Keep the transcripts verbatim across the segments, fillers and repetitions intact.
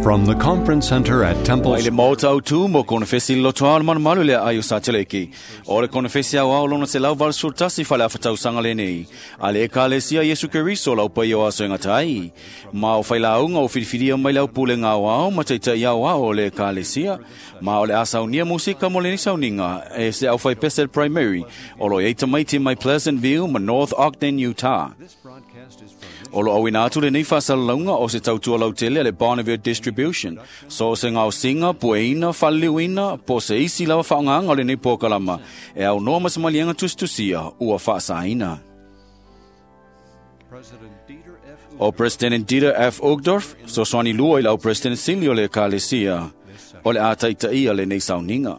From the Conference Center at Temple Mai le maota au tu mo konefesi loto ao le manumalu le ai o sa teleki. O le konefesi au ao lona te lau valu sultasi fale afatau sanga le nei. A le ekalesia Yesu Keriso lau pai o aso ngata ai. Ma o whailaunga o whiriwhiria mai lau pule ngā au ma teitai au ao le ekalesia. Ma o le asaunia musika mo le ni sauninga e se au whai pesel primary. O lo eita maiti mai Pleasant View ma North Ogden, Utah. O lo awina atu le nei whasalalaunga o se tautua lautele le Bonneville Distribution. So se ngau singa, pueina, whaliliuina, po se isi lawa whaonganga o le nei pōkalama. E au noa masamalianga tustusia, ua whaasaina. O President Dieter F. Uchtdorf, so swani lua i lau President Silio le Kalesia, o le ātaitaia le nei sauninga.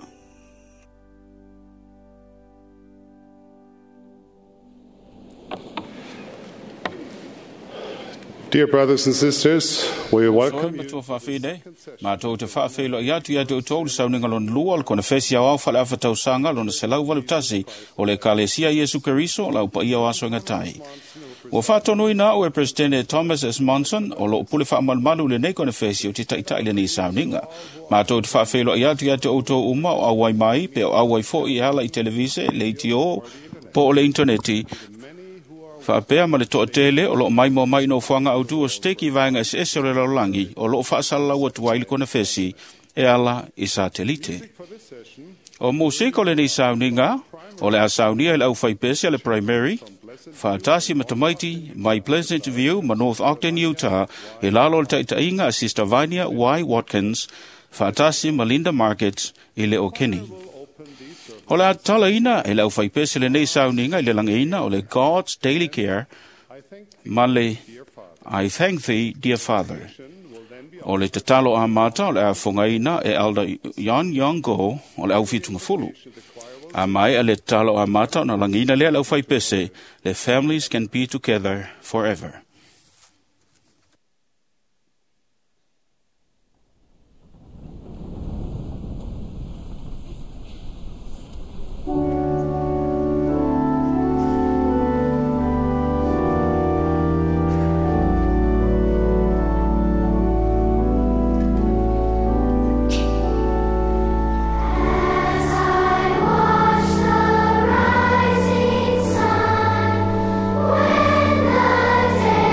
Dear brothers and sisters, we welcome you. Mātou te whaawhelo i atu i atu tōlu sauninga lona lua o le konefesi au au whale awhatau lona selau valu tasi o le Kalesia Yesu Keriso lau pa ia o aso ngatai. Ua whātonu ina o e Presidente Thomas S. Monson o lo pule whaamalumalu le nei konefesi o te taitai le nei sauninga. Mātou te whaawhelo i atu i atu o tō uma o auai mai pe o auai fo i hala i televise, le itio, po o le interneti. Whaapea ma le toatele o loo mai mo mai no whanga au tu o steki vaenga S S o le laulangi o loo whaasalau atu ai le konefesi e ala i satelite. O musiko le nei sauninga o le asaunia i le au whaipese le primary whaatasi matamaiti mai Pleasant View ma North Ogden, Utah e lalo le taitainga a Sister Vania Y. Watkins whaatasi ma Linda Markets i le Okeni. O le atalaina e lau whaipese le nei sauninga i le langeina o le God's Daily Care ma le I Thank Thee, Dear Father. O le tatalo a mata o le afongaina e Elder Yon Yong Go o le au whitunga fulu. A mai a le tatalo a mata o na langeina lea lau whaipese le Families Can Be Together Forever. Rising sun, when the day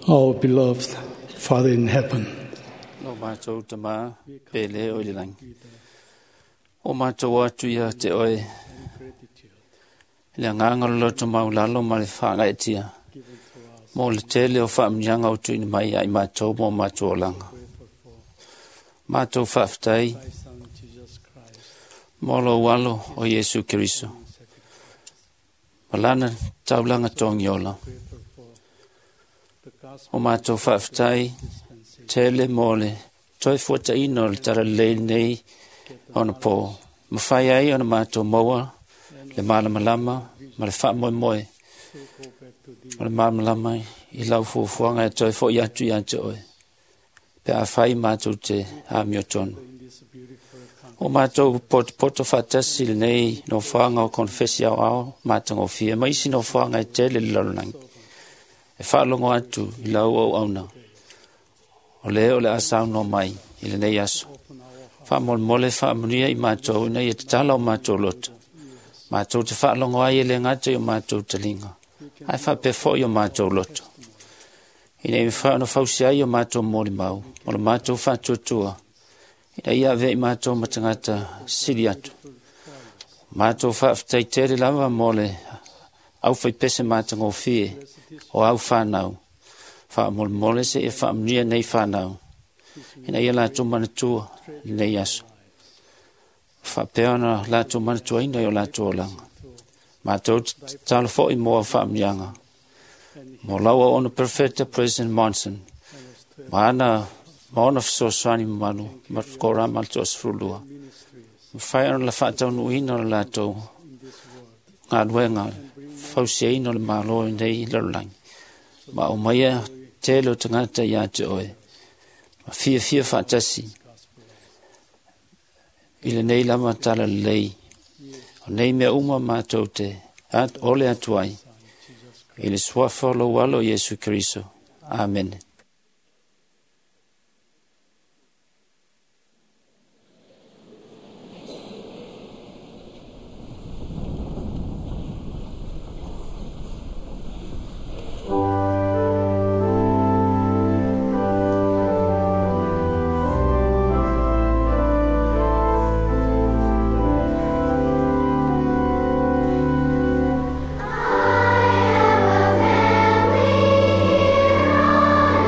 Our beloved Father in heaven, Lo mātou tamā pele o i le langi. O mātou atu ia te oe. Le anganga lo loto maulalo ma le whangaetia. Mo le tele o whaamnianga o tuini mai ai mātou mo mātou olanga. Mātou whaaftai mo lo walo o Yesu Keriso. Malana taulanga tongi ola. O mātou whaaftai tele mo le toi fuataina o le talalelei nei ona pō. Mawhai ai ona mātou maua le malamalama ma le whaamoemoe. O le malamalama i lau fuafuaga e toe fo'i atu ia te oe. Pe a whai mātou te āmio tonu. O mātou potopoto whaatasi lenei nofoaga o konefesi aoao matagofie ma isi nofoaga e tele le lalolagi. E faalogo atu i lau auauna. O le o le a saunoa mai i lenei aso. Faamolemole faamanuia i mātou ina ia tatala o mātou loto. Mātou te faalogo ai e le gata i o mātou taliga. Ae faapea fo'i o mātou loto. Ina ia mafai ona fausi ai o mātou molimau, o le mātou faatuatua, ina ia avea i mātou ma tagata sili atu. Mātou faafetai tele lava mo le aufaipese matagofie o au whanau. Faamolemole seia faamanuia nei whanau. Ina ia latou manatua lenei aso. Faapea ona latou manatuaina i o latou olaga. Mātou tatalo fo'i mo au faamanuiaga. Mo lau auauna Perfecta President Monson. Ma ana ma ona fesoasoani mamalu ma le koraga le toasefululua. Mafai ona la faataunuuina o le latou galuega fausiaina o le Malo i nei lalolagi. Ma aumaia tele o tagata ia te oe. Ma fiafia faatasi i lenei lava talalelei. O nei mea uma mātou te at, ole atu ai. I le suafa o lou alo Iesu Keriso. Amene. I have a family here on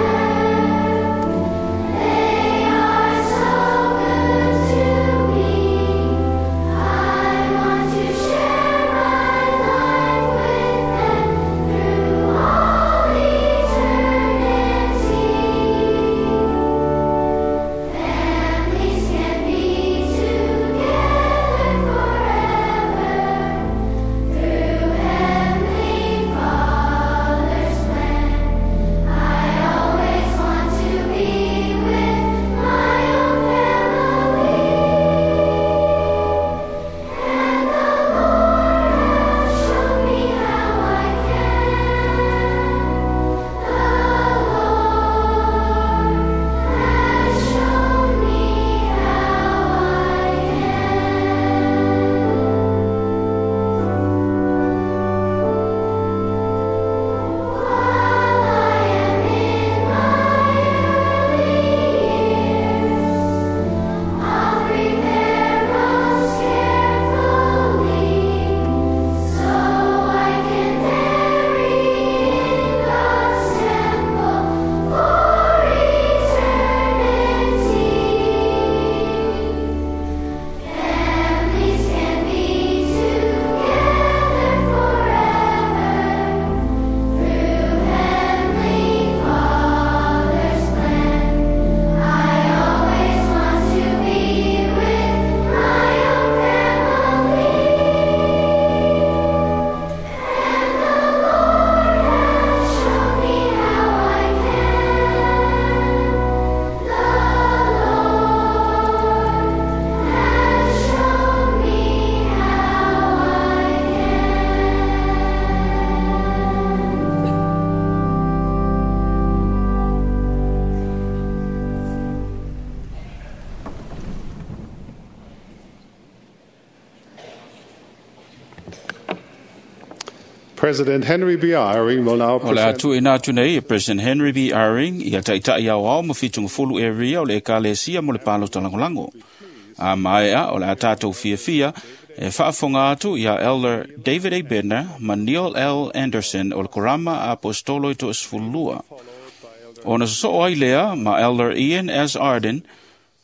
President Henry B. Eyring will now O le present atu ina atu nei e President Henry B. Eyring ia taitai au ao ma fitungafulu e ria o le ekalesia mo le palo talangolango. A maea o le a tātou fiafia e faafonga atu ia Elder David A. Bednar ma Neil L. Anderson o le Korama Apostolo i to esefululua. Ona sosoo ai lea ma Elder Ian S. Arden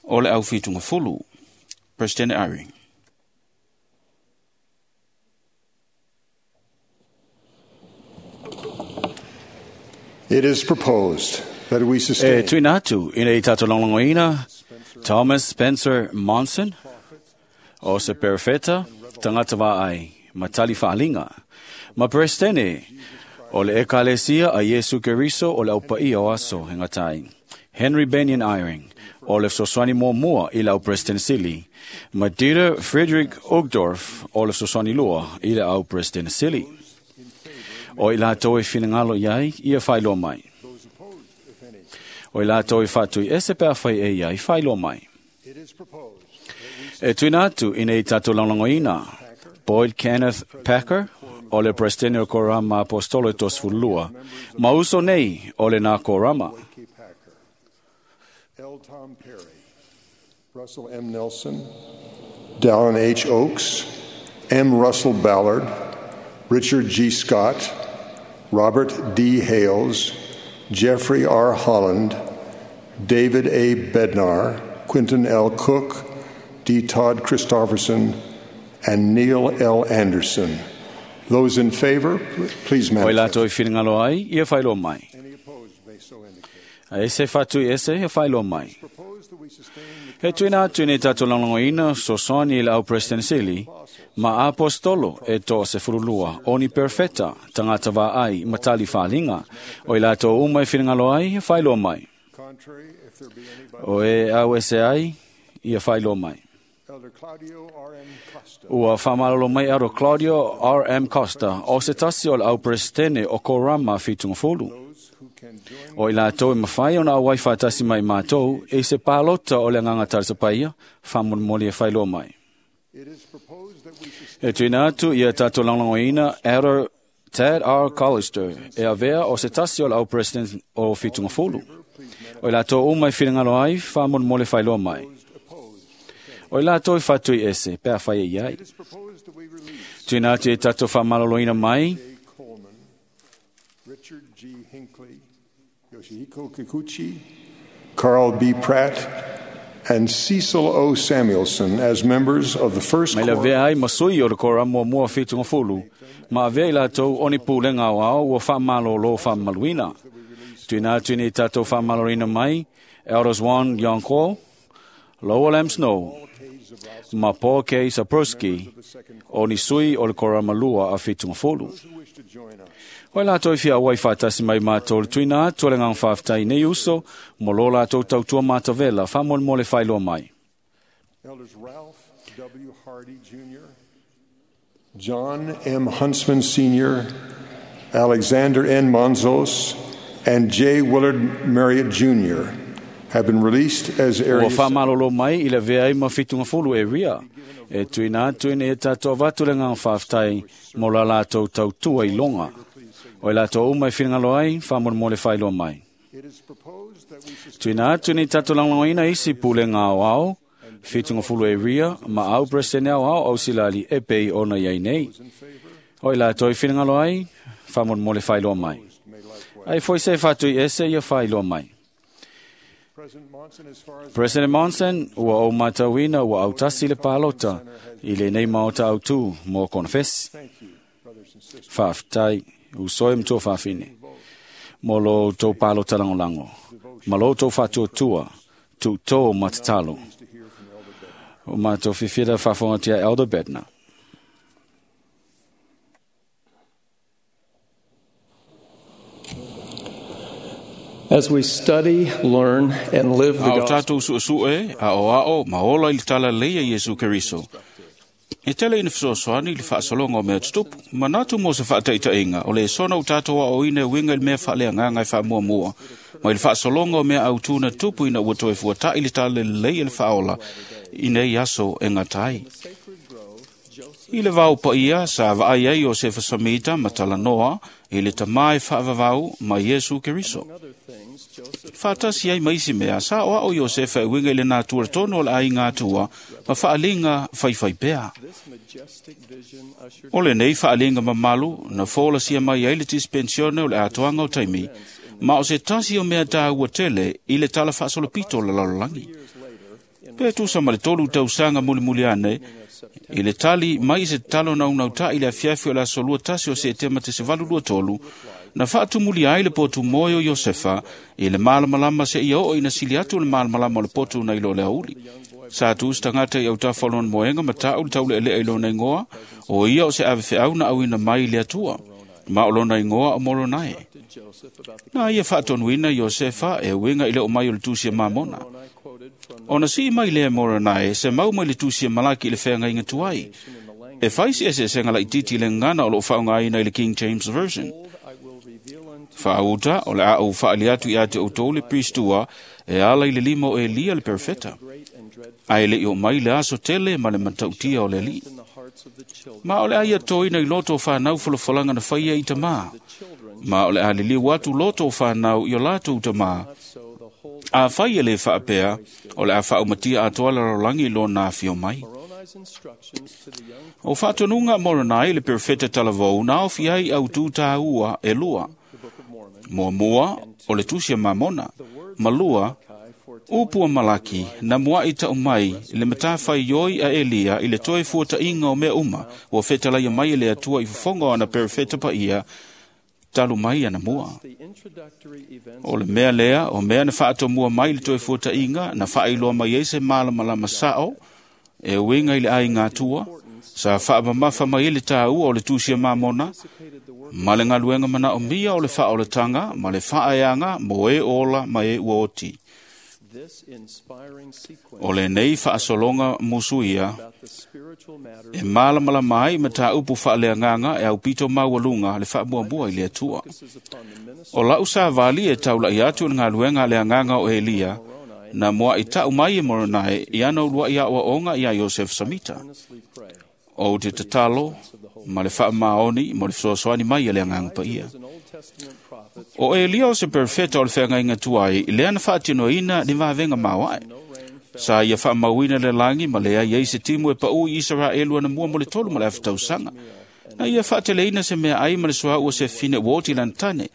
o le au fitungafulu. President Eyring. It is proposed that we E sustain tuina atu ina i tātou longlongoina Thomas Spencer Monson o se perfeta tangata vaai matali whaalinga. Ma presidente o le ekalesia a Yesu Keriso o le aupaia o aso he ngatai. Henry Benyon Eyring o le soswani mua i lau President Sili. Ma Dieter Frederick Uchtdorf o le soswani lua i le au President Sili. O i lātou e whinangalo iai, ia whailoa mai. O i lātou e whātui ese pēr whai e iai, whailoa mai. E tuina atu ina i tātou langlangoina, Boyd Kenneth Packer, o le Presidente o Korama Apostolo e Tosfulua, ma uso nei o le nā Korama. K. Packer, L. Tom Perry, Russell M. Nelson, Dallin H. Oaks, M. Russell Ballard, Richard G. Scott, Robert D. Hales, Jeffrey R. Holland, David A. Bednar, Quinton L. Cook, D. Todd Christofferson, and Neil L. Anderson. Those in favor, please O i manifest. lātou e whiringalo ai, ia whailoa mai. Any opposed may so indicate. A ese whātui ese, ia whailoa mai. Propose that we sustain the He tuina atu nei tātou langlangoina, sosoni i le au President Sili, ma apostolo e tō se furulua, o ni perfeta, tangata vā ai, matali whaalinga. O i lātou uma e whiringalo ai, ia whailoa mai. contrary, if there be any by O e au ese ai, ia whailoa mai. Elder Claudio R. M. Costa, Ua whamalalo mai aro Claudio R. M. Costa, o se tasi o le au presidente o Korama Fitungafulu. those who can join O i lātou e mawhai ona awai whaatasi mai mātou, e se pālota o le nganga tarisapaia, whamonmoli e whailoa mai. It is proposed that we sustain E tuina atu ia tātou langlangoina Elder Tad R. Collister, e avea o se tasi o le au president o Fitungafulu. O i lātou uma e whiringalo ai, whamonmoli whailoa mai. opposed. O i lātou e whatui ese, pea whai e iai. It is proposed that we release Tuina atu e tātou whamalaloina mai, J. Coleman, Richard G. Hinckley, Yoshihiko Kikuchi, Carl B. Pratt, and Cecil O. Samuelson as members of the first Mai la quorum vea ai masui o le kora mua mua whitunga fulu, ma avea i lātou oni pūlenga o ao ua whamalolo whamaluina. Tuina atu ni tātou whamalorina mai, Elders Juan Yonko, Lowell M. Snow, ma Paul K. Saperski, o ni sui o le kora malua a whitunga fulu. who wish to join us. Hoi lātou i fia awai whātasi mai mātou le tuina atu le ngang whāwhtai nei uso, mo lo lātou tautua mātavela, whamol le whailoa mai. Elders Ralph W. Hardy, Junior, John M. Huntsman, Senior, Alexander N. Monzos, and J. Willard Marriott, Junior have been released as Ua area whamalolo mai i le vea i mawhitunga fulu e ria. E tuina atu ina e tātou avatu le ngang whāwhtai mo la lātou tautua i longa. O i lātou uma i whiringalo ai, whamon le whailoa mai. It is proposed that we sustain Tuina atu ni tātou langlangoina isi pule ngā o ao, whitunga fulu e ria, ma au presene au ao au silali e pei ona iai nei. O i lātou i whiringalo ai, whamon le whailoa mai. may likewise. Ai foi se whatu i ese ia whailoa mai. President Monson, as far as President Monson, ua au matauina ua au tasi le pālota i le nei maota au tū mō konfesi. thank you, brothers and sisters. Whawhtai, usoe mtua whawhine. Mō lo tō pālota langolango. Ma lo tō whātua tua, tū tō matatalo. Pleased to hear from Elder Bednar. O mātou whiwhira whawhangatia Elder Bednar. As we study, learn, and live the A o gospel, tātou suesue, a o ao, ma ola i le tala leia Iesu Keriso. E tele ina fesoasoani i le faasologa o mea tutupu, manatu mo se faataitaiga o le sona o tātou aoina e uiga i le mea faaleagaga e faamuamua, ma i le faasologa o mea autū na tupu ina ua toe fuataʻi le tala lelei e le faaola i nei aso e gata ai. I le vau paia sa vaai ai Iosefa Samita ma talanoa i le tamā e faavavau ma Iesu Keriso. Faatasi ai ma isi mea sa o ao Iosefa e uiga i le natura tonu o le aiga atua ma faaliga faifai pea. O lenei faaliga mamalu na folasia mai ai le dispensione o le atoaga o taimi, ma o se tasi o mea tāua tele i le tala faasolopito o le lalolagi. Pe tusa ma le tolu tausaga mulimuli ane, i le tali mai se tatalo naunautai i le afiafi o le aso lua tasi o Setema te se valu lua tolu, na faatumuli ai le potu moe o Iosefa i le malamalama seia oo ina sili atu le malamalama o le potu nai lo le auli. Sa tu se tagata i autafa o lona moega ma ta'u le taule'ele'e i lona igoa, o ia o se avefeau na auina mai i le Atua, ma o lona igoa o Moronae. Na ia faatonuina Iosefa e uiga i le oo mai o le tusi a Mamona. Ona sii mai lea Moronae se mau mai le tusi a Malaki i le feagaiga tuai. E fai se eseesega laitiiti i le gagana o loo faaaogaina i le King James Version. Faauta o le a ou faali atu ia te outou le pristua e ala i le lima o Elia le perofeta. Ae le i oo mai le aso tele ma le matautia o le Alii. Ma o le a ia toina i loto o whanau folafolaga na faia i tamā. Ma o le a liliu atu loto o whanau i o latou tamā. A fai e le faapea, o le a faaumatia atoa le lalolagi i lona afio mai. O faatonuga a Moronai le perofeta talavou na aofia ai autū tāua e lua. Muamua, o le tusi a Mamona. Ma lua, upu a Malaki na mua'i ta'u mai le matafaioi a Elia i le toe fuata'iga o mea uma ua fetalaia mai e le Atua i fofoga o ana perofeta paia talu mai ana mua. O le mea lea, o mea na faatomua mai le toe fuata'iga na faailoa mai ai se malamalama sa'o e uiga i le aiga atua, sa faamamafa mai ai le tāua o le tusi a Mamona, ma le galuega manaomia o le faaolataga ma le faaeaga mo e ola ma e ua oti. O lenei faasologa musuia e malamalama ai mataupu faaleagaga e aupito maualuga le faamuamua i le Atua. O la'u savali e taula'i atu i le galuega a le agaga o Elia, na mua'i ta'u mai e Moronae i ana ulua'i aʻoaʻoga iā Iosefa Samita. Ou te tatalo ma le faamaoni mo le fesoasoani mai a le Agaga Paia. O Elia o se perofeta o le feagaiga tuai, lea na faatinoina ni vavega maoae. Sa ia faamauina le lagi ma leai ai se timu e paʻu i Isaraelu anamua mo le tolu ma le afa tausaga. Na ia faateleina se meaai ma le suaʻu o se fine ua oti lana tane.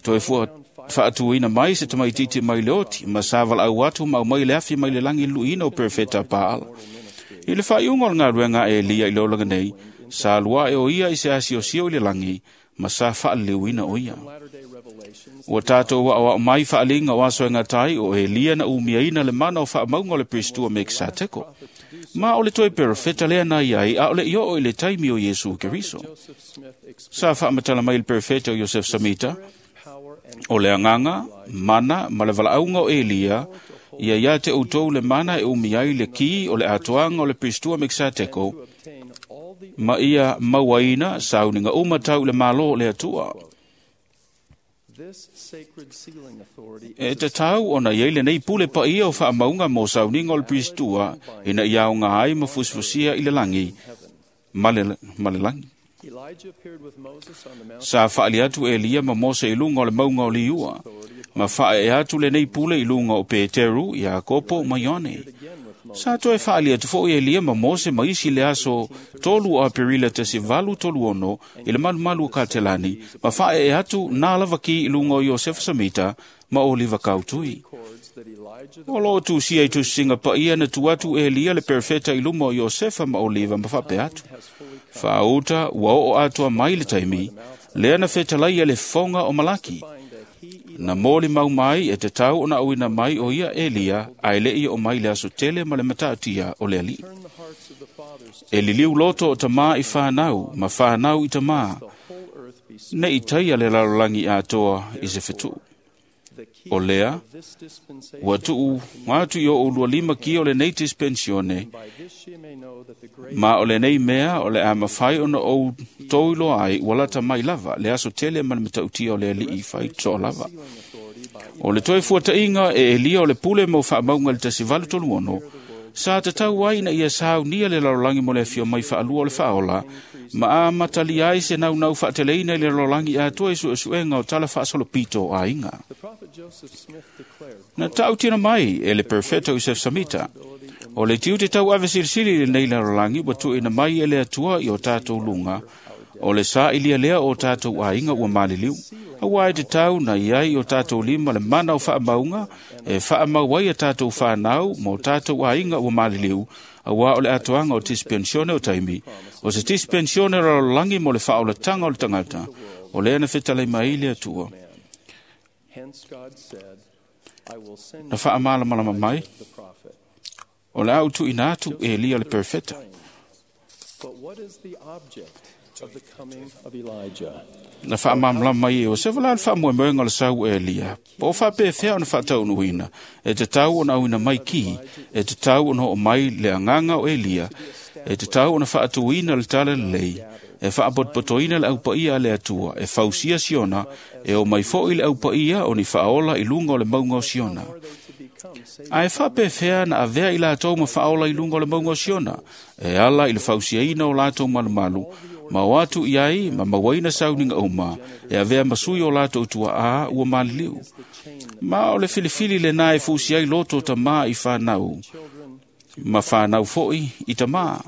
Toe fua faatuina mai se tamaitiiti mai le oti, ma sa valaau atu ma aumai le afi mai le lagi i le luiina o perofeta a Paala. I le faaiuga o le galuega a Elia i le olaga nei, sa luaʻe o ia i se asiosio i le lagi, ma sa faaliliuina o ia. Ua tatou aʻoaʻo mai faaliga o aso e gatai o Elia na umiaina le mana o faamauga o le Pristua Mekisateko. Ma o le toe perofeta lea na iai a o le i oo i le taimi o Iesu Keriso. Sa faamatala mai le perofeta o Iosef Samita, o le agaga, mana ma le valaauga o Elia, ia ia te outou le mana e umi ai le ki o le atoaga o le Pristua Mekisateko, ma ia mauaina sauniga uma tau i le Malo o le Atua. E tatau ona iai lenei pule paia o faamauga mo sauniga o le Pristua ina ia aoga ai ma fusifusia i le lagi ma le, ma le lagi. Sa faali atu Elia ma Mose i luga o le mauga o Liua, ma faaee atu lenei pule i luga o Peteru, Iakopo ma Ioane. Sa toe faali atu foʻi Elia ma Mose ma isi le aso tolu o Aperila tasi valu tolu ono i le malumalu o Katelani, ma faaee atu nā lava ki i luga o Iosefa Samita ma Oliva Kautui. O loo tusia i tusisiga paia na tu atu Elia le perofeta i luma o Iosefa ma Oliva ma faapea atu. Faauta ua oo atoa mai le taimi, lea na fetalaia le fofoga o Malaki. Na moli mau mai e tatau ona auina mai o ia Elia, ae leʻi oo mai le aso tele ma le matautia o le Alii. E liliu loto o tamā i whanau, ma whanau i tamā, ne i taia le lalolagi atoa i se fetuʻu. O lea, ua tuu atu i o'u lua lima ki o lenei dispensione, ma o lenei mea o le a mafai ona ou tou iloa ai ua lata mai lava le aso tele ma le matautia o le Alii fai toa lava. O le toe fuata'iga e Elia o le pule mo faamauga i le tasi valu tolu ono, Sa tatau ai ina ia saunia le lalolagi mo le afio mai faalua o le faaola, ma amatalia ai se naunau faateleina i le lalolagi atoa i suesuega o tala faasolopito o aiga. Na tautino mai e le Perfeto Iosef Samita, o le tiute tauave silisili i lenei lalolagi ua tuuina mai e le Atua i o tatou luga, o le sa'ilia lea o tatou aiga ua maliliu, auā e tatau na i ai o tatou lima le mana o faamauga e faamau ai a tatou fanau ma o tatou aiga ua maliliu, auā o le atoaga o dispensione o taimi, o se dispensione lalolagi mo le faaolataga o le tagata, o lea na fetalai mai ai le Atua. Na faamalamalama mai, o le a utuina atu e Elia le perfeta. Na faamalamalama mai e Iosefa la le faamoemoega o le sau e Elia, po o faapefea ona faataunuuina, e tatau ona auina mai ki, e tatau ona oo mai le agaga o Elia, e tatau ona faatuina le tala lelei, e faapotopotoina le aupaia a le Atua, e fausia Siona, e o mai foi le aupaia o ni faaola i luga o le mauga o Siona. Ae faapefea na avea i latou ma faaola i luga o le mauga o Siona, e ala i le fausiaina o latou malumalu, ma o atu i ai ma mauaina sauniga uma, e avea ma sui o latou tuaā ua maliliu. Ma o le filifili lenā e fusi ai loto tamā i whanau, ma whanau foi i tamā.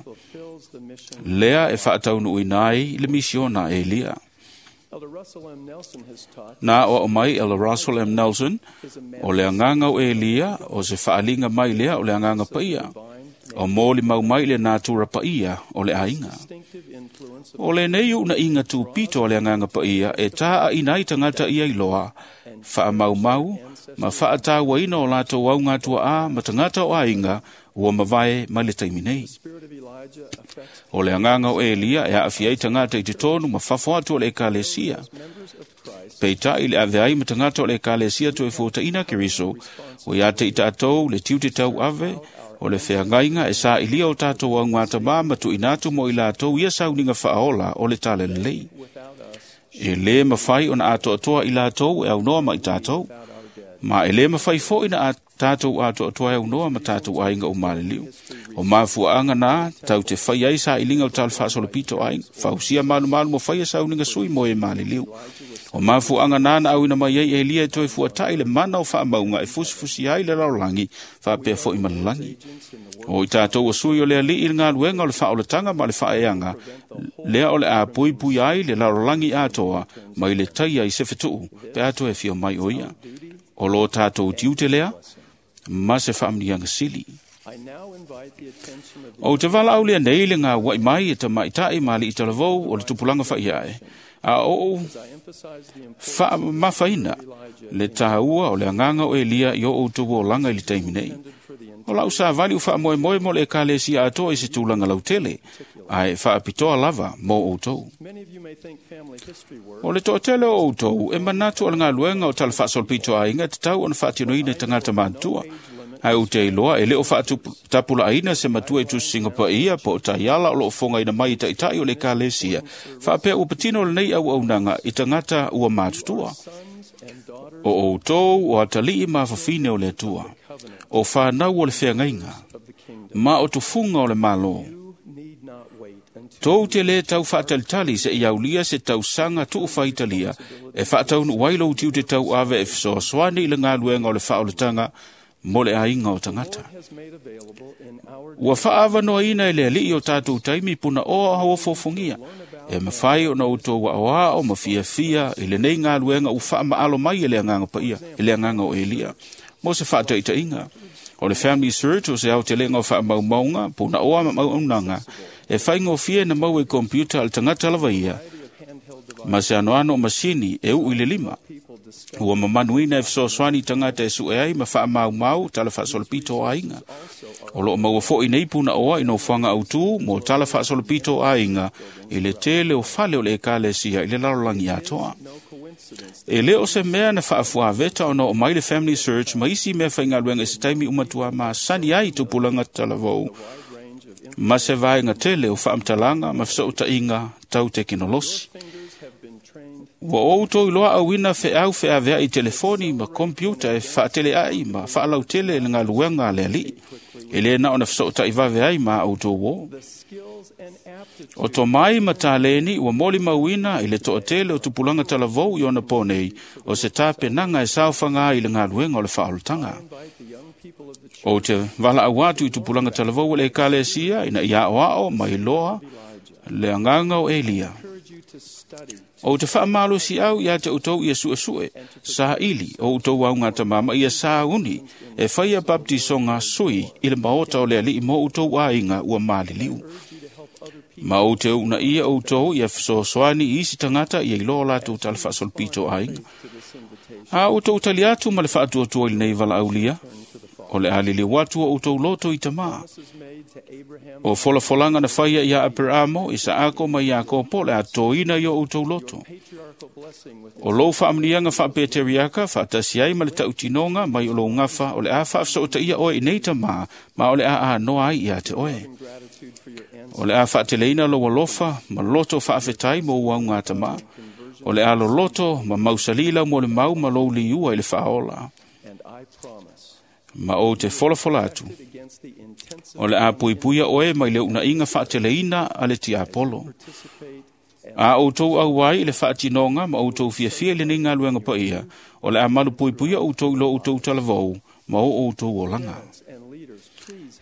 Lea e faataunuuina ai le misiona e Elia. Na o au mai Elder Russell M. Nelson, o le agaga o Elia, o se faaliga mai lea o le agaga paia, o moli mau mai le natura paia o le aiga. O lenei uunaiga tupito o le agaga paia e tā'aina ai tagata ia iloa, faamaumau ma faatauaina o latou augatuaā ma tagata o aiga ua mavae mai le taimi nei. O le agaga o Elia e aafia ai tagata i totonu ma fafo atu o le ekalesia. Peitai le ave ai ma tagata o le ekalesia toe fuataina Keriso, o ia te i tatou le tiute tauave, o le feagaiga e sa'ilia o tatou augatamā ma tuuina atu mo i latou ia sauniga faaola o le tala lelei. E lē mafai ona atoatoa i latou e aunoa ma i tatou, ma e lē mafai fo'i na tatou atoatoa e aunoa ma tatou aiga o maliliu. O mafuaaga na tau te fai ai sailiga o tala faasolopito aiga, fausia malumalu mo faia sauniga sui mo e maliliu. O mafuaaga na na auina mai ai Elia e toe fuata'i le mana o faamauga e fusifusi ai le lalolagi faapea fo'i ma le lagi. O i tatou o sui o le ali'i i le galuega o le faaolataga ma le faaeaga, lea o le a puipui ai le lalolagi atoa mai le taia i se fetu'u pe a toe fia mai o ia. O lo tatou tiute lea, ma se faamniaga sili. O te valaau lea nei le gaua'i mai e tamaita'i ma ali'i talavou o le tupulaga fa'iae, a o'u faamamafaina le tāua o le agaga o Elia i o outou olaga i le taimi nei. O la'u savali u faamoemoe mo le ekalesia atoa i se tulaga lautele, ae faapitoa lava mo outou. O le toatele o outou e manatu o le galuega o tala faasolopito aiga e tatau ona faatinoina e tagata matutua, ae ou te iloa e lē o faatapulaaina se matua i tusisiga paia po o taiala o loo fogaina mai i taʻitaʻi o le ekalesia, faapea ua patino lenei auaunaga i tagata ua matutua. O outou o atalii ma afafine o le Atua, o fanau o le feagaiga, ma o tufuga o le Malo. Tou te lē tau faatalitali seʻia aulia se tausaga tuufaitalia e faataunuu ai lou tiute tauave e fesoasoani i le galuega o le faaolataga mo le aiga o tagata. Ua faaavanoaina e le ali'i o tatou taimi punaoa auofofogia, e mafai ona outou aoao ma fiafia i lenei galuega ua faamaalo mai e le agaga paia, e le agaga o Elia. Mo se faataʻitaʻiga, o le Family Search o se aotelega o faamaumauga, punaoa ma auaunaga, e faigofie na maua i computer a le tagata lava ia, ma se anoano o masini e u'u i le lima. Ua mamanuina e fesoasoani tagata e su'e ai ma faamaumau tala faasolopito o aiga. O loo maua fo'i nei punaoa i nofoaga autū mo tala faasolopito o aiga i le tele o fale o le ekalesia i le lalolagi atoa. E lē o se mea na faafuaveta ona oo mai le Family Search ma isi mea faigaluega i se taimi umatuā masani ai tupulaga talavou ma se vaega tele o faamatalaga ma fesoʻutaʻiga tau tekenolosi. Ua outou iloa auina feau feaveaʻi i telefoni ma kompiuta e faateleʻaʻi ma faalautele le galuega a le ali'i. E le na ona feso'ota'i vave ai ma a outou ō. O tomai ma taleni ua molimauina i le to'atele o tupulaga talavou i ona pō nei o se tapenaga e saofaga ai i le galuega o le faaolataga. Ou te valaau atu i tupulaga talavou o le ekalesia ina ia aoao ma iloa le agaga o Elia. Ou te faamalosiau ia te outou ia suesue, saili o outou augatama ma ia sauni e faia baptisoga sui i le maota o le alii mo outou aiga ua maliliu. Ma ou te uunaia outou ia fesoasoani i isi tagata ia iloa o latou tala faasolopito aiga. A outou tali atu ma le faatuatua i lenei valaaulia, o le a liliu atu o outou loto i tamā. O folafolaga na faia ia Aperaamo, Isaako ma Iakopo le a toina i o outou loto. O lou faamanuiaga faapeteriaka faatasi ai ma le tautinoga mai o lou gafa o le a faafesootaia oe i nei tamā ma o le a anoa ai ia te oe. O le a faateleina lou alofa ma loto faafetai mo ou augatamā. O le a loloto ma mausali lau molimau ma lou liua i le faaola. Ma ou te folafola atu, o le a puipuia oe mai le unaiga faateleina a le tiapolo. A outou auai i le faatinoga ma outou fiafia i lenei galuega paia, o le a malu puipuia outou i lo outou talavou ma o outou olaga.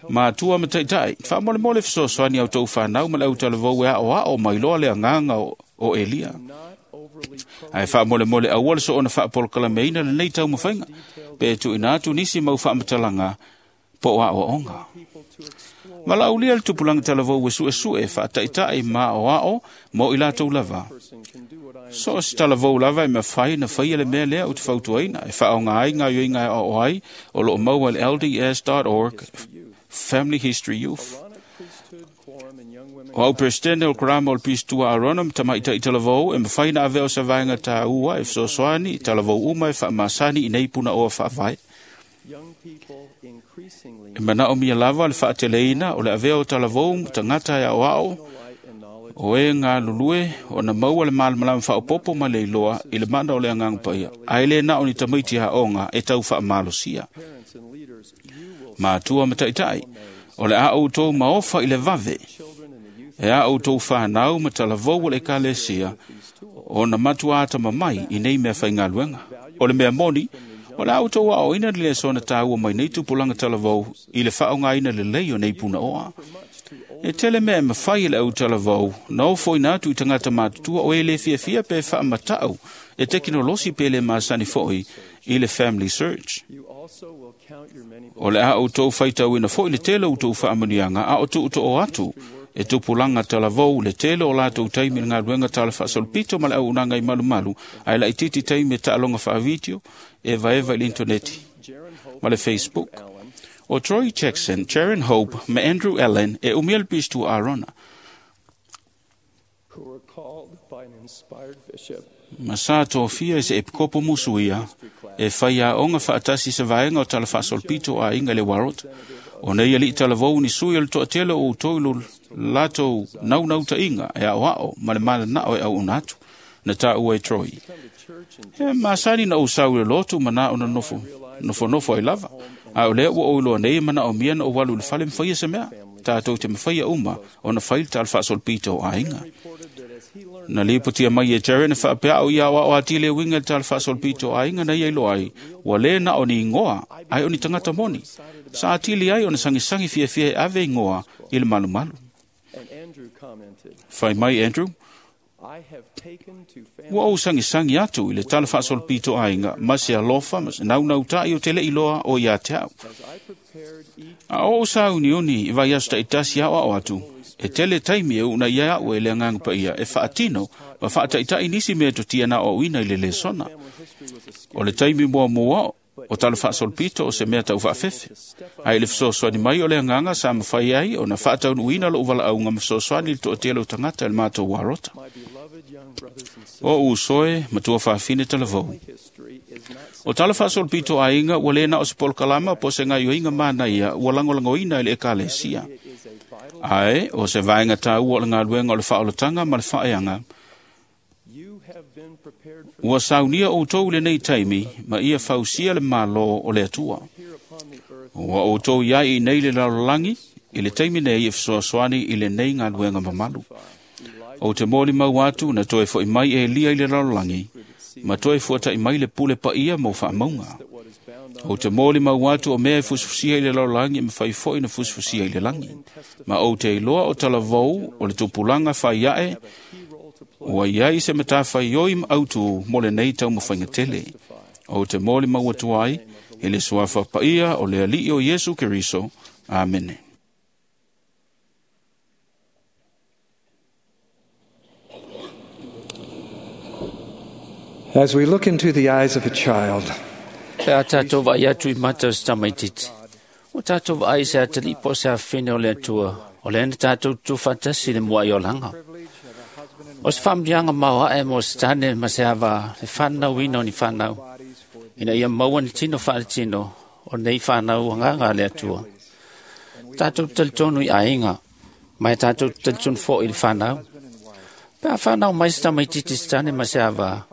Matua ma taita'i, faamolemole fesoasoani a outou fanau ma le autalavou e aoao mai loa le agaga o, o Elia. Ae faamolemole aua le soona faapolokalameina lenei taumafaiga, pe tuuina atu nisi mau faamatalaga po o aoaoga. Valaaulia le tupulaga talavou e suesue faataita'i ma aoao mo i latou lava. So o se talavou lava e mafai na faia le mea lea ou te fautuaina e faaaoga ai gaoioiga e aoao ai o loo maua i le L D S dot org Family History Youth. O au presidente o le Karama o le Pistua Arona ma tamaita'i talavou e mafai na avea o se vaega tāua e fesoasoani i talavou uma e faamasani i nei punaoa faavae. E manaomia lava le faateleina o le avea o talavou ma tagata e aoao o e galulue ona maua le malamalama faaopopo ma le iloa i le mana o le agaga paia, ae le na o ni tamaiti aoga e tau faamalosia. Matua ma taita'i, o le a outou maofa i le vave, e a outou fanau ma talavou o le ekalesia, ona matua atamamai i nei mea faigaluega. O le mea moni, o le a outou aoaoina le lesona tāua mai nei tupulaga talavou i le faaaogaina lelei o nei punaoa. E tele mea e mafai e le au talavou, na ofoina atu i tagata matutua o e le fiafia pe faamatau e tekinolosi pe le masani foi i le Family Search. O le a outou faitauina foi le tele o outou faamanuiaga a o tuutoo atu e tupulaga talavou le tele o latou taimi i le galuega tala faasolopito ma le auaunaga i malumalu, ae laitiiti taimi e taaloga faavitio e vaeva i le intaneti ma le Facebook. O Troy Jackson, Sharon Hope ma Andrew Allen e umia le Pistua Arona. Ma sa tofia e se epikopo musuia e whai aoga faatasi se vaega o tala faasolopito aiga i le Warot. O nei alii talavou ni sui o le toatele o outou i lo latou naunautaiga e aoao ma le malanao e auauna atu, na taua e Troy. E masani na ou sau i le lotu ma na ona nofo, nofonofo ai lava. A o lea ua ou iloa nei e manaomia na ou alu i le fale ma faia se mea. Tātou te mafaia uma ona fai le tala faasolopito o aiga. Na lipotia mai e Jared na faapeao ia aoao atili e uiga i le tala faasolopito o aiga na ia iloa ai, ua le na o ni ingoa, ae o ni tagata moni. Sa atili ai ona sagisagi fiafia e ave ingoa i le malumalu. Fai mai Andrew, ua ou sagisagi atu i le tala faasolopito aiga ma se alofa ma se naunautai o te le iloa o ia te au. A o ou sauniuni i vaiaso taitasi aoao atu, e tele taimi e uuna ia au e le agaga paia e faatino ma faataitai nisi mea totia na aoaoina i le lesona. O le taimi muamua o tala faasolopito o se mea taufaafefe. Ae i le fesoasoani mai o le agaga sa mafai ai ona faataunuuina lou valaauga ma fesoasoani i le toatele o tagata i le matou arota. O usoe matua faafine talavou. O tala faasolopito aiga ua le na o se polokalama po o se gaoioiga manaia ua lagolagoina i le ekalesia. Ae o se vaega tāua o le galuega o le faaolataga ma le faaeaga Ua saunia outou lenei taimi ma ia fausia le malo o le Atua. Ua outou iai i nei le lalolagi i le taimi nei e fesoasoani i lenei galuega mamalu. O te molimau atu na toe fo'i mai Elia i le lalolagi ma toe fuata'i mai le pule paia mo faamauga. O te molimau atu o mea e fusifusia i le lalolagi e mafai fo'i na fusifusia i le lagi. Ma ou te iloa o talavou o le tupulaga faia'e ua iai se matafaioi ma autu mo lenei taumafaiga tele. O te molimau atu ai i le suafa paia o le Alii o Iesu Keriso. Amene. As we look into the eyes of a child, Pe a tātou vai atu i mata o se tamaititi. O tātou vai se atali po se awhine o le atua. O le ena tātou tūwhatasi le mua i olanga. O se whamdianga mau ae mo se tane ma se awa, le whanau ina o ni whanau. Ina ia maua ni tino whaale tino, o nei whanau anganga le atua. Tātou talitonu i ainga, mai tātou talitonu fo i le whanau. Pe a whanau mai se tamaititi se tane ma se awa,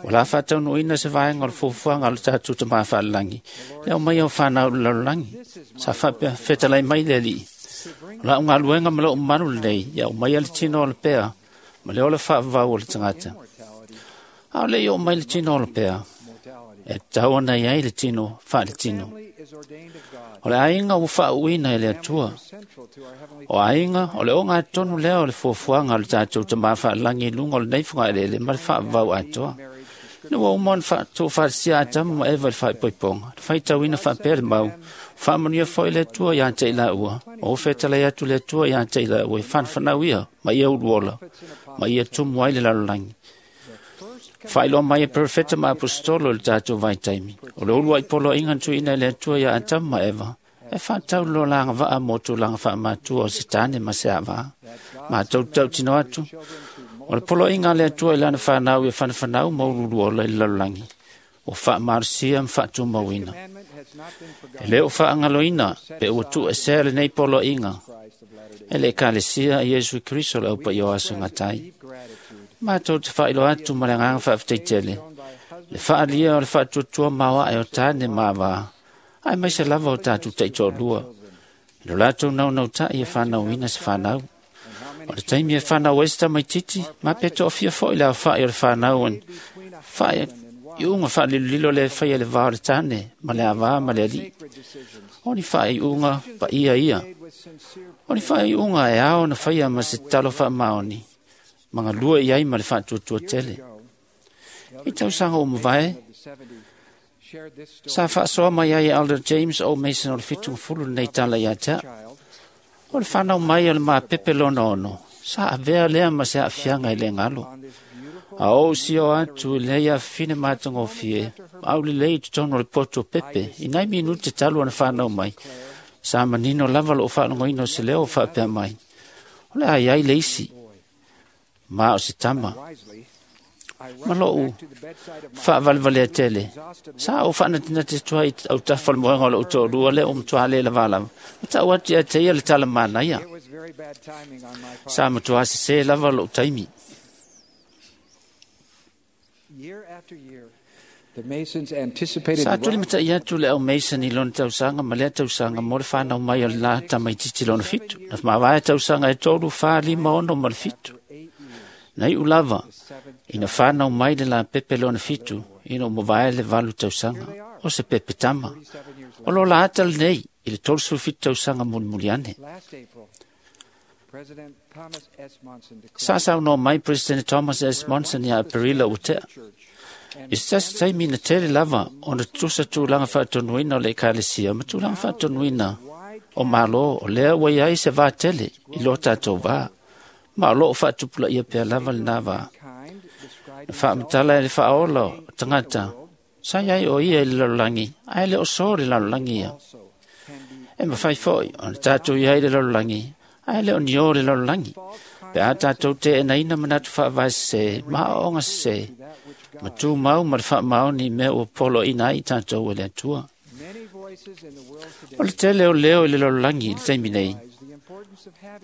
o la whātaunu ina se vaenga o le fuafuaga o le tātou te māwhaalalangi. Le au mai au whanau le lalolagi. Sa whapea whetalai mai le alii. O la unga luenga ma loo manu lenei, ia o mai a le tino o le pea, ma le ola whaavau o le tangata. A o le i o mai le tino o le pea, e tau ana iai le tino, wha le tino. O le ainga ua whaauina e le atua. O ainga, o le o ngā tonu lea o le fuafuaga o le tātou te māwhaalalangi i lunga o le neifunga elele ma le whaavau atoa. Na ua uma ona faatofalisia Atamu ma Eva i le faaipoipoga, le faitauina faapea le mau, faamanuia foi le Atua iā te i laua, o fetalai atu le Atua iā te i laua i whanawhanau ia, ma ia uluola, ma ia tumu ai le lalolagi. Faailoa mai e perofeta ma apostolo i le tātou vaitaimi, o le ulu ai poloaiga na tuuina i le Atua iā Atamu ma Eva, e whātau lo langa vaa mō tūlanga whaamatua o se tāne ma se avā. Mātou tautino atu, o le poloaiga a le Atua i lana whanau ia whanawhanau ma ululuola i le lalolagi, o whaamarusia ma whaatumauina. E leo whaangaloina pe ua tuuesea lenei poloaiga e le Ekalesia a Iesu Keriso le aupa i o aso gatai. Mātou te whaailoa atu ma le agaga faafetaitele, le faalia o le faatuatua maoae o tāne ma avā, ae maise lava o tātou taitoalua. I lo latou naunautai e whanauina se whanau. O le taimi e whanau ai se tamaititi, ma pe toafia foi le aofai o le whanau an whae i unga whaalililo le whaia le vā o le tāne, ma le avā ma le alii. O ni whae i unga pa ia ia. O ni whae i unga e ao na whaia ma se talo wha maoni, ma ngā lua i ai ma le whaatuatua tele. I tausanga o mavae, sa whaasoa mai ai Elder James O. Mason o le whitunga fulu nei tala ia tea. O le whanau mai o le māpepe lona ono, sa avea lea ma se aafiaga i le galo. A ou sio atu i lei afine matagofie, ma au lelei i totonu o le poto o pepe, i nai minute talu ona whanau mai. Sa manino lava loo faalogoina o se leo o faapea mai. O le ai ai le isi, ma o se tama. Ma loo faavalevalea tele. Sa ou faanatinati atu ai autafa o le moega o lou toalua lea o matuā le lava lava. Ma tau atu ia te ia le tala manaia. Sa matuā sesē lava lou taimi. Sa tuli matai atu le au Mason i lona tausaga ma lea tausaga mo le whanau mai o le la tamaititi lona fitu. Na mavae tausaga e tolu, whā, lima, ono ma le fitu. Na iu lava, ina whanau mai le la pepe lona fitu, ina o mavae le valu tausaga, o se pepe tama. O lo la ata lenei, i le tolu fitu tausaga mulimuli ane. Sa saunoa mai President Thomas S. Monson ia Aperila ua tea. I se tasi taimi na tele lava ona tusa tulaga faatonuina o le Ekalesia ma tulaga faatonuina o malo o lea ua iai se vā tele i lo tātou vā. Ma o loo faatupulaia pea lava lenā vā. Na faamatala e le faaola o tagata, sa iai o ia i le lalolagi, ae le o sō le lalolagi ia. E mawhai foi ona tātou iai le lalolagi, ae le o ni o le lalolagi. Pe a tātou te enaina manatu faavae sesē, ma aoaoga sesē, ma tumau ma le faamaoni i mea ua poloaiina ai i tātou e le Atua. O le tele o leo i le lalolagi i le taimi nei,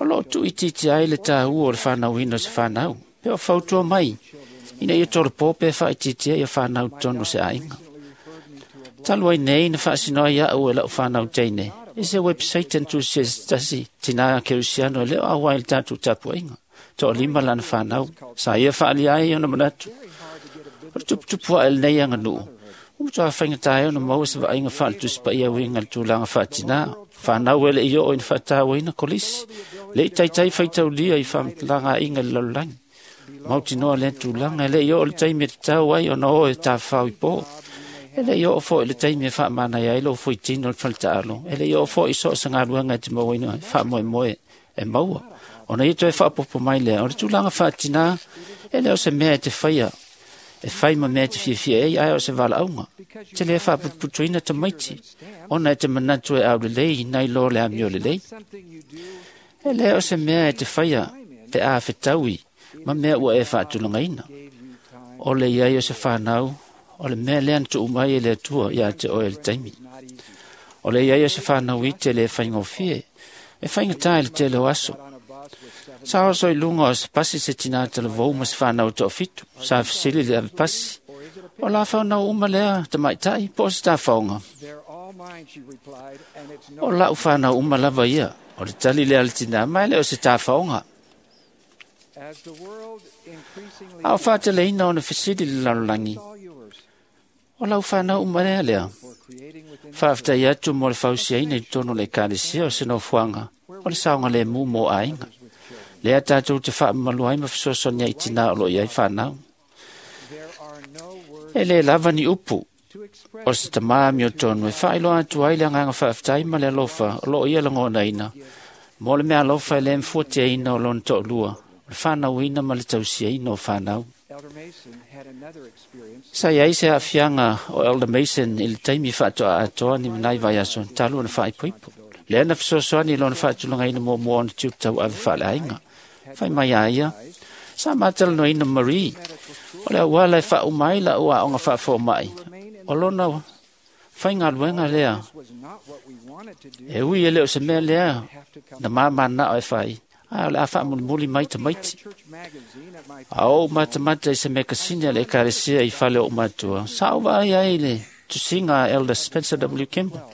o loo tuuitiiti ai le tāua o le whanauina o se whanau, pe o fautua mai Ina ia tolopo pe faaitiitia ia fanau totonu o se aiga. Talu ai nei na faasinoa iaʻu e laʻu fanau teine i se website na tusia e se tasi tinā kerisiano e le o auai i le tatou tapuaiga. Toʻalima lana fanau, sa ia faaalia ai ona manatu. O le tuputupu aʻe lenei aganuu, ua matuā faigata ai ona maua se vaaiga faaletusi paia uiga i le tulaga faatinā. Fanau e leʻi oo ina faatauaina kolisi, leʻi taitai faitaulia i faamatalaga aiga i le lalolagi. Mautinoa lea tulaga e leʻi oo le taimi e tatau ai ona o e tafafao i po. E leʻi oo foi i le taimi e faamanaia ai lou fuaitino i le faletaalo. E leʻi oo foi i so o se galuega e te mauaina faamoemoe e maua. Ona ia toe faaopoopo mai lea, o le tulaga faatinā e le o se mea e te faia e fai ma mea e te fiafia ai, ae o se valaauga. Te lē faaputuputuina tamaiti, ona e te manatu e aulelei nai lo le amio lelei. E lē o se mea e te faia pe a fetaui ma mea ua e faatulagaina. O le iai o se fanau, o le mea lea na tuu mai e le Atua iā te oe i le taimi. O le iai o se fanau ite le faigofie, e faigata i le tele o aso. Sa oso i luga o se pasi se tinā talavou ma se fanau toafitu, sa fesili le ave pasi. O la fanau uma lea tamaitai po o se tafaoga. O lau fanau uma lava ia, o le tali lea a le tinā, ma e le o se tafaoga. A o faateleina ona fesili le lalolagi, o lau fanau uma lea lea. Faafetai atu mo le fausiaina i totonu o le ekalesia o se nofoaga o le saogalemu mo aiga. Lea tatou te faamamalu ai ma fesoasoani ai i tinā o lo o i ai fanau. E lē lava ni upu o se tamā amiotonu e faailoa atu ai le agaga faafetai ma le alofa o lo o ia lagonaina mo le meaalofa e lē mafuatiaina o lona toalua, o le fanauina ma le tausiaina o fanau. Sa iai se aafiaga o Elder Mason i le taimi faatoa atoa ni manai vaiaso talu ona faaipoipo. Lea na fesoasoani i lona faatulagaina muamua ona tiute tauave faaleaiga. Fai mai a ia, sa matalanoaina Marie, o le auala e faauma ai laʻu aoga faafomaʻi, o lona faigaluega lea. E ui e le o se mea lea na mamanao e fai, ae o le a faamulimuli mai tamaiti. A ou matamata i se mekasini a le ekalesia i fale o ou matua, sa ou vaai ai i le tusiga a Elder Spencer W. Kimball.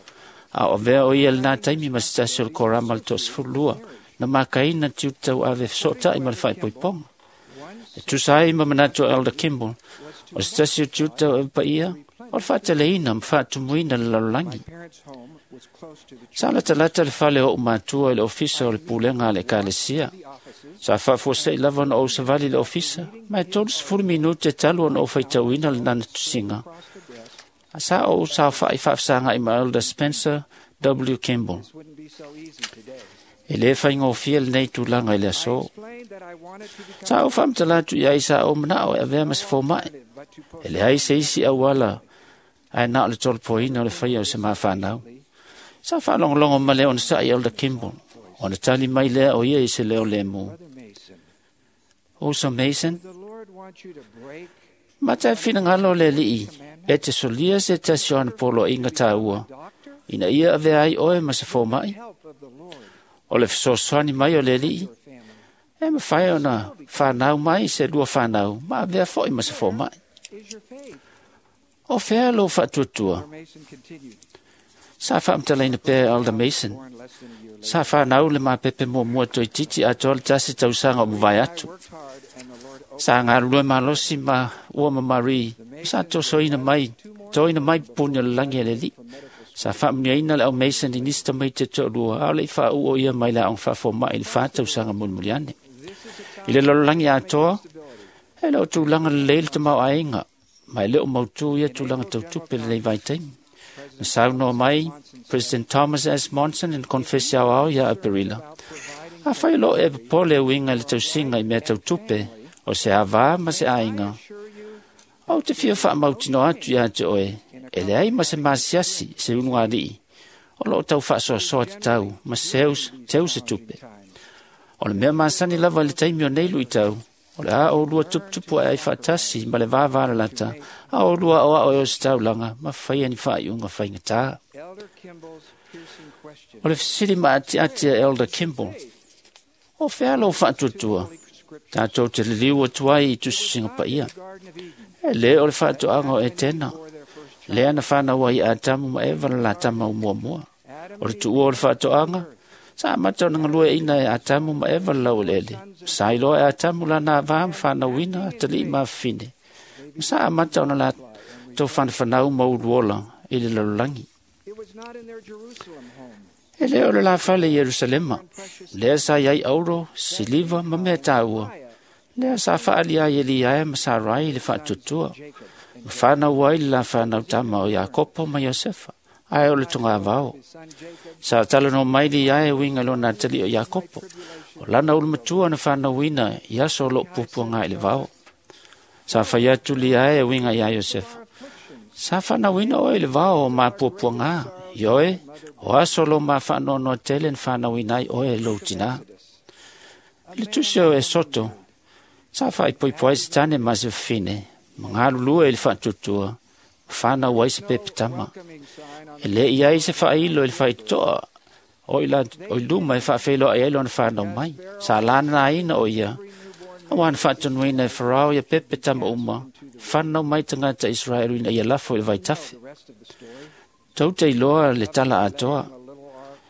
A o avea o ia i lenā taimi ma se tasi o le korama o le toasefululua, na makaina tiute tauave fesootai ma le faaipoipoga. E tusa ai ma manatu o Elder Kimball, o se tasi o tiute tauave paia, o le faateleina ma faatumuina le lalolagi. Sa latalata le fale o ou matua i le ofisa o le pulega a le ekalesia. Sa faafuasei lava ona ou savali i le ofisa, ma e tolusefulu minute talu ona ou faitauina lenana tusiga. Sa ou saofaʻi faafesagaʻi ma Elder Spencer W. Kimball. E lē faigofie lenei tulaga i le aso. Sa ou faamatala atu i ai sa ou manaʻo e avea ma se fomaʻi. E leai se isi auala ae na o le tolopoina o le faia o se mafanau. Sa faalogologo ma le onosaʻi Elder Kimball, ona tali mai lea o ia i se leo lemu. Uso Mason, mata e finagalo le Alii e te solia se tasi o ana poloaiga taua, ina ia avea ai oe ma se fomaʻi. O le fesoasoani mai o le Alii, e mafai ona fanau mai se lua fanau ma avea foi ma se fomaʻi. O fea lou faatuatua? Sa faamatalaina pea e Elder Mason. Sa fanau le mapepe muamua toeitiiti atoa le tasi tausaga o mavae atu. Sa galulue malosi ma ua ma Marie, sa tosoina mai, toina mai pupuni o le lagi e le Alii. Sa faamuniaina le au Mason i nisi tamaiti e toalua, a o leʻi faauu o ia mai le aoga faafomaʻi i le fa tausaga mulimuli ane. I le lalolagi atoa, e le o tulaga lelei le tamaoaiga, ma e le o mautū ia tulaga tautupe lenei vaitaimi. Na saunoa mai President Thomas S. Monson i le konefesi aoao ia Aperila. Afai o loo e popole e uiga i le tausiga i mea tautupe, o se avā ma se aiga, ou te fia faamautinoa atu iā te oe, e leai ma se masiasi se ulugalii, o loo tau faasoasoa tatau ma seu, teu se tupe. O le mea masani lava i le taimi o nei luitau, o le a oulua tuputupu ae ai faatasi ma le vavalalata, a oulua aoao e o se taulaga ma faia ni faaiuga faigatā. O le fesili maatiati a Elder Kimball, o fea lou faatuatua? Tātou te liliu atu ai i tusisiga paia. E lē o le faatoaga o Etena, lea na fanau ai Atamu ma Eva le latama o muamua. O le tuua o le faatoaga, sa amata ona galueaiina e Atamu ma Eva le laueleele. Sa iloa e Atamu lana avā ma fanauina atalii ma afafine. Ma sa amata ona latou fanafanau ma uluola i le lalolagi. E lē o le lafale i Ierusalema, lea sa iai auro, siliva ma mea tāua. Lea sa faaali ai e Liae ma Sarai i le faatuatua. Ma fanau ai le la fanau tama o Iakopo ma Iosefa, ae o le togavao. Sa talanoa mai Liae e uiga i lona atalii o Iakopo. O lana ulumatua na fanauina i aso o loo puapuaga i le vao. Sa fai atu Liae e uiga iā Iosefa. Sa fanauina oe i le vao o mapuapuaga, ioe, o aso lo mafaanoanoa tele na fanauina ai oe e lou tinā. I le tusi o Esoto, sa faaipoipo ai se tane ma se fafine, ma galulue i le faatuatua, ma fanau ai se pepetama. E lē i ai se faailo i le faitotoa o i, la, o i luma e faafeiloai ai lona fanau mai. Sa lananaina o ia, auā na faatonuina e Farao ia pepetama uma, fanau mai tagata Israelu ina ia lafo i le vaitafe. Tou te iloa le tala atoa.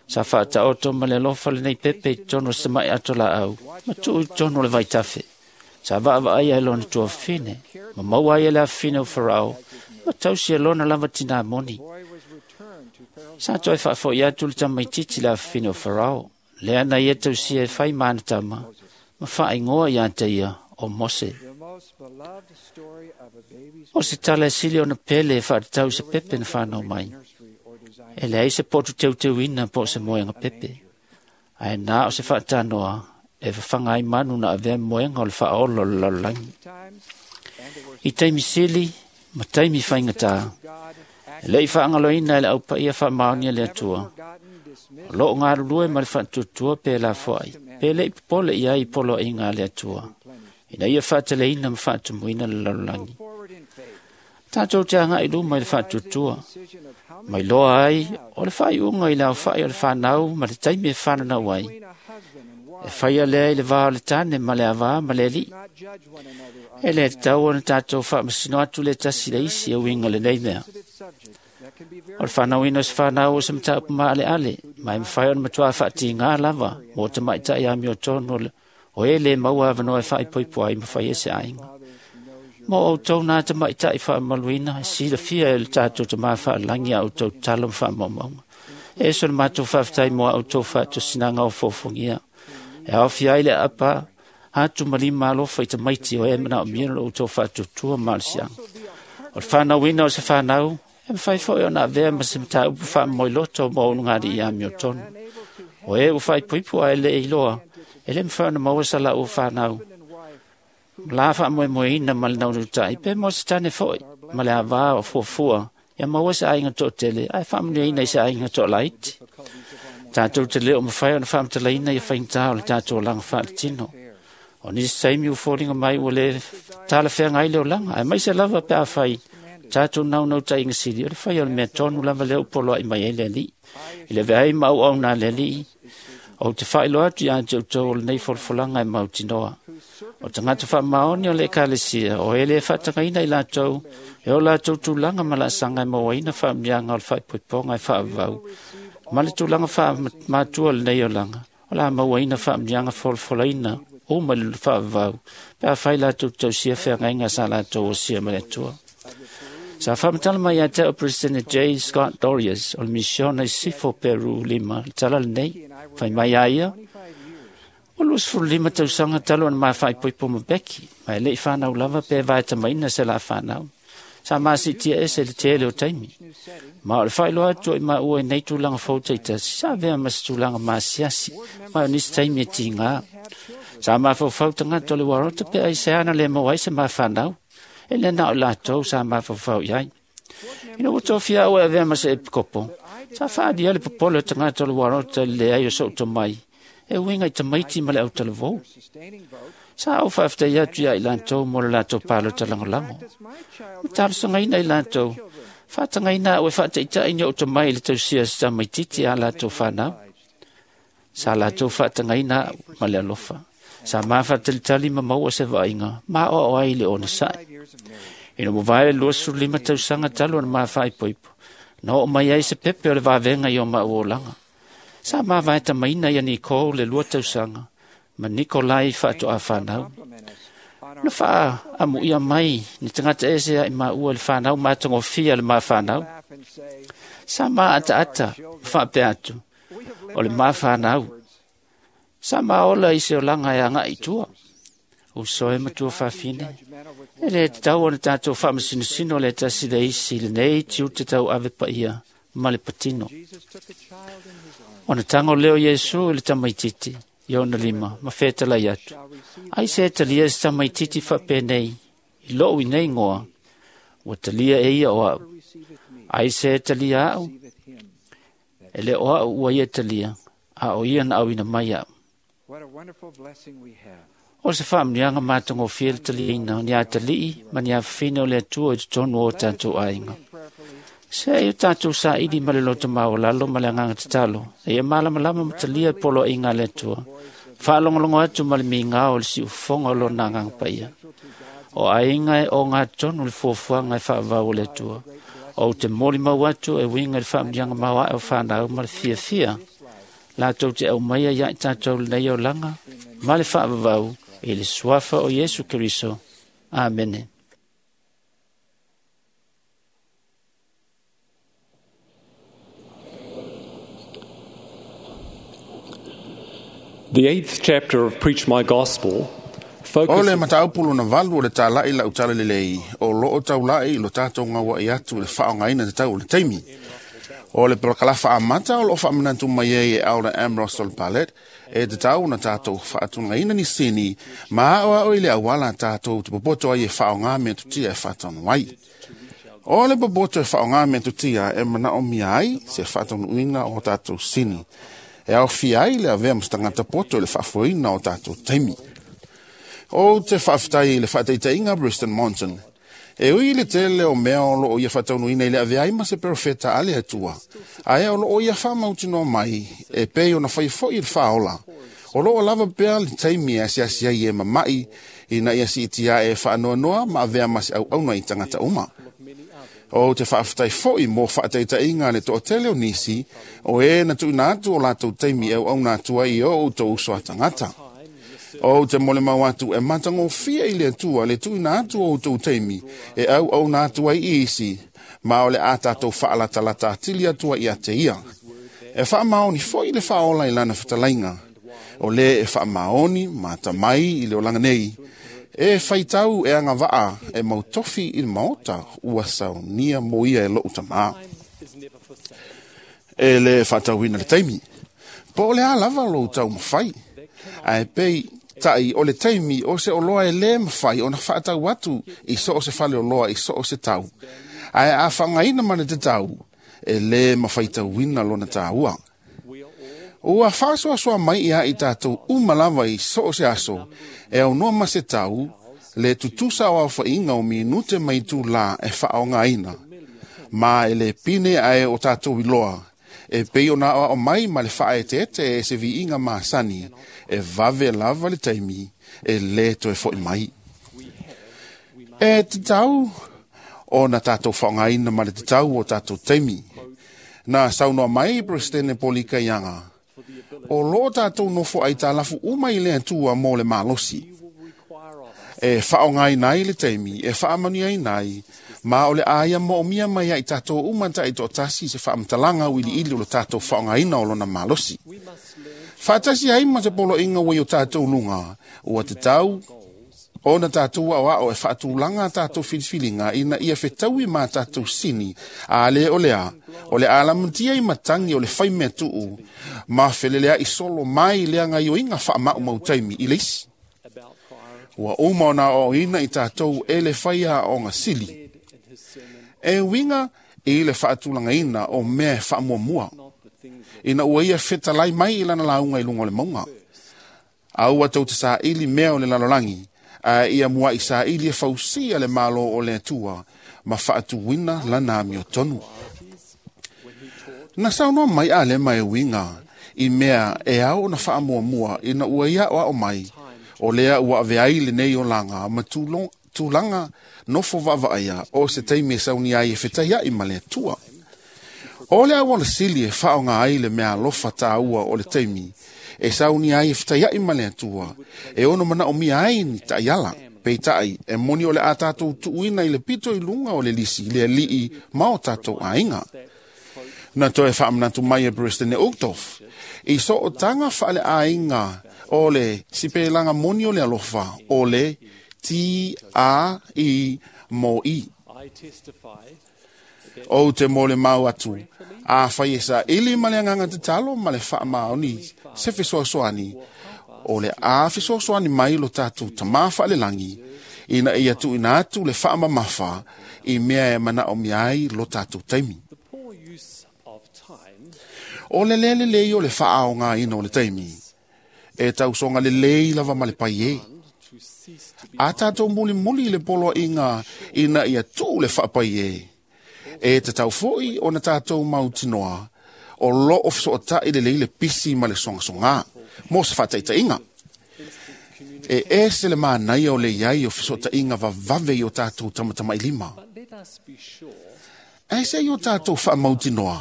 Sa faataoto ma le alofa lenei pepe i totonu o se tama'i ato laau, ma tuu i totonu o le vaitafe. Sa vaavaaia e lona tuafafine, ma maua ai e le afafine o Farao, ma tausi e lona lava tinā moni. Sa toe faafo'i atu le tamaitiiti le afafine o Farao, lea na ia tausia e fai ma ana tama, ma faaigoa iā te ia o Mose. O se tala e sili ona pele e faatatau i se pepe na fanau mai. E leai se potu teuteuina po o se moega pepe. Ae na o se faatanoa e fafaga ai manu na avea moega o le faaola o le lalolagi. I taimi sili ma taimi faigatā, e le'i faagaloina e le aupaia faamaonia le Atua. O loo galulue ma le faatuatua pe lafoai, pe le'i popole i ai i poloaiga a le Atua, ina ia faateleina ma faatumuina le lalolagi. Tātou te agai luma i le faatuatua, mai loa ai o le faaiuga i le aofai o le fanau ma le taimi e fananau ai. E faia lea i le vā o le tane ma le avā ma le alii. E lē tatau ona tatou faamasino atu le tasi le isi e uiga lenei mea. O le fanauina o se fanau o se mataupu maaleale, ma e mafai ona matuā faatigā lava mo tamaʻitaʻi amiotonu o e lē maua avanoa e faaipoipo ai ma faia se aiga. Mo outou nā tamaʻitaʻi faamaluina, e silafia e le tatou tamā faalagi a outou talo ma faamaumauga. E eso le matou faafetai mo a outou faatosinaga o fofogia. E aofia ai le aapa atu ma lima alofa i tamaiti o e manaomia lo outou faatuatua ma le siaga. O le fanauina o se fanau, e mafai foi ona avea ma se mataupu faamoemoeloto mo ulugalii amiotonu. O e ua faaipoipo ae le iloa, e lē mafai ona maua sa laua fanau. La faamoemoeina ma le naunautai, pe mo se tane foi, ma le avā o fuafua, ia maua se aiga toatele, ae faamanuiaina i se aiga toalaiti. Tatou te lē o mafai ona faamatalaina ia faigata o le tatou olaga faaletino. O nisi taimi ua foliga mai ua lē talafeagai le olaga, ae maise lava pe afai tatou naunautaiga sili o le fai o le mea tonu lava lea ua poloai mai ai le Alii. I le veai ma auauna a le Alii, ou te faailoa atu iā te outou o lenei folafolaga e mautinoa. O tagata faamaoni o le Ekalesia, o e lē faatagaina i latou, e o latou tulaga ma laasaga e mauaina faamanuiaga o le faaipoipoga e faavavau, ma le tulaga faamatua o lenei olaga, o la mauaina faamanuiaga folafolaina uma i le faavavau, pe afai latou tausia feagaiga sa latou osia ma le Atua. Sa faamatala mai ia te au President J. Scott Dorius o le misiona i Sifo Peru lima, le tala lenei, fai mai a ia, o luasefulu lima tausaga talu ona mafaaipoipo ma Becky, ma e le'i fanau lava pe vaetamaina se la fanau. Sa masiitia ese le tele o taimi. Ma o le faailoa atu o i maua i nei tulaga fou taitasi, sa avea ma se tulaga masiasi, ma o nisi taimi e tigā. Sa mafaufau tagata o le uarota pe ai se ana le maua ai se mafanau. E le na o latou sa mafaufau i ai. Ina ua tofia au e avea ma se epikopo, sa faalia le popole o tagata o le uarota i le leai o so'u tomai, e uiga i tamaiti ma le autalavou. Sa au faafetai atu iā i latou mo le latou palota lagolago. Ma talosagaina i latou, faatagaina au e faataʻitaʻi ni ou tomai i le tausia o se tamaititi a latou fanau. Sa latou faatagaina au ma le alofa. Sa mafaatalitali ma maua se vaaiga ma aoao ai le onosai. Ina ua vae le luasefulu lima tausaga talu ona mafaaipoipo, na oo mai ai se pepe o le vavega i o maʻu olaga. Sa mavaetamaina ia Nicole le lua tausaga ma Nikolai faatoa fanau. Na faaamuia mai ni tagata ese ai maua i le fanau matagofie a le mafanau. Sa maataata ma faapea atu, o le mafanau. Sa maola i se olaga e agaʻi i tua. Uso e matua fafine, e le tatau ona tatou faamasinosino le tasi le isi lenei tiute tauave paia ma le patino. Ona tago lea o Iesu i le tamaitiiti i ona lima ma fetalai atu, ai se talia se tamaitiiti faapenei i lou inei goa, ua talia e ia o au. Ai se talia au, e le o au ua ia talia, a o ia na auina mai au. O se faamanuiaga matagofie le taliaina o ni atalii ma ni afafine o le Atua i totonu o tatou aiga. Se ai o tatou saili ma le loto maualalo ma le agaga tatalo, e ia malamalama ma talia poloaiga a le Atua, faalogologo atu ma le migao o le siufofoga o lona agaga paia. O aiga e ogatotonu le fuafuaga e faavavau o le Atua. Ou te molimau atu e uiga i le faamanuiaga maoae o fanau ma le fiafia latou te aumaia ia i tatou lenei olaga ma le faavavau i le suafa o Iesu Keriso. Amene. The eighth chapter of Preach My Gospel O le mataupu lona valu o le tālaʻi lau tala lelei, o loo taulaʻi i lo tatou gauaʻi atu i le faaaogaina tatau o le taimi. O le polokalafa amata o loo faamanatu mai ai e Elder M. Russell Ballard, e tatau ona tatou faatulagaina nisini ma aoao i le auala tatou te popoto ai e faaaoga mea tutia e faataunu ai. O le popoto e faaaoga mea tutia e manaomia ai se faataunuuina o tatou sini. E aofia ai le avea ma se tagata poto i le faafoeina o tatou taimi. O te faafetai i le faataitaiga Briston Monson. E ui le tele o mea o loo ia faataunuuina i le avea ai ma se perofeta a le Atua, ae o loo ia faamautinoa mai e pei ona fai foi i le faaola. O loo lava pea le taimi e asiasi ai e mamaʻi ina ia siitia e faanoanoa ma avea ma se auauna i tagata uma. O te faafetai foi mo faataitaiga le toatele o nisi o e na tuuina atu o latou taimi e auauna atu ai i o outou uso a tagata. O te molimau atu e matagofie i le Atua le tuuina atu o outou taimi e auauna atu ai i isi, ma o le a tatou faalatalata atili atu ai ia te ia. E faamaoni foi le faaola i lana fetalaiga. O le e faamaoni ma atamai i le olaga nei, e faitau e agavaa e mautofi i le maota ua saunia mo ia e lou tamā. E le faatauina le taimi. Po o le a lava lou taumafai. Ae pei tai o le taimi o se oloa e le mafai ona faatau atu i so o se fale oloa i so o se tau. Ae a faaaogaina ma le tatau, e le mafaitauina lona tāua. Ua faasoasoa mai ia i tatou uma lava i so o se aso, e aunoa ma se tau, le tutusa o aofaiga o minute ma itulā e faaaogaina. Ma e le pine ae o tatou iloa, e pei ona aoao mai ma le faaeteete e se viiga masani, e vave lava le taimi, e le toe foʻi mai. E tatau ona tatou faaaogaina ma le tatau o tatou taimi. Na saunoa mai Presidente Polika Ianga, o loo tatou nofo aitalafu uma i le Atua mo le malosi. E faaaogaina ai le taimi, e faamanuiaina ai, ma o le aia moomia mai ai tatou uma taitoatasi se faamatalaga uiliili o le tatou faaaogaina o lona malosi. Faatasi ai ma se poloaiga ua i o tatou luga, ua tatau ona tatou aoao e faatulaga tatou filifiliga ina ia fetaui ma tatou sini, a le o lea, o le alamatia i matagi o le faimea tuu, ma feleleaʻi solo mai le agaioiga faamaumau taimi i le isi. Ua uma ona aoaoina i tatou e le faia aoga sili. E uiga i le faatulagaina o mea e faamuamua, ina ua ia fetalai mai i lana lauga i luga o le mauga. A ua tou te saili mea o le lalolagi, a ia muaʻi saili e fausia le malo o le Atua ma faatuina lana amiotonu. Na saunoa mai Alema e uiga i mea e ao ona faamuamua ina ua ia aoao mai, O lea ua ave ai lenei olaga ma tulaga nofo vaavaaia o se taimi e sauni ai e fetaiai ma le Atua. O le auala sili e faaaoga ai le meaalofa taua o le taimi e sauni ai e fetaiai ma le Atua, e ono manaomia ai ni taiala. Peitai, e moni o le a tatou tuuina i le pito i luga o le lisi, le alii ma o tatou aiga. Na toe faamanatu mai e Peresetene Uchtdorf, i sootaga faaleaiga o le sipelaga moni o le alofa o le T A I mo I. O te mo le mau atu, a fai e sa ili ma le agaga tatalo ma le faamaoni se fesoasoani, o le a fesoasoani mai lo tatou tamā faalelagi, ina ia tuuina atu le faamamafa i mea e manaomia ai lo tatou taimi. O le lē lelei o le faaaogaina o le taimi, e tausoga lelei lava ma le pai e. A tatou mulimuli i le poloaiga ina ia tuu le faapai e, e tatau foi ona tatou mautinoa o loo fesootai lelei le pisi ma le sogasogā mo se faataitaiga. E ese le manaia o le iai o fesootaiga vavave i o tatou tamatamailima. Ae se i o tatou faamautinoa,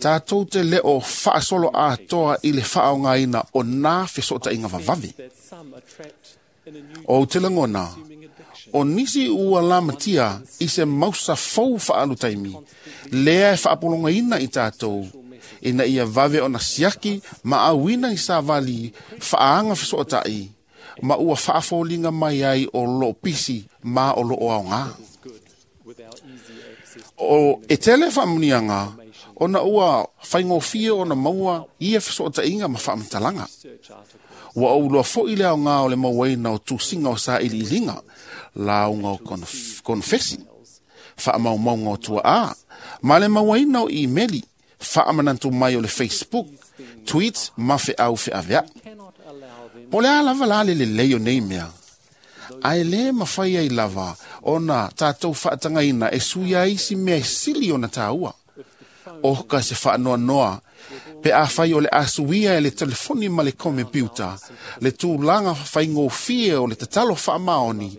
tatou te leo faasolo atoa i le faaaogaina o nā fesootaiga vavave. O te lagona, o nisi ua lamatia i se mausa fou faalu taimi, lea e faapologaina i tatou, ina ia vave ona siaki ma auina i savali faaga fesootai, ma ua faafoliga mai ai o loo pisi ma o loo aogā. O e tele faamuniaga, ona ua faigofie ona maua ia fesootaiga ma faamatalaga. Ua ouloa foi le aogā o le mauaina o tusiga o sailiiliga, lauga o konofesi, faamaumauga o tuaa, ma le mauaina o imeli, faamanatu mai o le Facebook, tweets ma feau feaveai. Po le a lava la le lelei o nei mea, ae lē mafai ai lava ona tatou faatagaina e sui ai isi mea e sili ona taua. O ka se faanoanoa, pe a fai o le asuia e le telefoni ma le komepiuta, le tulaga faigofie o le tatalo faamaoni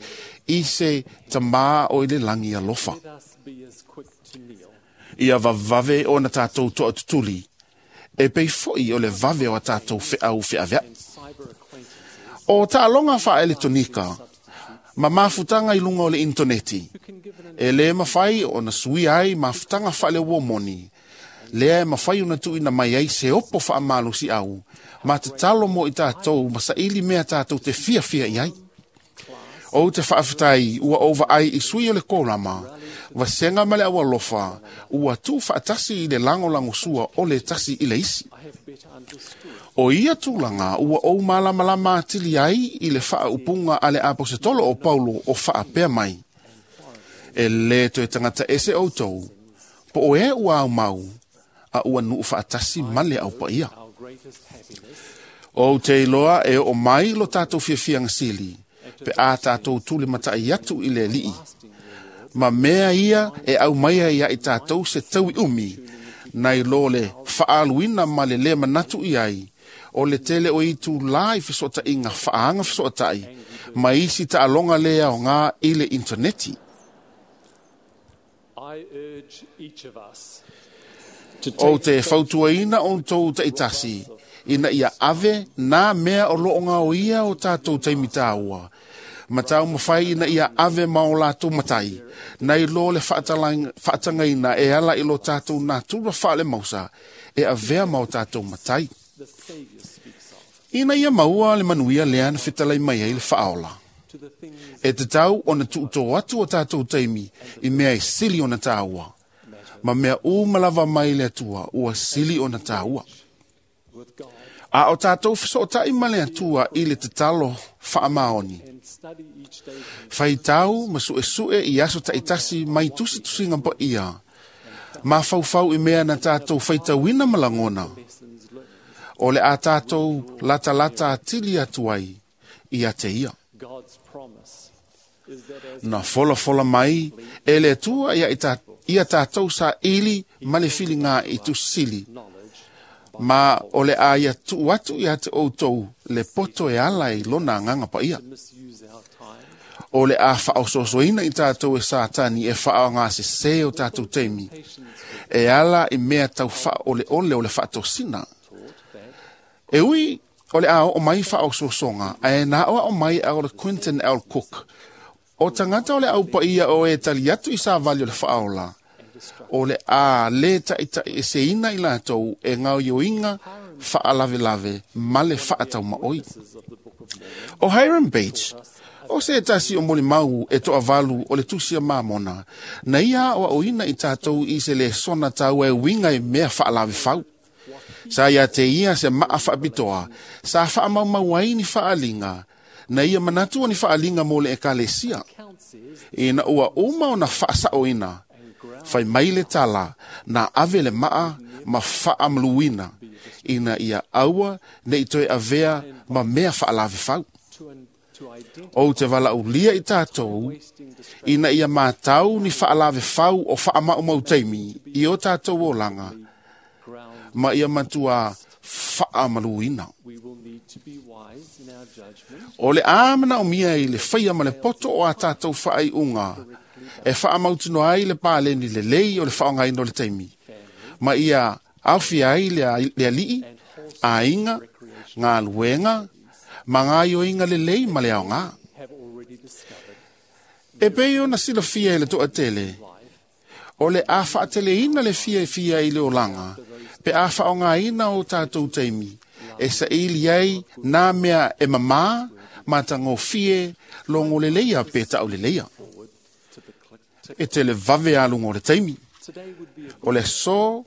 i se tamā o i le lagi alofa. Ia vavave ona tatou toatutuli, e pei foi o le vave o a tatou feau feaveai. O taaloga faaeletonika, ma mafutaga i luga o le intoneti, e lē mafai ona suia ai mafutaga faaleuomoni, lea e mafai ona tuuina mai ai se opo faamalosiau, ma tatalo mo i tatou ma saili mea tatou te fiafia i ai. O te faafetai ua ou vaai i sui o le kolama, vasega ma le aualofa, ua tuufaatasi i le lagolagosua o le tasi i le isi. O ia tulaga ua ou malamalama atili ai i le faaupuga a le aposetolo o Paulo o faapea mai, e lē toe tagata ese outou, po o e ua aumau, a ua nuu faatasi ma le aupaia. O te iloa e oo mai lo tatou fiafiaga sili, pe a tatou tuli matai atu i le alii. Ma mea ia e aumaia ia i tatou se taui umi, nai lo le faaluina ma le lē manatu i ai, o le tele o itu la i fesootaiga faaga fesootai, ma isi taaloga le aogā i le intaneti. O te fautuaina outou taitasi, ina ia ave nā mea o loo gaoia o tatou taimi taua, ma taumafai ina ia ave ma o latou matai, nai lo le faatagaina e ala i lo tatou natura faalemausa, e avea ma o tatou matai. Ina ia maua le manuia lea na fetalai mai ai le faaola. E tatau ona tuutō atu o tatou taimi i mea e sili ona taua, ma mea uma lava mai le Atua ua sili ona taua. A o tatou fesootai ma le Atua i le tatalo faamaoni, faitau ma suesue i aso taitasi mai tusitusiga paia, ma faufau i mea na tatou faitauina ma lagona, o le a tatou latalata atili atu ai ia te ia. Na folafola mai e le Atua ia, ita, ia tatou saili ma le filiga i tusili, Ma o le a ia tuu atu ia te outou le poto e ala i lona agaga paia. O le a faaososoina i tatou e Satani e faaaogasesē o tatou taimi e ala i mea tau faaoleole o le faatosina. E ui o le a oo mai faaososoga ae na aoao mai a o le Quentin L. Cook o tagata o le aupaia o e tali atu i savali o le faaola o le a lē taʻitaʻieseina i latou e gaoioiga faalavelave ma le faataumaʻoi. O Hiram Bates o se tasi o molimau e toavalu o le tusi a Mamona na ia aoaoina i tatou i se lesona taua e uiga i mea faalavefau. Sa ia te ia se maa faapitoa sa faamaumau ai ni faaliga na ia manatu o ni faaliga mo le ekalesia. Ina ua uma ona faasaoina fai mai le tala na ave le maa ma faamaluina ina ia aua nei toe avea ma mea faalavefau. Ou te valaaulia i tatou ina ia matau ni faalavefau o faamaumau taimi i o tatou olaga ma ia matua faamaluina. O le a manaomia i le faia ma le poto o a tatou faaiuga e faamautinoa ai le paleni lelei o le faaaogaina o le taimi ma ia aofia ai le alii, aiga, galuega ma gaoioiga lelei ma le aogā. E pei ona silafia e le toatele o le a faateleina le fiafia i le olaga pe a faaaogaina o tatou taimi e saili ai nā mea e mamā ma tagofie logo leleia pe tauleleia. E tele vave aluga o le taimi. O le aso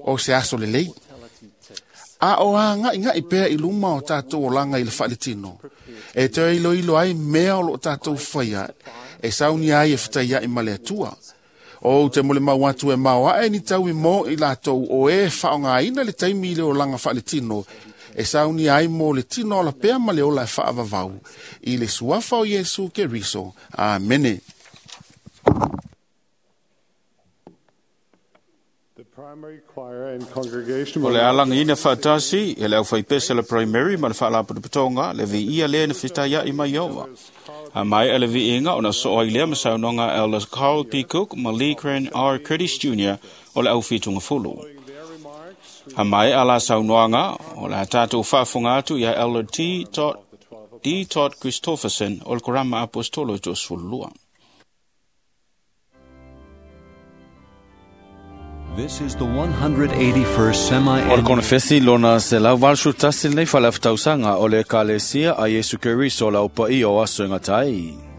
o se aso lelei. A o agaʻigaʻi pea i luma o tatou olaga i le faaletino e toe iloilo ai mea o loo tatou faia e saunia ai e fetaiaʻi ma le Atua. O te molimau atu e maoaʻe ni taui mo i latou o e faaaogaina le taimi i le olaga faaletino e saunia ai mo le tino ola pea ma le ola e faavavau i le suafa o Iesu Keriso. Amene. The primary choir and congregation O will le now alagiina faatasi e le aufaipese le primary ma le faalapotopotoga le viia lea na fetaiaʻi mai Ieova. A mai a le viiga ona soo ai lea ma saunoaga Elders Carl P. Cook ma Lee Crane R. Curtis Junior o le aufitugafulu. A mai a la saunoaga o le a tatou faafofoga atu ia Elder T. D. Todd Christofferson o le Korama Apostolo e toasefululua. This is the one hundred eighty-first O le semi-annual konefesi lona se lau valsu tasi lenei faleafatausanga o le ekalesia a Iesu Keriso le aupaia o aso e gatai. Thank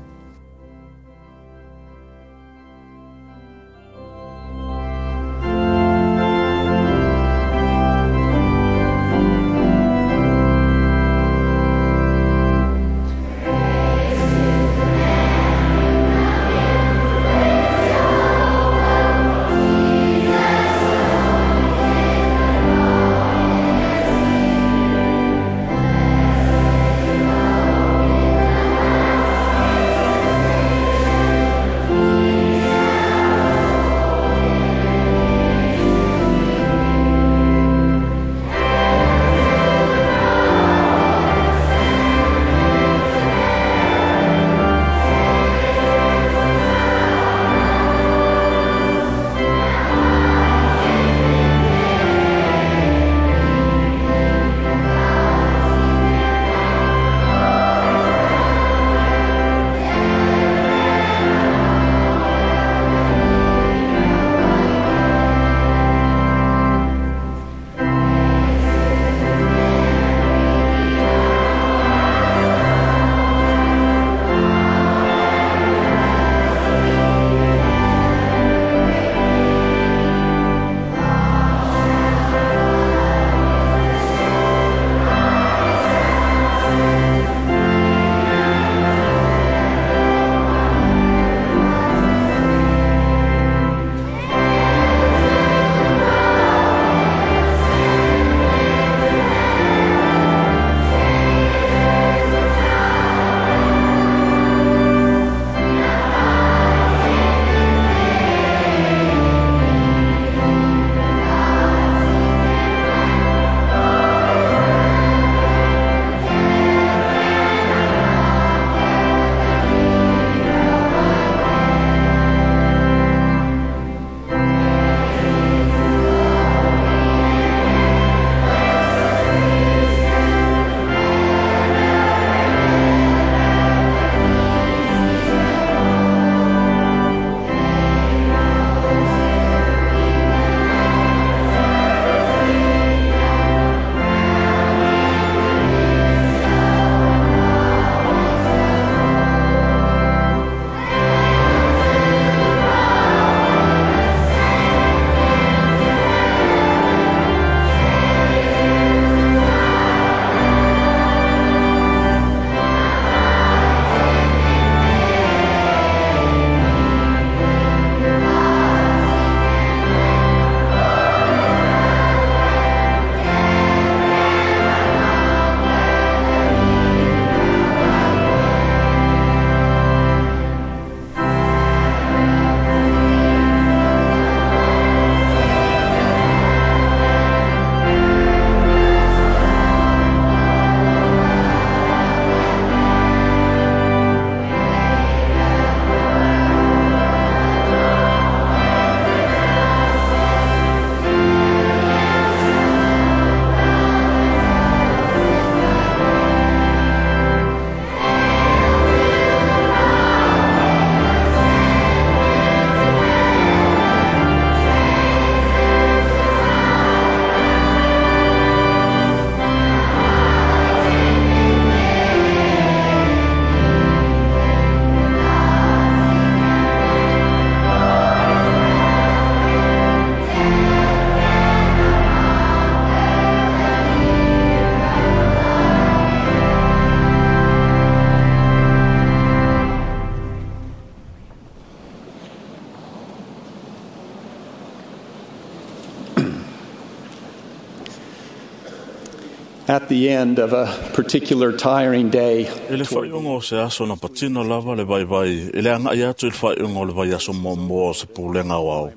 At the end of a particular tiring day, E le whaiunga o se aso na patino lava le vai vai, e le anga i atu i le whaiunga o le vai aso momoa o se pūlenga o au.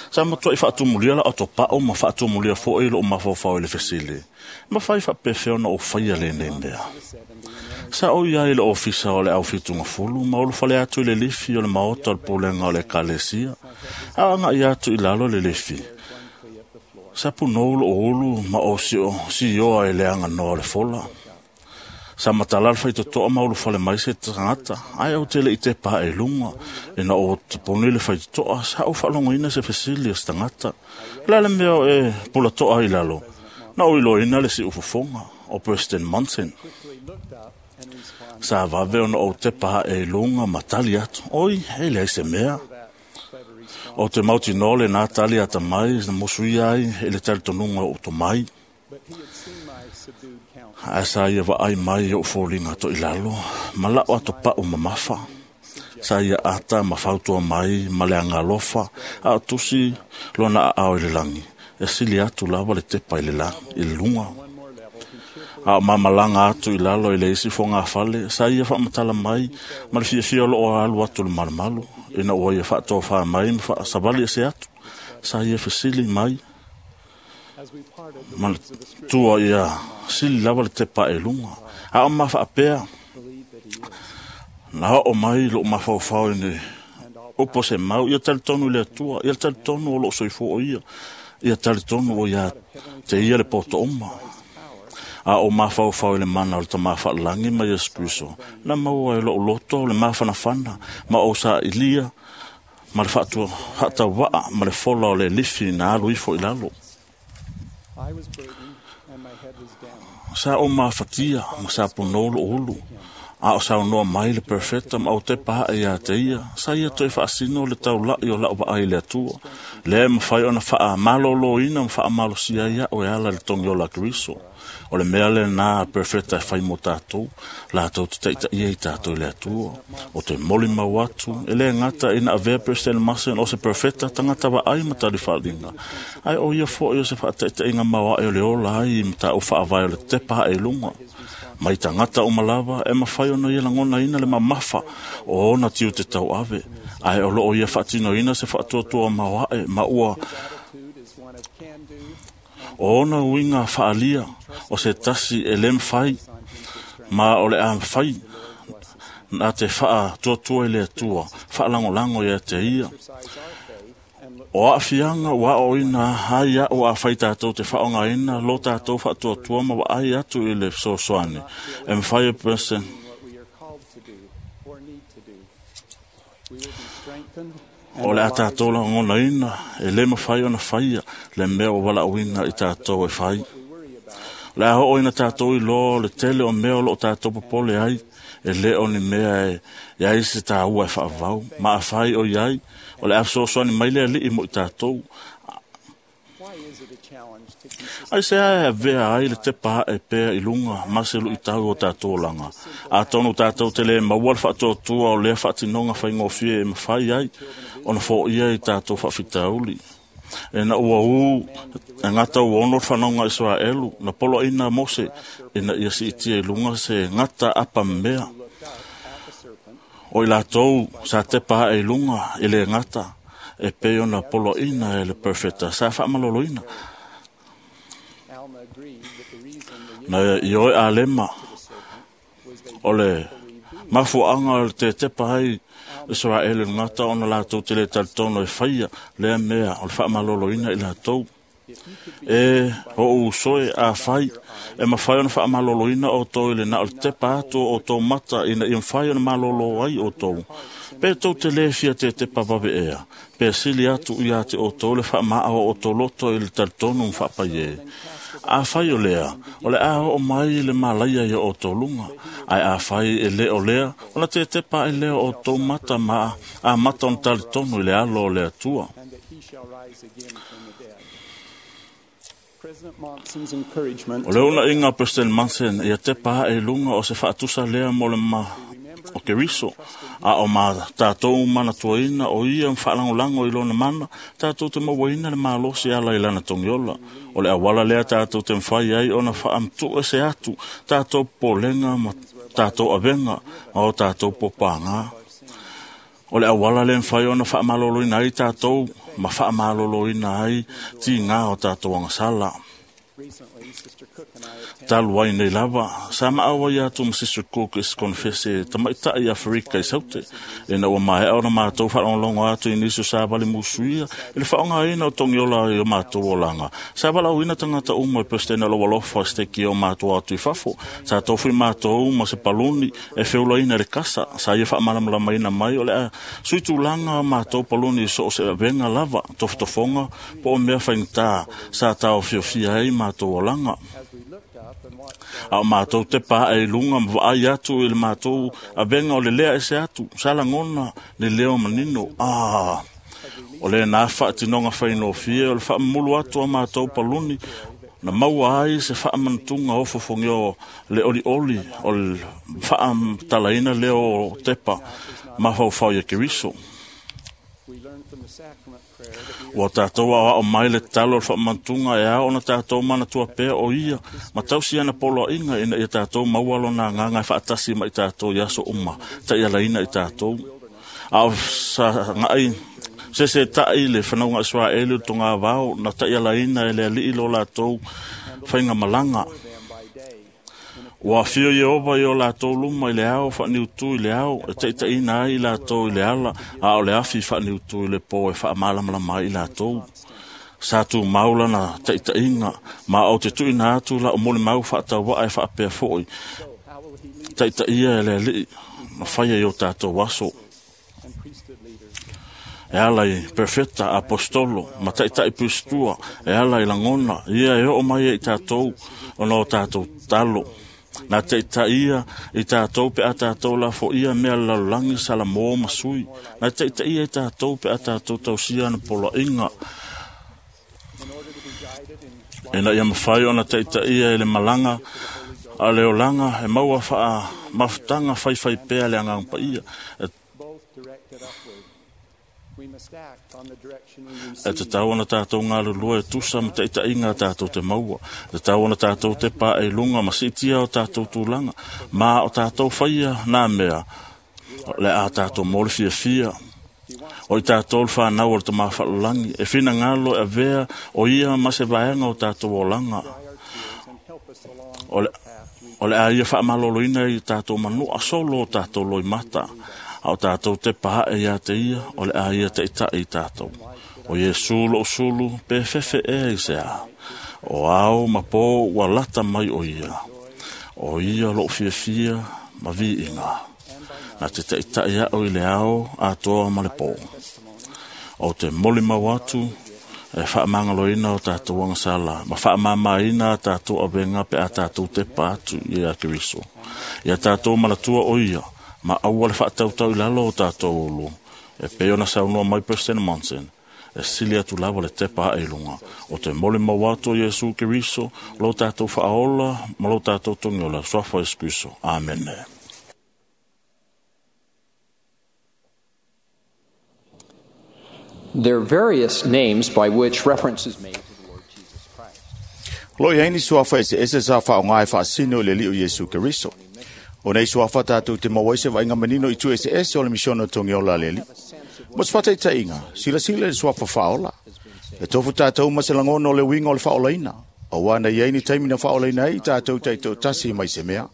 Sa matua i whaatumulia la ato pao ma whaatumulia fo i lo mawhawhau i le fesili. Ma whai whapewheo na o whaia le nei mea. Sa o ia i le ofisa o le au whitunga fulu, ma olu whale atu i le lifi o le maota o le pūlenga o le kalesia. A anga i atu i lalo le lifi. Sa punou lo ulu ma o si o si oa i le anga noa le fola. Sa matala le whaitotoa ma ulu whale mai se tangata. Ai au tele i te pā e lunga. E na o te poni le whaitotoa, sa o whalongoina se fesili o se tangata. La le mea o e pula toa i lalo. Na o iloina le si ufofonga o President Monson. Sa vave ona o te pā e lunga ma tali atu. Oi, e leai se mea. O te mauti nole nā tali ata mai, na mosu ia ai, e le tali tonunga o to mai. Ai sa ia wa ai mai o fōlinga to i lalo, ma lao ato pau mamafa. Sa ia ata ma fautua mai, ma le angalofa, a o tusi lona a ao i le langi. E sili atu lava le tepa i le langi, i le lunga. A o mamalanga atu i lalo i le isi fonga fale, sa ia whaamatala mai, ma le fiafia lo o alu atu le malumalu. Ina ua ia whaatoa mai, ma whaasawali e se atu, sa ia fesili mai. Ma le tua ia sili lava le tepa e lunga. A o ma whaapea, na o mai lo mawhauwhau i ne upo se mau, ia tali tonu le atua, ia tali tonu o lo soifo o ia, ia tali tonu o ia te ia le poto oma. A o mawhauwhau i le mana o le tamawhaalangi ma Yesu Kristo. Na maua e lo loto le mawhanawhana, ma o sa ilia, ma le whaatua, whaatawaa, ma le fola o le lifi na alu ifo i lalo. Sa o mawhatia, ma sa ponolo ulu. A o sa noa mai le perfecta ma o te paha e ia te ia. Sa ia toe whaasino le taulai o lau vaai le atua. Le mawhai ona whaa malolo ina ma whaa malosia ia o e ala le tongi o la Kristo. O le mea le nā perfecta e whai mo tātou, la tātou te teita ia i tātou i le atua. O te moli mau atu, e le ngata ina avea President Masen o se perfecta tangata wa ai matari whalinga. Ai o ia fo i o se whaataita inga maua e o le ola ai mata o whaavai o le tepa e lunga. Mai tangata o malawa e mawhai ona ia langona ina le mamafa o ona tiu te tau ave. Ai o loo ia whaatino ina se whaatuatua maua e maua o ona uinga whaalia o se tasi e le mwhai ma o le a mwhai nā te whaa tuatua i le atua whaalangolango ia te ia. O a whianga wa o ina hai a o a whai tātou te whaonga ina lo tātou whaatuatua ma wa ai atu i le sosoane. E mwhai e person. O le a tātou la ngona ina, e le mawhai ona whaia, le mea o wala uina i tātou e whai. Le a hoo ina tātou i lo, le tele o mea o lo tātou popole ai, e le o ni mea e iai se tā ua e whaavau, ma a whai o iai, o le a sosoani mai le ali i mo i tātou. Ai se ae avea ai le tepa e pea i lunga, ma se lu i tau o tātou langa. A tonu tātou te le maua le whaatuatua o lea whaatinonga whaingofie e mawhai ai, ona fo ia i tātou whaafitauli. E na ua u, e ngata u ono whanonga Israelu, na polo ina Mose, e na ia si itia i lunga se ngata apa mea. O i lātou sa tepa e lunga i le ngata, e peo na polo ina e le perfecta, sa whaamalolo ina. Na i oe a lema, o le mafuanga o le te tepa hai Israel e ngata ona lātou te le talitono e whaia, lea mea o le whaamalolo ina i lātou. E o usoe a whai, e mawhai ona whaamalolo ina o tō i le na o le tepa atu o tō mata ina i mwhai ona malolo ai o tō. Pe tō te lewhia te tepa wawe ea, pe sili atu ia te o tō le whaamaa o tō loto i le talitono mwhaapai e. A whai o lea, o le a o mai le malaia ia o tō lunga, ai a whai e le o lea, o la te tepa e lea o tō mata ma a mata on talitono i le alo o le atua. O le una inga President Monson ia te paha e lunga o se whaatusa lea mo le ma o Keriso. A o ma tātou manatuaina o ia mwhaalangolango i lona mana, tātou te mawaina le malosi ala i lana tongiola. O le awala lea tātou te mwhai ai ona whaamtu e se atu, tātou polenga ma tātou avenga, ma o tātou popanga. O le awala le mwhai ona whaamaloloina ai tātou, ma whaamaloloina ai ti ngā o tātou angasala. Talu ai nei lava, sa maawa ia atu ma Sister Cook is konfese tamaitai i Afrika i Saute. E na ua maea ona mātou whaalongolongo atu i niso sa wale musuia, i le whaonga ina o tongiola i o mātou olanga. Sa wala uina tangata umo e pestena lo walofa steki o mātou atu i fafo. Sa tofu i mātou ma se paluni e feula ina le kasa. Sa ia whaamalamalama ina mai o lea suitulanga mātou paluni i so o se venga lava, tofotofonga, po o mea whaingtā, sa tau fiofia ai mātou olanga. A o mātou te pā e lunga ma atu i le mātou a venga o le lea e se atu, sa langona le leo manino. Ah, o le nā whaatinonga whainofia, o le whaamulu atu a mātou paluni, na maua ai se whaamantunga o fofongi o le oli oli, o le whaamtalaina leo tepa, mawhauwhau ia Keriso. Ua tātou au mai le talo o le whaamantunga e ao na tātou mana tua pea o ia, ma tausi ana polo inga ina ia tātou maualo nā nganga e whaatasi ma i tātou i aso uma, ta ia laina i tātou. Ao sa ngai, se se tai le whanauga Israeli o tonga wao, na ta ia laina e le alii lo lātou whainga malanga. Ua whio Yehova i o lātou luma i le ao, whaaniutu i le ao, e taitaina ai i lātou i le ala, a o le awhi whaaniutu i le pō e whaamalamalama ai i lātou. Sa tū maula na taitainga, ma o te tuina atu la o mole mau whaatawa e whaapea foi. Taitaia e le alii, ma whaia i o tātou aso. E ala i perfeta apostolo, ma taitai pustua, e ala i langona, ia e o mai e i tātou, ona o tātou talo. Nā te itaia i tātou pe a tātou la fo ia mea lalulangi sala mō masui. Nā te itaia i tātou pe a tātou tausia na polo inga. E na ia mawhai ona te itaia i le malanga a le olanga e maua wha mafutanga whaiwhai pea le angang pa ia. E E te tau ana tātou ngā lulua e tusa ma te itainga tātou te maua. Te tau ana tātou te pā e lunga ma sitia o tātou tūlanga. Ma o tātou whaia nā mea le a tātou mōle fia fia. O i tātou le whanau o le te mawhalulangi. E whina ngalo e vea o ia ma se vaenga o tātou olanga. O le, o le a ia whaamaloloina i tātou manu a solo o tātou loi mata. A o tātou te paha e ia te ia, o le a ia te ita i tātou. O Iesu lo usulu, pe fefe e i se a. O au ma pō ua lata mai o ia. O ia lo fia fia ma vi inga. Nā te te ita ia o i le ao a toa ma le pō. O te moli mau atu, e whaamangaloina o tātou angasala, ma whaamamaina a tātou awenga pe a tātou te pātu i a Keriso. Ia tātou malatua o ia, ma aua le whaatautau i lalo o tātou olu, e pe ona saunua mai President Monson, e sili atu lava le tepa e lunga. O te mole mawato Iesu Keriso, lo tātou whaola, ma lo tātou tongiola, swafa Iesu Kristo. Amen. There are various names by which reference is made to the Lord Jesus Christ. Lo iaini suafa ese ese sa whaonga e whaasino le liu Iesu Keriso. O nei suafa tātou te mawaise wa inga manino i tu ese ese o le misiono tongiola leli. Mo se whataita inga, sila sila le suafa whaola. E tofu tātou ma se langono le winga o le whaolaina. O wana iaini taimina whaolaina i tātou taito tasi mai se mea.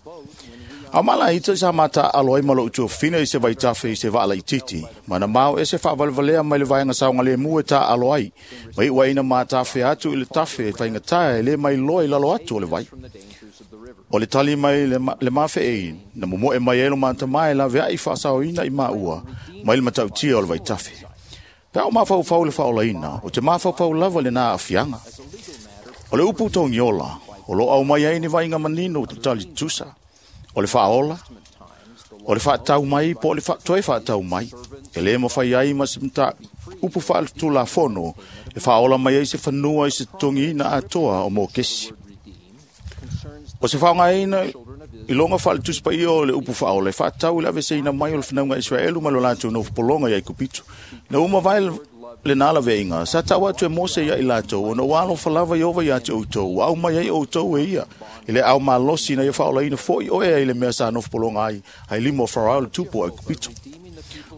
A mala ito sa mata aloai malo utu fina i se vaitafe i se vaala i titi. Mana mau e se whaavalevalea mai le vaenga saunga le mua ta aloai. Mai ua ina mātafe atu i le tafe e whainga e le mai loa i lalo atu o le vai. O le tali mai le, ma, le mawhe e na momo e mai elo manta mai la vea i whaasao ina i maua mai le matautia o le vaitafe. Pea o mawhau le whaolaina, o te mawhau lava le nā awhianga. O le upu tongiola, o lo au mai ai ni vainga manino te tali tusa. O le whaola, o le whaatau mai, po o le toe whaatau mai. E le mawhai ai ma simta upu whaatula fono, e whaola mai ai se whanua i se tongi na atoa o mō kesi. O se whaonga ina iloga faaletusi paia o le upu faaola e faatatau i le aveseina mai o le fanauga Israelu ma lo latou nofopologa ia Aikupito. Na uma vae lena laveaiga sa tau atu e Mose ia i latou ona ua alofa lava Ieova ia te outou ua aumai ai outou e ia i le ao malosi na ia faaolaina fo'i oe ai le mea sa nofopologa ai ai lima o Farao le tupu o Aikupito.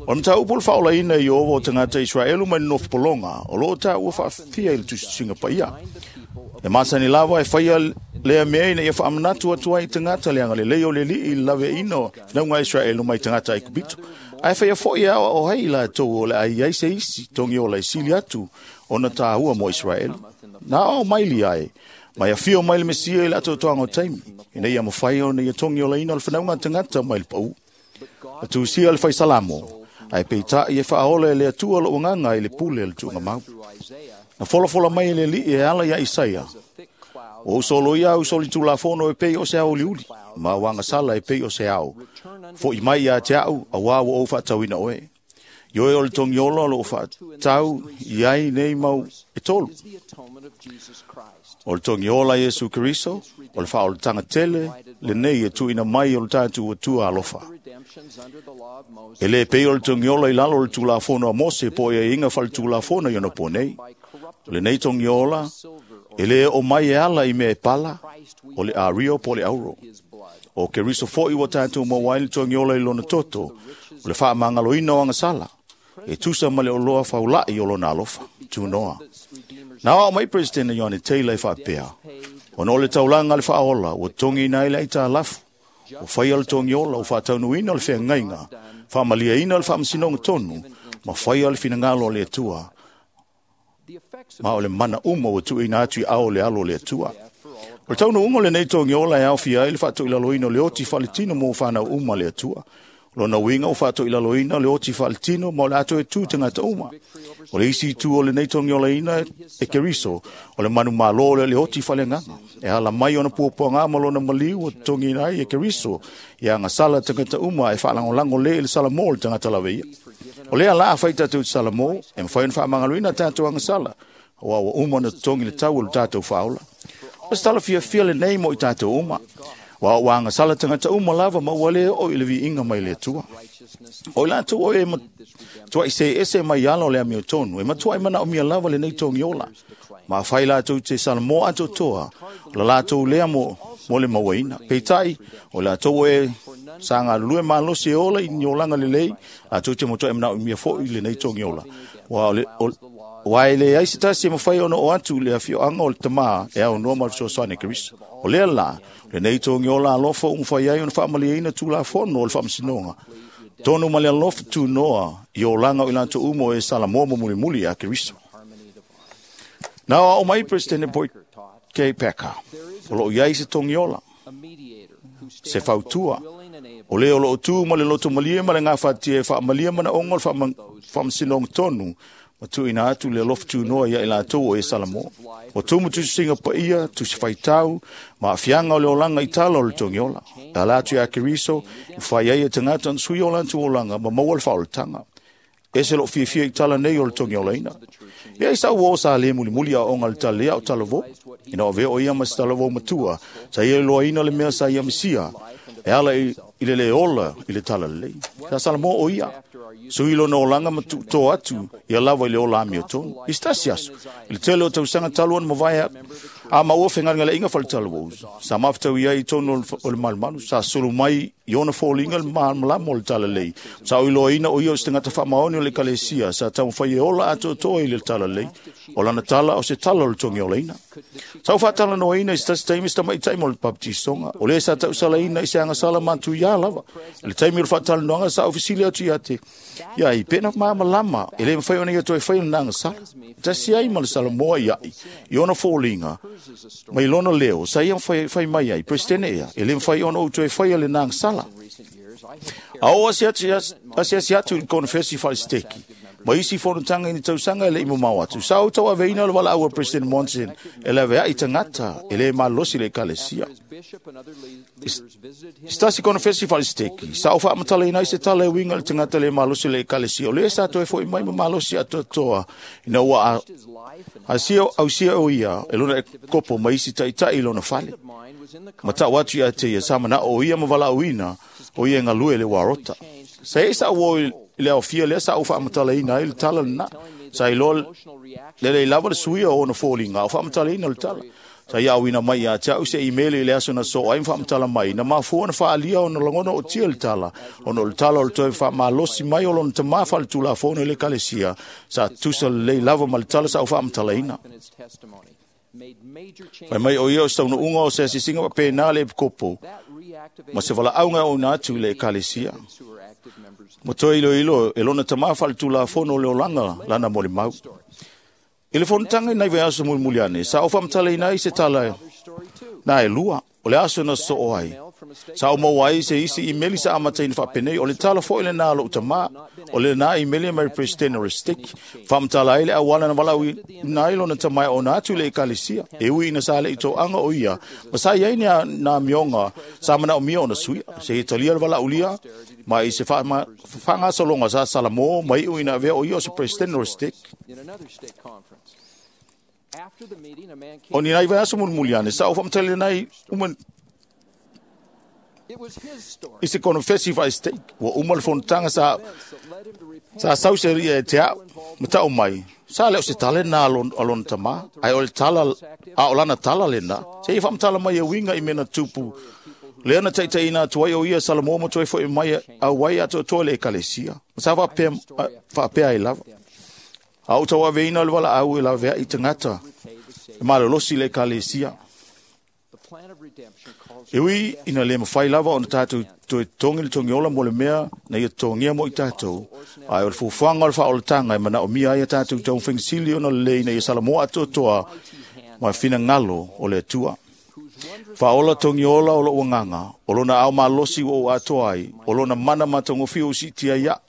O le mataupu o le faaolaina i Ieova o tagata Israelu mai le nofopologa o loo taua faafia i le tusitusiga paia. E masani lava e faia lea mea ina ia faamanatu atu ai i tagata le agalelei o le Alii i le laveaiina o fanauga Israelu mai tagata Aikupito. Ae faia fo'i e aoao ai i latou o le a i ai se isi togiola e sili atu ona tāua mo Israelu. Na aoao mai lia ai, mai afio mai le Mesia i le atoatoaga o taimi, ina ia mafai ona ia togiolaina o le fanauga tagata mai le pau. Na tusia le faisalamo, ae peitai e faaola e le Atua lou agaga i le pule o le tuugamau. Na folafola mai e le Alii e ala ia Isaia, ua ou soloia au solitulafono e pei o se ao uliuli, ma au agasala e pei o se ao. Fo'i mai ia te au, auā ua ou faatauina oe. Ioe o le togiola o loo faatau i ai nei mau e tolu. O le togiola Iesu Keriso, o le faaolataga tele lenei e tuuina mai o le tatou Atua alofa. E lē pei o le togiola i lalo o le Tulafono a Mose po o aiaiga faaletulafono i ona po nei. O lenei togiola e lē oo mai e ala i mea e pala, o le ario po o le auro. O Keriso fo'i ua tatou maua ai le togiola i lona toto, o le faamagaloina o agasala, e tusa ma le oloa faula'i o lona alofa, tunoa. Na aoao mai Peresetene Ioane Taylor e faapea, ona o le taulaga a le faaola ua togiina ai le aitalafu, ua faia le togiola, ua faataunuina o le feagaiga, faamaliaina o le faamasinoga tonu, ma faia le finagalo o le Atua, ma o le mana uma ua tuuina atu i ao o le alo o le Atua. O le taunuuga o lenei togiola e aofia ai le faatoilaloina o le oti faaletino mo fanau uma le Atua. Lona uiga ua faatoilaloina le oti faaletino ma o le ato e tu tagata uma. O le isi itu o lenei togiolaina e Keriso, o le manumalo o le oti faaleagaga. E ala mai ona puapuaga ma lona maliu ua totogiina ai e Keriso, ia agasala tagata uma e faalagolago lē i le Salamo o le tagata laveia. O lea la afai tatou i te Salamo, e mafai ona faamagaloina tatou agasala, aua ua uma ona totogi le tau o le tatou faaola. O se tala fiafia lenei mo i tatou uma. Ua ua agasala tagata uma lava ma ua lē oo i le viiga mai le Atua. O i latou o e matuai se ese mai ala o le amiotonu, e matuai manaomia lava lenei togiola. Ma afai latou te Salamo atoatoa, o la latou lea mo, mo le mauaina. Peitai, o i latou o e sa galulue malosi e ola i ni olaga lelei, latou te matuai manaomia fo'i lenei togiola. Ua o le, o, ua e leai se tasi e mafai ona oo atu i le afioaga o le Tamā e aunoa ma le fesoasoani a Keriso. O lea la, lenei togiola alofa ua mafai ai ona faamaliaina Tulafono o le Faamasinoga. Tonu ma le alofa tunoa i olaga o i latou uma o e Salamo ma mulimuli a Keriso. Na aoao mai Peresetene Boyd K. Packer, o loo i ai se togiola, se fautua, o le o loo tu ma le loto malie ma le gafatia e faamalia manaoga o le faamasinoga tonu, ma tuuina atu le alofa tunoa ia i latou o e Salamo. O tumu tusisiga paia, tusi faitau, ma aafiaga o le olaga i tala o le togiola. E ala atu ia Keriso, e fai ai e tagata ona sui o latou olaga ma maua le faaolataga. Ese loo fiafia i tala nei o le togiolaina. Ia i sau o sa le mulimuli a onga le tala lea o talavou. Ina o avea o ia ma se talavou matua, sa ia iloaina le mea sa ia misia, e ala i, i le le ola i le tala lelei. Sa Salamo o ia, sui lona olaga ma tuutoa atu ia lava i le ola amiotonu. I se tasi aso, i le tele o tausaga talu ona mavae a maua fegalegaleaiga faletalavou, sa mafetau i ai i tonu o le malumalu, sa sulu mai i ona foliga le malamalama o le talalei. Sa oiloaina o ia o se tagata faamaoni o le ekalesia, sa taumafai e ola atoatoa i le talalei. O lana tala o se tala o le togiolaina. Sa ou faatalanoaina i se tasi taimi se tamaitai mo le baptisoga. O lē sa tausalaina i se agasala matuiā lava. I le taimi o le faatalanoaga sa ou fesili atu ia te ia i pena malamalama e lē mafai ona ia toe fai lena agasala. Tasi ai ma le Salamoa ia'i i ona foliga mai lona leo sa ia fai, fai mai ai Peresetene ea e lē mafai ona ou toe faia lena agasala. A o asiasi atu i le konefesi faalesiteki, Ma isi fonotaga i ni tausaga e leʻi mamao atu. Sa ou tauaveina o le valaau a President Monson e laveaʻi tagata e lē malolosi le ekalesia. Se tasi konofesi faalesiteki, sa ou faamatalaina ai se tala e uiga i le tagata lē malosi le ekalesia, o lē sa toe foʻi mai ma malosi atoatoa ina ua asia ausia o ia e lona kopo ma isi taʻitaʻi i lona fale. Ma taʻu atu ia te ia sa manaʻo o ia ma valaauina o ia e galue le uarota. Sa e sa ua i le aofia lea sa ou faamatalaina ai le tala lenā. Sa iloa lelei lava le suia o ona foliga o faamatalaina le tala. Sa ia auina mai ia te au se imeli i le aso na soo ai ma faamatala mai, na mafua ona faaalia ona lagona o tia le tala, ona o le tala o le toe faamalosi mai o lona tamā faaletulafono i le ekalesia, sa tusa lelei lava ma le tala sa ou faamatalaina. Fai mai o ia o se taunuuga o se asisiga faapena le epikopo, ma se valaauga e ouna atu i le ekalesia. Ma toe iloilo e lona tamā faaletulafono o le olaga lana molimau. I le fonotaga i nai vaiaso mulimuli ane, sa ou faamatalaina ai se tala na e lua, o le aso na sosoo ai. Sa ou maua ai se isi imeli sa amataina faapenei, o le tala foʻi lenā a loʻu tamā, o lenā imeli e mai President o le stake, faamatala ai le auala na valaauina ai lona tamā e ona atu i le ekalesia, e ui ina sa leʻi toaga o ia, ma sa iai ni nā mioga sa manaomia ona suia, se ia talia le valaaulia, ma i se faagasologa sa Salamo ma iʻu ina avea o ia o se President o le stake. O ni nai vaiaso mulimuli ane, sa ou faamatalaina ai uma i se konofesi faa-stake, ua uma le fonotaga sa sa sau se ria e te au, ma taʻu mai, sa le o se tala lenā a lona tamā, ae o le tala, a o lana tala lenā, se ia faamatala mai e uiga i mea na tupu, lea na taʻitaʻina atu ai o ia Salamo ma toe foʻi mai auai atoatoa i le ekalesia, ma sa faapea, faapea ai lava. A ou tauaveina o le valaau e laveaʻi tagata e malolosi i le ekalesia. E ui ina lē mafai lava ona tatou toe totogi le togiola mo le mea na ia totogia mo i tatou, ae o le fuafuaga o le faaolataga e manaomia ai a tatou taumafaigasili ona lelei ina ia Salamoa atoatoa ma finagalo o le Atua. Faaola togiola o loʻu agaga, o lona ao malosi ua ou atoa ai, o lona mana matagofie ua siitia ai aʻu,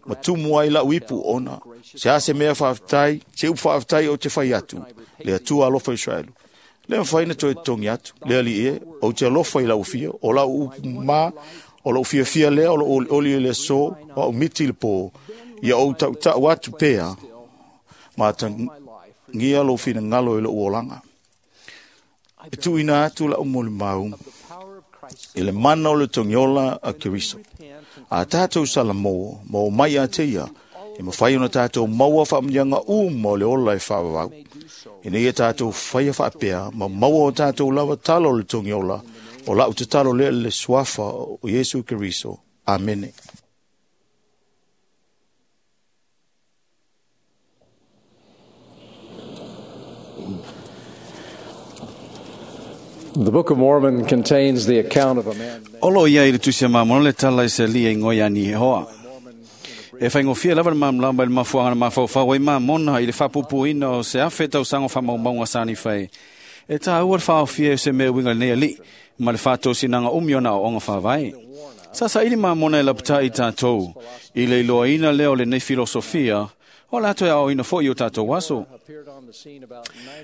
ma tumu ai laʻu ipu ona. Se a se mea faafetai, se upu faafetai ou te fai atu, le Atua alofa Israelu. Le mafai na toe totogi atu, le alii e, ou te alofa i lau afio, o lau upu mā, o lou fiafia lea, o lou olioli i le aso, o au miti i le pō, ia ou taʻutaʻu atu pea, ma atagia lou finagalo i lou olaga. E tuuina atu laʻu molimau i le mana o le togiola a Keriso. A tatou Salamo, ma o mai ia te ia, e mafai ona tatou maua faamuniaga uma o le ola e faavavau. Ina ia tatou faia faapea, ma maua o tatou lava tala o le togiola, o laʻu tatalo lea i le suafa o Iesu Keriso. Amene. The Book of Mormon contains the account of a man O lo ia i le tusi a Mamona le tala i se lia i ngoi ani he hoa. E whaingofia lava le mamlamba i le mafuanga na mafaufau ai Mamona i le whapupuina o se afe tausaga o faamaumauga sa ni whai. E tā ua le whaofia e se mea winga nei ali, ma le whaatosinaga umi ona o onga whawai. Sa sa ili Mamona e lapata i tātou, i le iloaina lea o lenei filosofia, o la toe ao ina foi o tātou aso.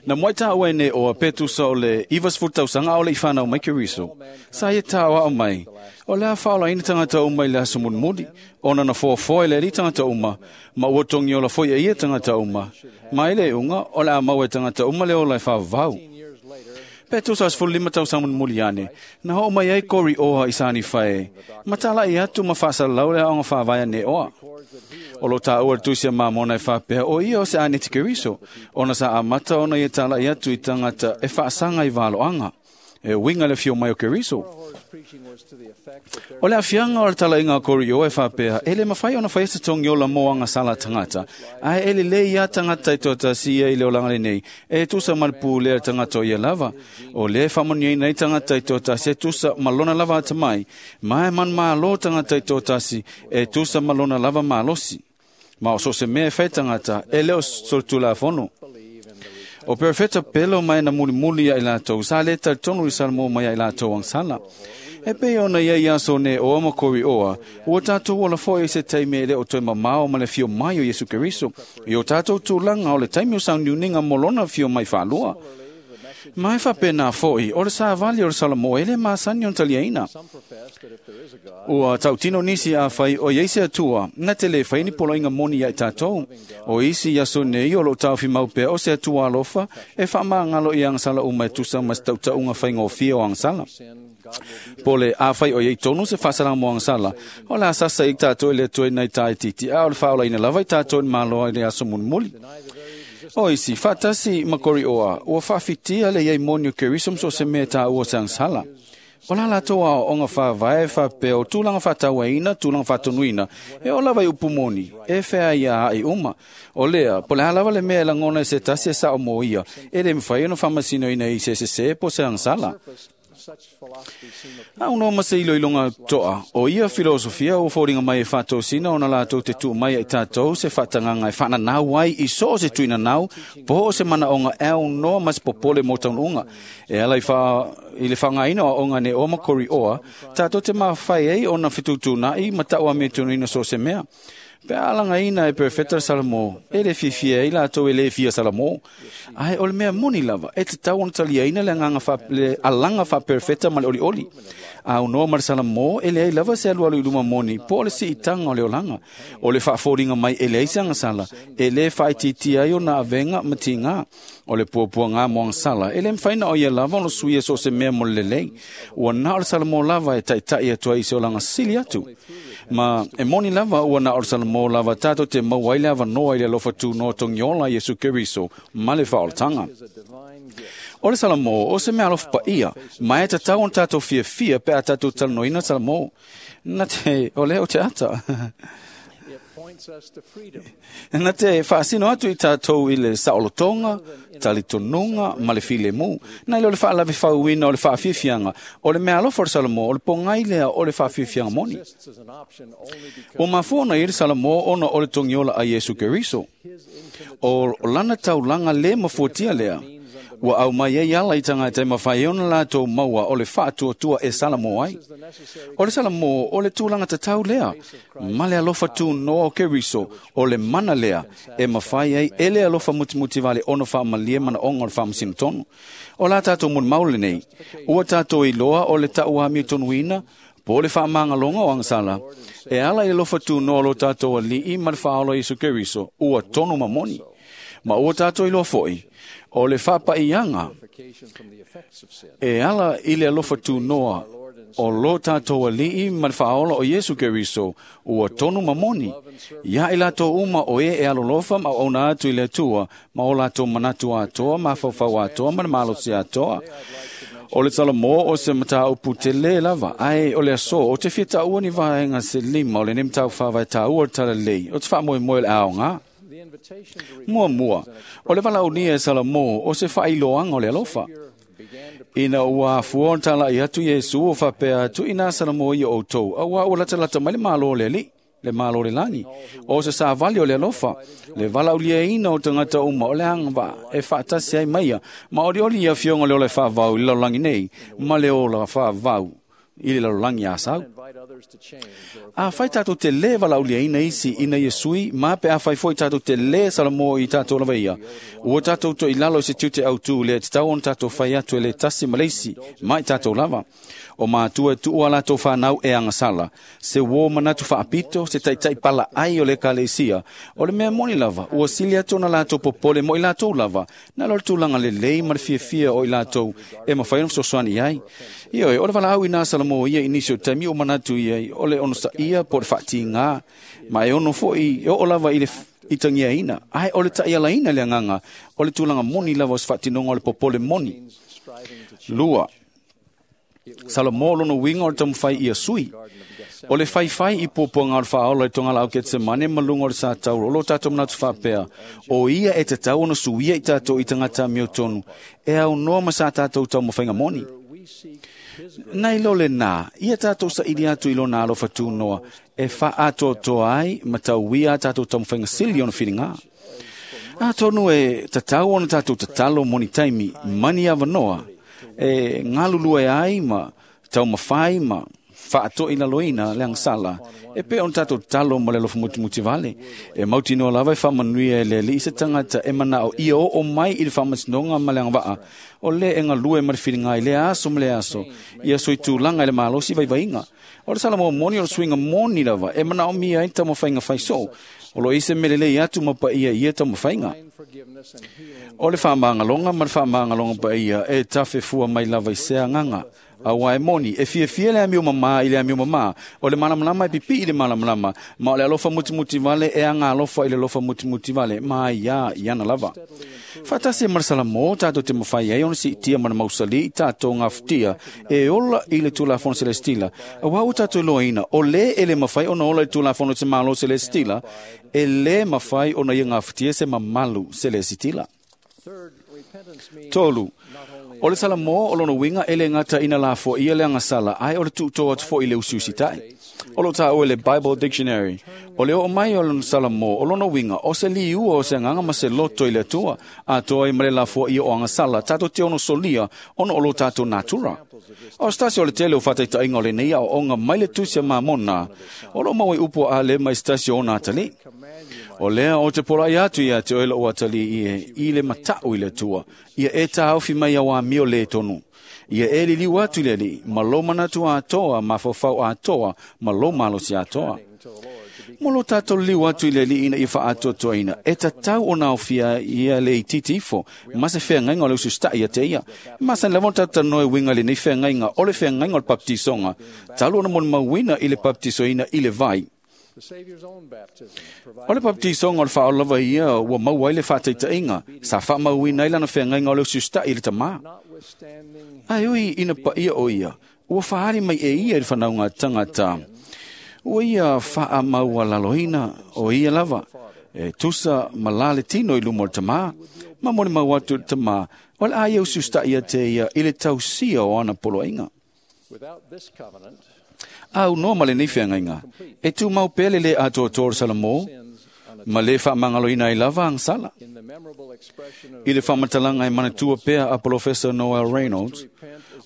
Na muai tā ua ene o a Petusa o le ivas tausaga o le i whanau mai Keriso. Sa ia tā o mai, o lea whaola ina tangata uma i le aso mulimuli, ona na foafoa i le ali tangata uma, ma ua tongi ola foi e ia tangata uma. Ma ile unga, o le a mau e tangata uma le ola e whaavau. Petusa as fulu lima tausaga mulimuli ane, na ho mai ai kori oha i sani whae, ma tala i atu ma whaasa lau le aonga whaavaia ne oa. O lo tā ua le tusi a Mamona e whapea o ia o se ane te Keriso, ona sa amata ona ia tala i atu i tangata e whaasanga i valoanga, e winga le fio mai o Keriso. O le afianga o le tala inga kori o e whapea, ele mawhai ona whai se tongi ola moanga sala tangata, ae ele le ia tangata i tōta si ia i le olanga le nei, e tusa malpū lea tangata o ia lava, o le whamoni nei tangata i tōta si e tusa malona lava atamai, mae man malo tangata i tōta si e tusa malona lava malosi. Ma o so se mea e whai tangata, e leo soltula fono. O perfeta pelo mai na mulimuli ia i latou, sa le talitonu i Salamo mai ia i latou agasala. E pei ona ia i aso ne oa ma kori oa, ua tātou ola foi i se taimi e le o toe mamao ma le fio mai o Iesu Keriso, i o tātou tūlanga o le taimi o sauniuniga mo lona fio mai whaalua. Mai whapena foi, o le sāvali o le Salamo e le masani o taliaina. Ua tautino nisi a whai o ieise atua, na te le whaini poloinga moni ia i tātou. O isi iaso nei o lo taufi maupea o se atua alofa, e whaamangalo i angsala uma e tusa mas tautaunga whaingofia o angsala. Po le a whai o iei tonu se whasara mo angsala. O la sasa i tātou i le toe nei tāi titi a o le whaola ina lava i tātou i maloa i le aso munmuli. O isi, whatasi makori oa, ua whawhitia le iei moni o Keriso mso se mea tā ua se angsala. O la lato a onga whavae whapea o tūlanga whatawaina, tūlanga whatonuina, e o lava i upu moni, e whea ia ai uma. O lea, po le halawa le mea e langona e se tasi e sa o mo ia, e le mwhai ono whamasino ina i se se se po se angsala. A uno ma se ilo ilonga toa, o ia filosofia o fōringa mai e whātōsina o na lātou te tū mai e tātou se whatanganga e whananau ai i so o se tuina nau, po o se mana onga au noa mas popole mō taununga. E ala i, wha, i le whangaina o onga ne o makori oa, tātou te mawhai ei o na fitūtūnai ma taua me tunuina so se mea. Pe alanga ina e perfecta Salamo, e le fiafia i latou e le fia Salamo. Ai o le mea moni lava, e te tau ona talia ina le, anganga fa, le alanga fa perfecta ma le oli oli. A unoa ma le Salamo, e le ai lava se alu alu i luma moni, po o le si itanga o le olanga. O le whaaforinga mai e le ai se angasala, e le whaititia ai o na avenga ma tinga. O le puapua ngā mo angsala, e le mwhaina o ia lava ono suia so se mea mo le lelei. Ua na o le Salamo lava e taitai atua i se olanga sili atu. Ma e moni lava ua na o le Salamo lava tātou te mauai le avanoa i le alofa tūnoa tongiola Iesu Keriso ma le whaoltanga. O le Salamo, o se mea alofa pa ia, mai e tatau on tātou fiafia pe a tātou talanoina Salamo. Na te, o leo te ata. Na te whaasino atu i tātou i le saolotonga, talitonunga, ma le filemu. Na ile o le whaalawe whauina o le whaafiafianga, o le mea alofa o le Salamo, o le pongai lea o le whaafiafianga moni. O mafuona i le Salamo ona o le tongiola a Iesu Keriso. O lana taulanga le mafuatia lea. Ua au mai ei ala i tangata e mawhai ona lātou maua o le whaatuatua e Salamo ai. O le Salamo o le tūlanga tatau lea, ma le alofa tū noa o Keriso, o le mana lea, e mawhai ai e le alofa mutimuti vale ono whaamalie mana onga o le whaamasino tonu. O la tātou mun maule nei, ua tātou i loa o le tauami tonuina, po le whaamangalonga o angsala, e ala i alofa tū noa lo tātou ali'i ma le whaolo Iesu Keriso, ua tonu mamoni. Ma ua tātou i loa foi, o le whapaianga e ala i le alofa tūnoa o lo tātou ali'i ma le whaola o Iesu Keriso ua tonu mamoni. Ia i lātou uma o e e alolofa ma ona atu i le atua, ma o lātou manatu atoa, ma whawhau atoa, ma le malosi atoa. O le Salamo o se matau putele lava, ai o le aso, o te whita ua ni vaenga se lima, o le nem tau whawai tā ua tala lei, o te wha moe le aonga. Mua mua, o le valaunia e Salamo o se whailoanga o le alofa. Ina ua fuon tala i atu Iesu o whapea atu ina Salamo i o tau, a ua ua lata mai le malo le ali, le malo le lani. O se sa vali o le alofa, le valaulia ina o tangata uma o le hanga e whaatasi ai maia, ma ori ori ia fionga le ole whaavau i lalolangi nei, ma le ola whaavau i le lalolangi a sau. A whai tātou te le valaulia ina isi ina ia sui, ma pe a whai foi tātou te le Salamo i tātou lava ia. Ua tātou to i lalo i se tiute au tū le te tau on tātou whai atu e le tasi maleisi, mai tātou lava. O mātua e tuua lātou whanau e angasala. Se wō manatu whaapito, se taitai pala ai o le kalesia. O le mea moni lava, ua sili atu na lātou popole mo i lātou lava. Na lo le tūlanga le lei ma le fiafia o i lātou e mawhai ono sosoani ai. Ioi, o le wala au i nā Salamo ia i nisi o taimi o manatu ia o le ono sa ia po le whati ngā. Ma e ono foi e o lava i le i tangia ina. Ai o le tai ala ina le anganga. O le tūlanga moni lava o se whatinonga o le popole moni. Lua. Salamo lono winga o le tamwhai ia sui. O le whaiwhai i pōpua ngā o le whaola i tonga lau ke te mane malunga o le sa tauro. O lo tātou manatu whapea. O ia e te tau ono suia i tātou i tangata meo tonu. E au noa ma sa tātou tau mawhainga moni. Nei lo le nā, ia tātou sa ili atu i lo nā alofa tūnoa, e wha atoa toa ai, ma tau wia tātou tau mwhainga sili ono whiringa. Atonu e tatau ona tātou tatalo moni taimi, mani awanoa, e ngalulua e ai ma tau mawhai ma whaatoi laloina le angsala, e pe on tātou talo ma le alofa mutimuti vale. E mautinoa lava e whaamanuia e le alii se tangata e manao ia o o mai i le whaamasinoga ma le agavaa, o le e galue ma le filiga i le aso ma le aso, ia soitulaga i le malosi vaivaiga. O le Salamo moni o le suiga moni lava, e manaomia ai taumafaiga faisoo, o lo ise melelei atu ma paia ia taumafaiga. O le whaamangaloga ma le whaamangaloga paia e tafefua mai lava i se agaga. Aua e moni, e fiafia le amio mamā i le amio mamā, o le malamalama e pipi i le malamalama, ma o le alofa mutimuti vale e aga alofa i le alofa mutimuti vale, ma ia i ana lava. Whaatasi e marasala mō tātou te mawhai ai ona siitia mana mausali i tātou ngā futia e ola i le tulafono celestila. Aua o tātou loaina, o le e le mawhai ona ola i tulafono te malo celestila, e le mawhai ona ia ngā futia se mamalu celestila. Tolu, o le Salamo o lona winga e le ngata ina la fo ia le angasala, ai o le tuuto atu fo i le usiusitai. O lo tā oe le Bible Dictionary, o le o mai o lona Salamo o lona winga, o se liua o se anganga ma se loto i le atua, a toa i mare la fo ia o angasala, tātou te ono solia, ono o lo tātou natura. O stasi o le tele o whataitainga o le nei ao onga mai le tusia mamona, o lo maui upo a le mai stasi o nātali. O lea o te porai atu ia te oela o atali i e, i le matau i le atua, ia e tāofi mai au amio le tonu. Ia e liliu atu le li, ma lo manatu atoa, ma fofau atoa, ma lo malosi atoa. Mo lo tātou liu atu i le li ina i whaatoatoaina, e tatau o naofia ia le itiiti ifo, ma se wheangainga o le usustai ia te ia. Ma san lava o tātou noe winga le nei wheangainga, o le wheangainga o le baptisonga, talu ona moni mauina i le baptisoina i le vai. O le baptisonga o le whaolava ia ua maua ai le whataitainga, sa whaamauina ai lana wheangainga o le usustai i le tamā. Ai ui ina paia o ia, ua whaari mai e ia i le whanaunga tangata. Ua ia whaamaua laloina o ia lava, e tusa ma lale tino i lumo o le tamā, ma moni mau atu le tamā, o le aia usustai ia te ia i le tausia o ana poloaiga. Au noa ma le nei wheangainga, e tū mau pele le atoatoa o Salamo, ma le whaamangaloina ai lava angsala. I le whaamatalanga e manatua pea a Professor Noel Reynolds,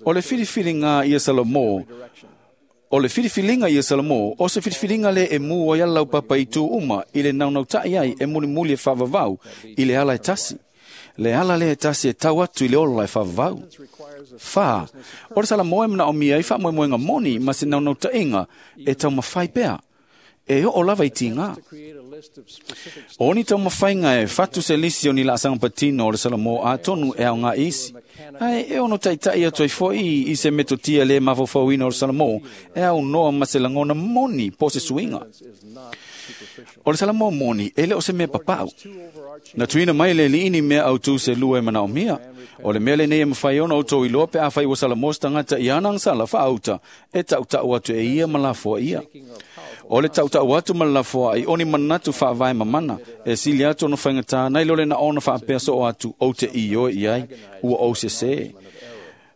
o le whiriwhiringa ia Salamo, o le whiriwhiringa ia Salamo, o se whiriwhiringa le e mua i alau papa i tū uma, i le naunautai ai e mulimuli e whavavau, i le ala e tasi. Le ala le e tasi e tau atu i le ola e whavavau. Wha, o le Salamo e mana o mia i whaamoemoenga moni ma se naunauta e tau mawhai pea. E o lava i tinga. O ni tau mawhainga e whatu se lisi o ni la asanga patino o le Salamo a tonu e au ngā isi. Ai e ono taitai atu ai foi i se metotia le mawhawhauina o le Salamo e au noa ma se langona moni po se suinga. O le Salamo moni e le o se mea papau. Na tuina mai le liini mea au tū se lua e manao mia. O le mea le nei e mawhai ona o tō iloa pe a whai o Salamo tangata i ana angsala whaauta e tautau atu e ia ma lafoa ia. O le tautau atu ma lafoa i oni manatu whaavae mamana e sili atu ono whaingata nei lole na ona whaapea so o atu o te i oe i ai ua o se se.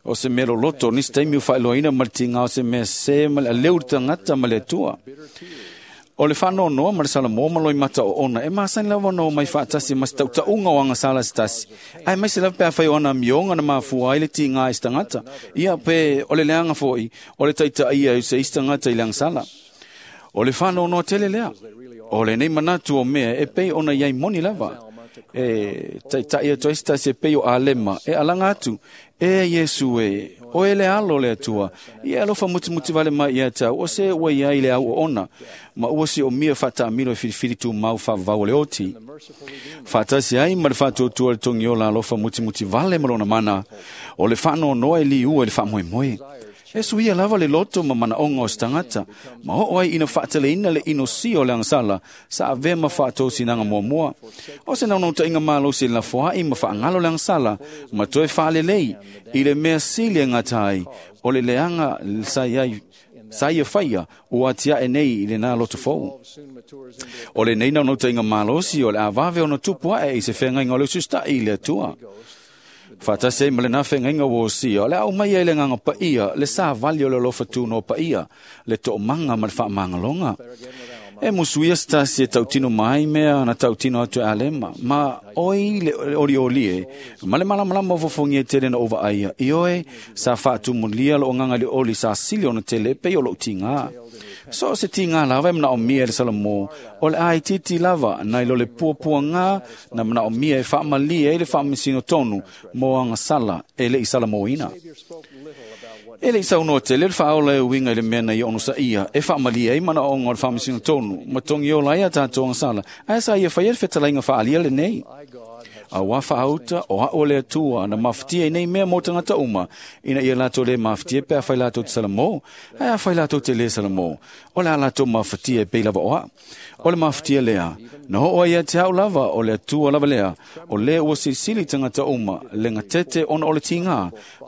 O se mea loloto nisi taimi o whaeloaina ma le tinga o se mea se ma le aleu tangata ma le atua. O le whanonoa ma le Salamo ma loi mata o ona, e maasani lava no mai whaatasi ma se tautaunga o angasala se tasi. Ai mai se lava pea whai o ana mionga na mafua ai le tinga i se tangata. Ia pe o le leanga foi, o le taita ia i se isi tangata i le angasala. O le whanonoa tele lea. O le nei manatu o mea e pei ona iai moni lava. E taitai atu ai se tasi e pei o alema, e alanga atu, e Yesu e, o e le alo le atua, ia alofa mutimuti vale mai ia tau, o se ua ia i le au o ona, ma ua si o mia whataamilo e whiriwhiri tū mau whavau le oti. Whatasi ai ma le whatuatua le tongiola alofa mutimuti vale ma lona mana, o le whanonoa e li ua e le whaamoemoe. E suia lava le loto ma manaonga o se tangata, ma oo ai ina whaataleina le inosia o le angsala, sa ave ma whaatōsinaga muamua. O se naunauta malo se lafoai ma whaangalo le angsala, ma toe whaalelei, i le mea sili e ngatai, o le leanga sa iai sa ia whaia o atia e nei i le nā loto fou. O le nei naunauta malosi o le awave o na tupu ae i se whengainga o le usustai i le atua. Whatase ma le nā whengainga o sia, o le au mai ai le nganga paia, le sā vali o le alofa tūno paia, le to'omanga ma le whaamangalonga. E musuia se tasi e tautino mai mea na tautino atu e alema, ma oi le oli oli e, ma le malamalama o fofongia tele na ova aia, i oe sa faatumulia lo nganga le oli sa sili ona tele pe o lo tinga. So se tinga lava e mana o mia le Salamo, o le ai titi lava, na ilo le puapua ngā, na mana o mia e faamalia e le faamisino tonu, mo anga sala e le i Salamoina. E le isa unoa tele le whaola e uinga i le mea nei ono sa ia, e whaamalia i mana onga o le whaamisino tonu, ma tongi o laia tātou anga sala, ae sa ia whaia le whetalainga whaalia le nei. A wā whaauta o hao le atua na mawhitia i nei mea mō tangata uma, ina ia lātou le mawhitia pe a whai lātou te Salamo, ae a whai lātou te le Salamo, o le a lātou mawhitia e pei lava oa. O le mawhitia lea, na ho oa ia te hau lava o le atua lava lea, o le ua silisili tangata uma, le ngatete ona o le tingā,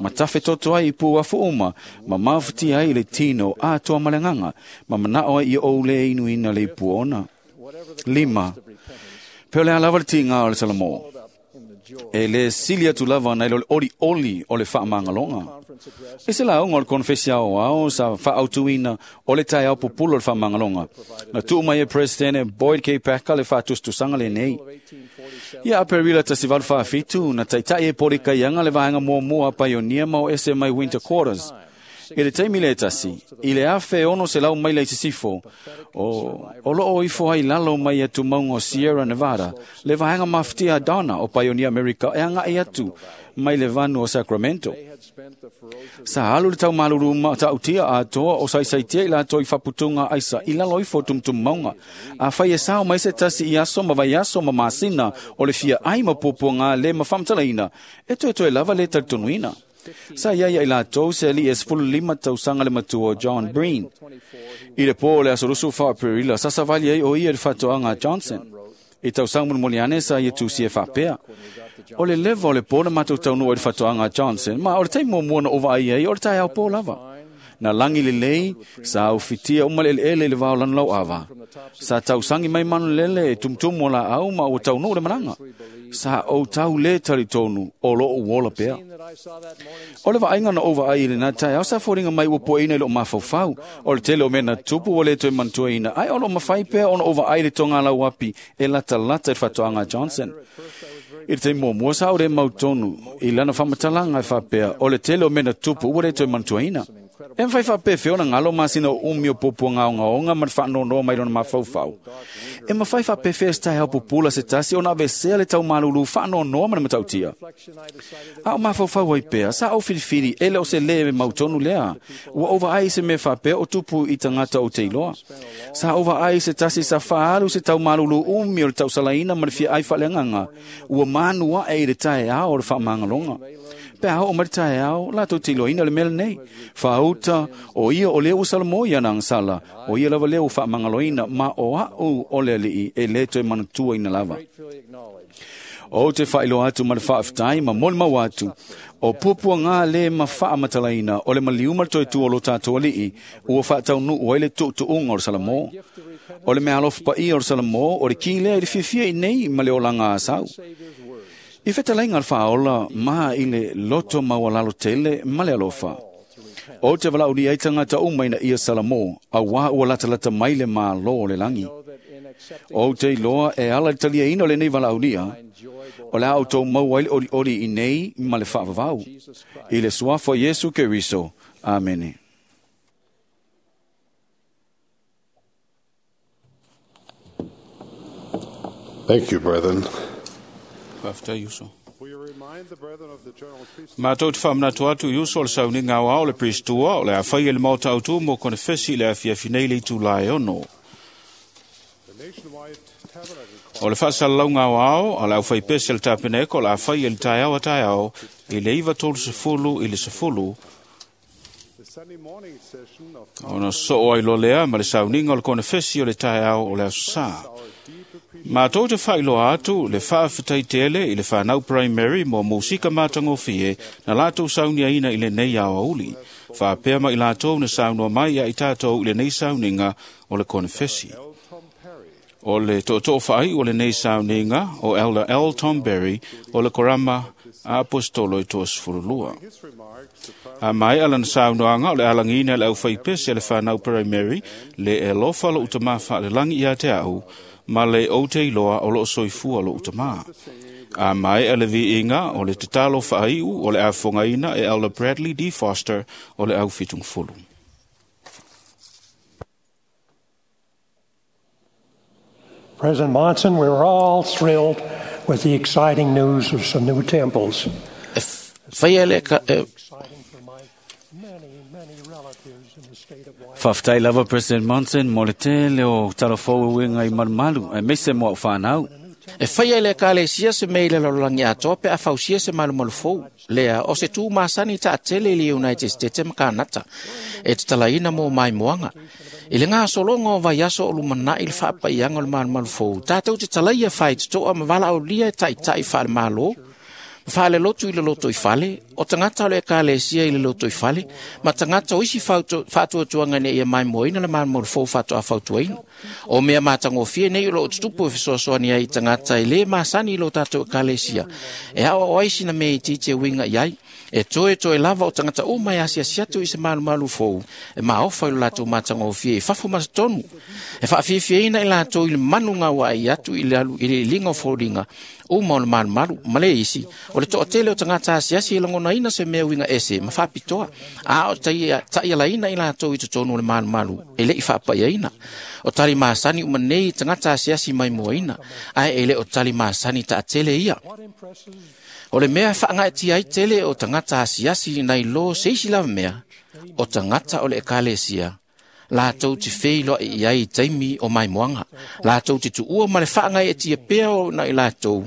ma tawhe toto ai i pūafu uma, ma mawhitia ai le tino a toa malenganga, ma manao ai i o le inuina le ipu ona. Lima, pe o le a lava le tingā o le Salamo. E le sili atu lava na ilo le oli oli o le whaamangalonga. E se la unga o le konfesia o ao sa whaautuina o le tai au pupulo o le whaamangalonga. Na tuu mai e Presidente Boyd K. Packer le whaatustusanga le nei. Ia aperila tasivalu whaafitu na taitai e pori kaianga le vaenga mua mua paionia ma o S M A Winter Quarters. I le taimi le tasi, i le afe ono se lau mai le sisifo, o, o loo ifo ai lalo mai atu maunga o Sierra Nevada, le vaenga maftia Donna o Pioneer America e anga i atu mai le vanu o Sacramento. Sa alu le tau maluru ma tautia a toa o saisaitia i la toi faputunga aisa i lalo ifo tumtum maunga. A whai e sao mai se tasi i aso ma vai aso ma masina o le fia ai ma puapuanga le ma whamtalaina, e toe toe lava le taritonuina. Sa ia ia i lātou se ali e sefulu lima tausaga le matua John Breen. I le pō o le asorusu whaaperila, sa savali ai o ia le whatoanga Johnson. I tausaga mulimuli sa ia tusi e whapea. O le leva o le pō na mātou taunua i le whatoanga Johnson, ma o le taimo mua na ova ai ai o le tai au pō lava. Na langi le lei, sa au fitia umale ele ele le vao lanu lau ava. Sa tausangi mai manu lele e tumtumu o la au ma o taunu le mananga. Sa o tau le taritonu o lo o wola pea. O le vaaiga na ova ai i le nā tai au sa fōringa mai ua poeina i lo mafaufau. O le tele o mea na tupu o le toe mantuaina. Ai o lo mawhai pea ona ova ai le tonga lau api e lata lata i whatoanga Johnson. I te mua mua sa o re mautonu i lana whamatalanga e whapea o le tele o mea na tupu ua le toe mantuaina. E mwhai whape whiona ngalo masina o umi o popo ngā onga onga ma whaanonoa mai rona mafaufau. E mwhai whape whea se tai pupula se tasi o na vesea le tau malulu whaanonoa mana matautia. A o mafaufau ai pea, sa au whiriwhiri e le o se le me mautonu lea. Ua ova ai se me whapea o tupu i tangata o te iloa. Sa ova ai se tasi sa whaalu se tau malulu umi o le tau salaina ma le fia ai whaleanganga. Ua manua e i le tae ao o le whaamangalonga. Pea o marita e ao, lātou te iloina le mele nei. Whaauta, o ia o leo Salamo ia nang sala, o ia lava leo whaamangaloina, ma o au o le alii e le toe manatua ina lava. O te whailoa atu ma le whaaftai ma moli mau atu, o puapua ngā le ma whaamatalaina, o le maliuma le toe tua o lo tātou alii, ua whaataunu o ele tuutuunga o le Salamo. O le mea alofa paia o le Salamo, o le ki lea i le fiafia i nei ma le olanga asau. I whetalainga al whaola ma i le loto maualalo tele ma le alofa. O te walauri ai tangata umaina ia Salamo, a wā ua latalata mai le mālo o le langi. O te iloa e ala le talia ina o le nei walauria, o le au tau mau ai le ori ori i nei ma le whaavavau. I le suafo Yesu Keriso. Amene. Thank you, brethren. Whafta Yuso. Mātou te whamanatu atu Yuso o le sauni ngā wao le Pristua o le awhai e le maota autu mō konefesi le awhiawhi nei le itu lae ono. O le whaasalau ngā wao a le awhai pese le tapeneko le awhai e le taiao a taiao i le iwa tolu sefulu i le sefulu ona soo ai lolea ma le sauninga o le konefesi o le taiao o le aso sā. Mātou te whailoa atu le whaafetai tele i le whanau primary mō mūsika mātangofie na lātou saunia ina i le nei ao auli. Whaapea mai lātou na saunua mai a i tātou i le nei sauninga o le konefesi. O le to'oto'o whaai o le nei sauninga o Elder L. Tom Berry o le korama A apostolo e toasefululua. A mai ala na saunoaga o le alagiina le aufaipese le whanau primary le e lofa lo utama whaalelangi ia te au ma le o te iloa o lo soifua lo utama. A mai ale viiga o le tatalo faaiu o le afogaina e Elder Bradley D. Foster o le au fitungfulu. President Monson, we were all thrilled with the exciting news of some new temples. Faafetai lava President Monson mo le tele o talafou e uiga i malumalu aemaise mo au fanau. E whaia le ekalesia se mea i le lalolagi atoa pe a fausia se malumalu fou. Lea o se tū masani taatele i le United States ma Kanata. E tatalaina mo maimoaga. I le gasologa o vaiaso o lumanaʻi le faapaiaga o le malumalu fou. Tatou te talaia faitotoa ma valaaulia e taʻitaʻi faalemalō. Ma faalelotu i le loto i fale, o tagata o le ekalesia i le loto i fale, ma tagata o isi faatuatuaga ina ia maimoaina le malumalu fou faatoa fautuaina. O mea matagofie nei o loo tutupu e fesoasoani ai i tagata e lē masani i lo tatou ekalesia. E aoao ai sina mea itiiti e uiga i ai. E toe toe lava o tagata uma e asiasi atu i se malumalu fou, e maofa i lo latou matagofie i fafo ma totonu. E faafiafiaina i latou i le manu gauaai atu i le alu i le iliga o foliga uma o le malumalu ma le isi o le toatele o tagata asiasi e lagonaina se mea uiga ese ma faapitoa, a o taʻialaina i latou i totonu o le malumalu e leʻi faapaiaina. O tali masani uma nei tagata asiasi maimoaina, ae e le o tali masani taatele ia. O le mea faagaetia ai tele o tagata asiasi nai lo se isi lava mea, o tagata o le ekalesia latou te feiloai i ai i taimi o maimoaga. Latou te tuua ma le faagaeetia pea o na i latou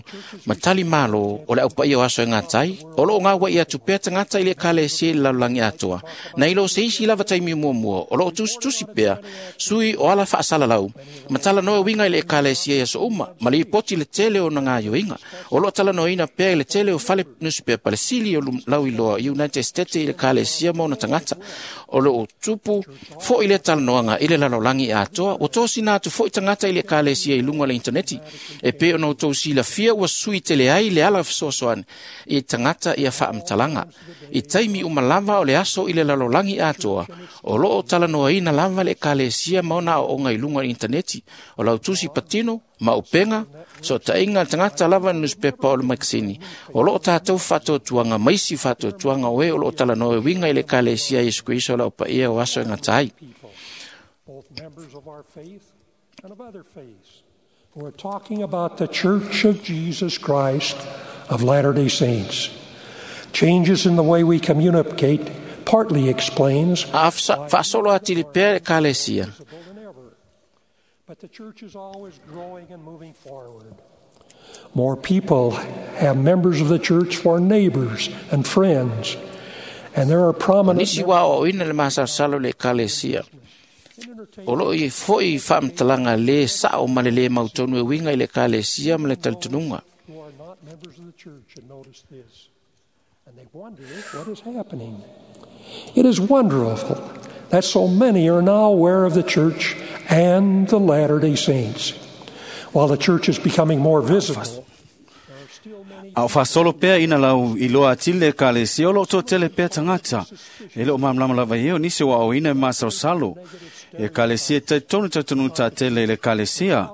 ma tali malo o le aupaia o aso e gatai, o loo gauaʻi atu pea tagata i le ekalesia i le lalolagi atoa. Nai lo se isi lava taimi muamua, o loo tusitusi pea sui o ala faasalalau ma talanoa e uiga i le ekalesia i aso uma, ma lipoti le tele o na gaioiga. O loo talanoaina pea i le tele o fale nusipepa le sili o lauiloa i United States i le ekalesia ma ona tagata. O loo tupu foʻi le talanoaga i le lalolagi atoa, ua tosina atu foʻi tagata i le ekalesia i luga o le interneti. E pei ona outou silafia ua sui tele ai le ala fesoasoani i tagata ia faamatalaga. I taimi uma lava o le aso i le lalolagi atoa, o loo talanoaina lava le ekalesia ma ona aooga i luga o le interneti. O lautusi patino ma upega, sootaiga le tagata lava newspaper o le makasini. O loo tatou faatuatuaga ma isi faatuatuaga o e o loo talanoa e uiga i le ekalesia Iesu Keriso o le aupaia o aso e gata ai. Both members of our faith and of other faiths, who are talking about the Church of Jesus Christ of Latter-day Saints. Changes in the way we communicate partly explains A faasolo atili pea le ekalesia. But the church is always growing and moving forward. More people have members of the church for neighbors and friends, and there are prominent Nisi wa aoaoina le masalosalo i le ekalesia. O loo i foʻi faamatalaga lē saʻo ma le lē mautonu e uiga i le ekalesia ma le talitonuga. who are not members of the church and notice this, and they wonder what is happening. It is wonderful that so many are now aware of the church and the Latter-day Saints. While the church is becoming more visible, A o faasolo pea ina lau iloa atili le ekalesia o loo toatele pea tagata. E leo malamalama lava i e o nisi o aoina e masalosalo. E ekalesia e talitonu talitonu taatele i le ekalesia.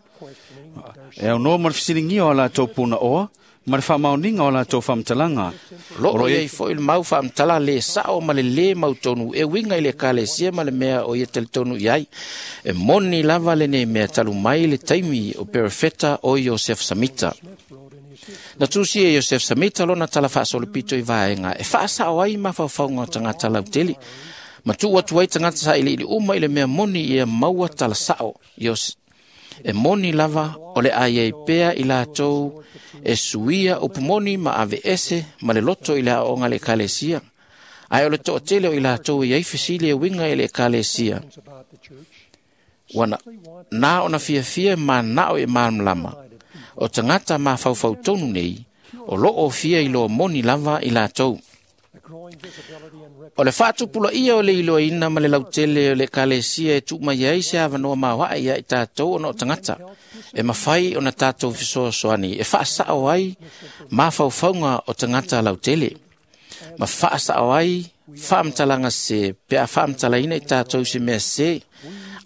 E aunoa ma le fesiligia o a latou punaoa ma le faamaoniga o a latou faamatalaga. Loo iai foʻi le mau faamatala lē saʻo ma le lē mautonu e uiga i le ekalesia ma le mea o ia talitonu i ai. E moni lava lenei mea talu mai le taimi o perefeta o Iosef Samita. Na tusi e Iosef Samita lona tala faasolopito i vaega e faasaʻo ai mafaufauga o tagata lautele. Ma tuu atu ai tagata sailiili uma i le mea moni ia maua tala saʻo. Ios E moni lava o le ai ai pea i latou e suia upumoni ma ave ese ma le loto i le aoga le ekalesia. Ae o le toatele o i latou e iai fesili e uiga i le ekalesia. Ua na, na ona fiafia manao e malamalama. O tagata mafaufautonu nei, o loo fia iloa moni lava i latou. O le faatupulaia o le iloaina ma le lautele o le ekalesia e tuu mai ai se avanoa maoae ia i tatou ona o tagata e mafai ona tatou fesoasoani e faasao ai mafaufauga o tagata lautele ma faasao ai faamatalaga se pe a faamatalaina i tatou se mea sese,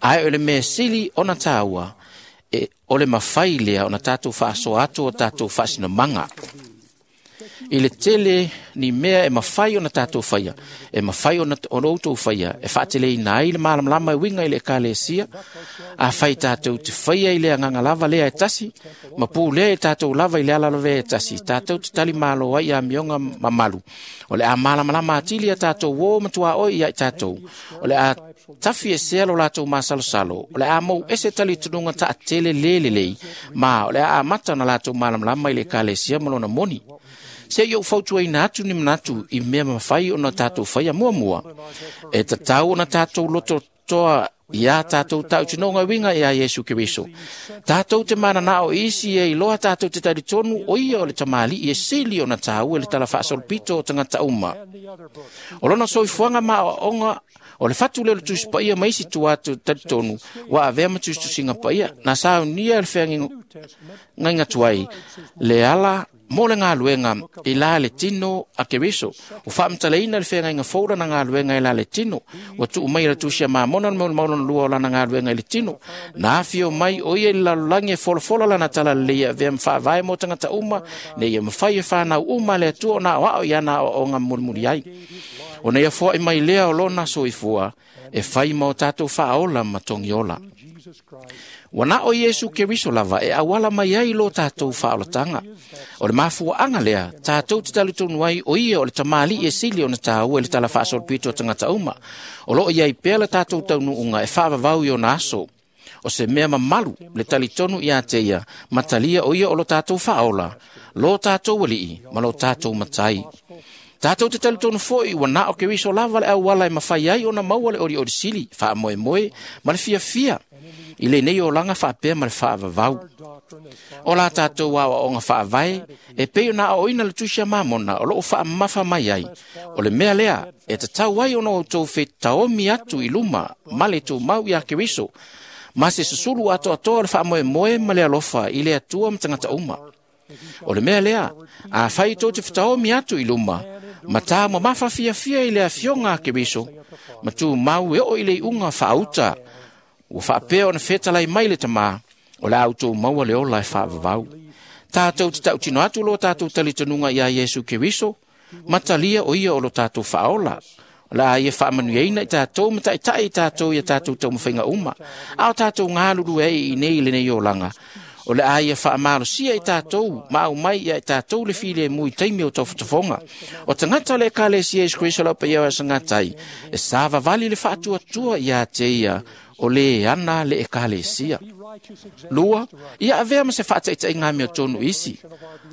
ae o le mea sili ona tāua e o le mafai lea ona tatou faasoa atu o tatou faasinomaga. I le tele ni mea e mafai ona tatou faia, e mafai ona ona outou faia, e faateleina ai le malamalama e uiga i le ekalesia, a fai tatou te faia i le agaga lava lea e tasi, ma pulea i tatou lava i le ala lavea e tasi, tatou te tali malo ai i amioga mamalu. O le a malamalama atili a tatou o matuaoi ia i tatou, o le a tafi e sea lo latou masalosalo, o le a mou ese talitonuga taatele le lelei, ma o le a amata ona latou malamalama i le ekalesia ma lona moni. Se i ou fautuaina atu ni manatu i mea mafai ona tatou faia muamua. E tatau ona tatou loto toa ia tatou tautinoga uiga ia Iesu Keriso. Tatou te mananao isi e iloa tatou te talitonu o ia o le tamalii e sili ona tāua i le tala faasolopito o tagata uma. O lona soifuaga ma aoaoga o le fatu lea o le Tusi Paia ma isi tua atu talitonu ua avea ma tusitusiga paia na saunia e le feagaiga tuai le ala mo le galuega i la le tino a Keriso. O faamatalaina le feagaiga fou lana galuega i la le tino. Ua tuu mai e le Tusi a Mamona le maulumaulona lua o lana galuega i le tino. Na afio mai o ia i le lalolagi e folafola lana talalelei e avea ma faavae mo tagata uma, ne ia mafai e fanau uma le Atua ona aoao i ana aoaoga mulimuli ai. Ona ia foai mai lea o lona soifua e fai ma o tatou faaola ma togiola. Ua na o Iesu Keriso lava e auala mai ai lo tatou faaolataga. O le mafuaaga lea, tatou te talitonu ai o ia o le tamalii e sili ona tāua i le tala faasolopito o tagata uma. O loo iai pea le tatou taunuuga e faavavau i ona aso. O se mea mamalu le talitonu ia te ia, matalia o ia o lo tatou faaola, lo tatou alii ma lo tatou matai. Tatou te talitonu foi ua na o Keriso lava le auala e mafai ai ona maua le olioli sili, faamoemoe ma le fiafia i lenei olaga faapea ma le faavavau. O la tatou aoaoga faavae e pei ona aoaoina le Tusi a Mamona o loo faamamafa mai ai. O le mea lea e tatau ai ona outou fetaomi atu i luma ma le tumau ia Keriso, ma se susulu atoatoa o le faamoemoe ma le alofa i le Atua ma tagata uma. O le mea lea, a fai tou te fetaomi atu i luma, ma tā mamafa fiafia i le afioga a Keriso, ma tumau e oo i le iuga faauta, ua faapea ona fetalai mai le tamā, o le a outou maua le ola e faavavau. Tatou te tautino atu lo tatou talitonuga ia Iesu Keriso, ma talia o ia o lo tatou faaola. O le a ia faamanuiaina i tatou ma taitai i tatou ia tatou taumafaiga uma, a o tatou galulue ai i nei i lenei olaga. O le a ia faamalosia i tatou, ma au mai ia i tatou le filemu i taimi o taufotofoga. O tagata o le ekalesia Iesu Keriso lau paia o asagatai, e savavali le faatuatua ia te ia o le ana le ekalesia. Lua, ia avea ma se faataitaiga mea tonu isi.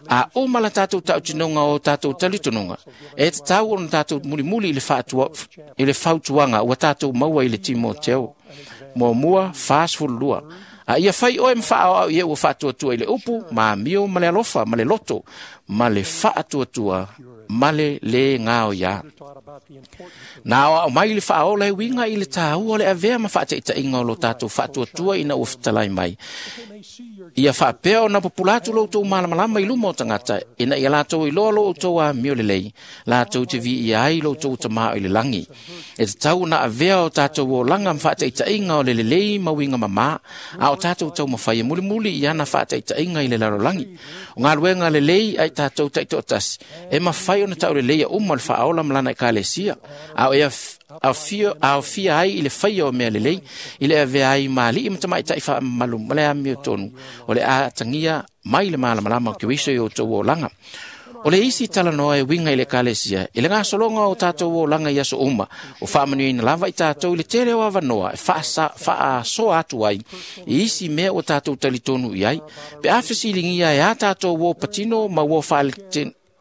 A uma la tatou tautinoga o tatou talitonuga, e tatau ona tatou mulimuli i le faatua, i le fautuaga ua tatou maua i le Timoteo. Muamua, fa sefulu lua. A ia fai oe ma faaoao ia ua faatuatua i le upu, ma amio ma le alofa, ma le loto, ma le faatuatua, ma le le gaoia. Na aoao mai le faaola e uiga i le tāua o le avea ma faataitaiga o lo tatou faatuatua ina ua fetalai mai. Ia faapea ona pupula atu lo outou malamalama i luma o tagata, ina ia latou iloa lo outou amio lelei, latou te viia ai lo outou tamā i le lagi. E tatau ona avea o tatou olaga ma faataitaiga o le lelei ma uiga mamā, a o tatou taumafai e mulimuli i ana faataitaiga i le lalolagi. O galuega lelei ai tatou taitoatasi, e mafai ona tauleleia uma le faaola ma lana ekalesia, a o e aofia ai i le faia o mea lelei, i le avea ai ma alii ma tamaitai faamamalu ma le amio tonu, o le a atagia mai le malamalama o Keriso i outou olaga. O le isi talanoa e uiga i le ekalesia, i le gasologa o tatou olaga i aso uma, o faamanuiaina lava i tatou i le tele o avanoa e faasoa atu ai i isi mea ua tatou talitonu i ai, pe a fesiligia e a tatou uo patino ma uo faale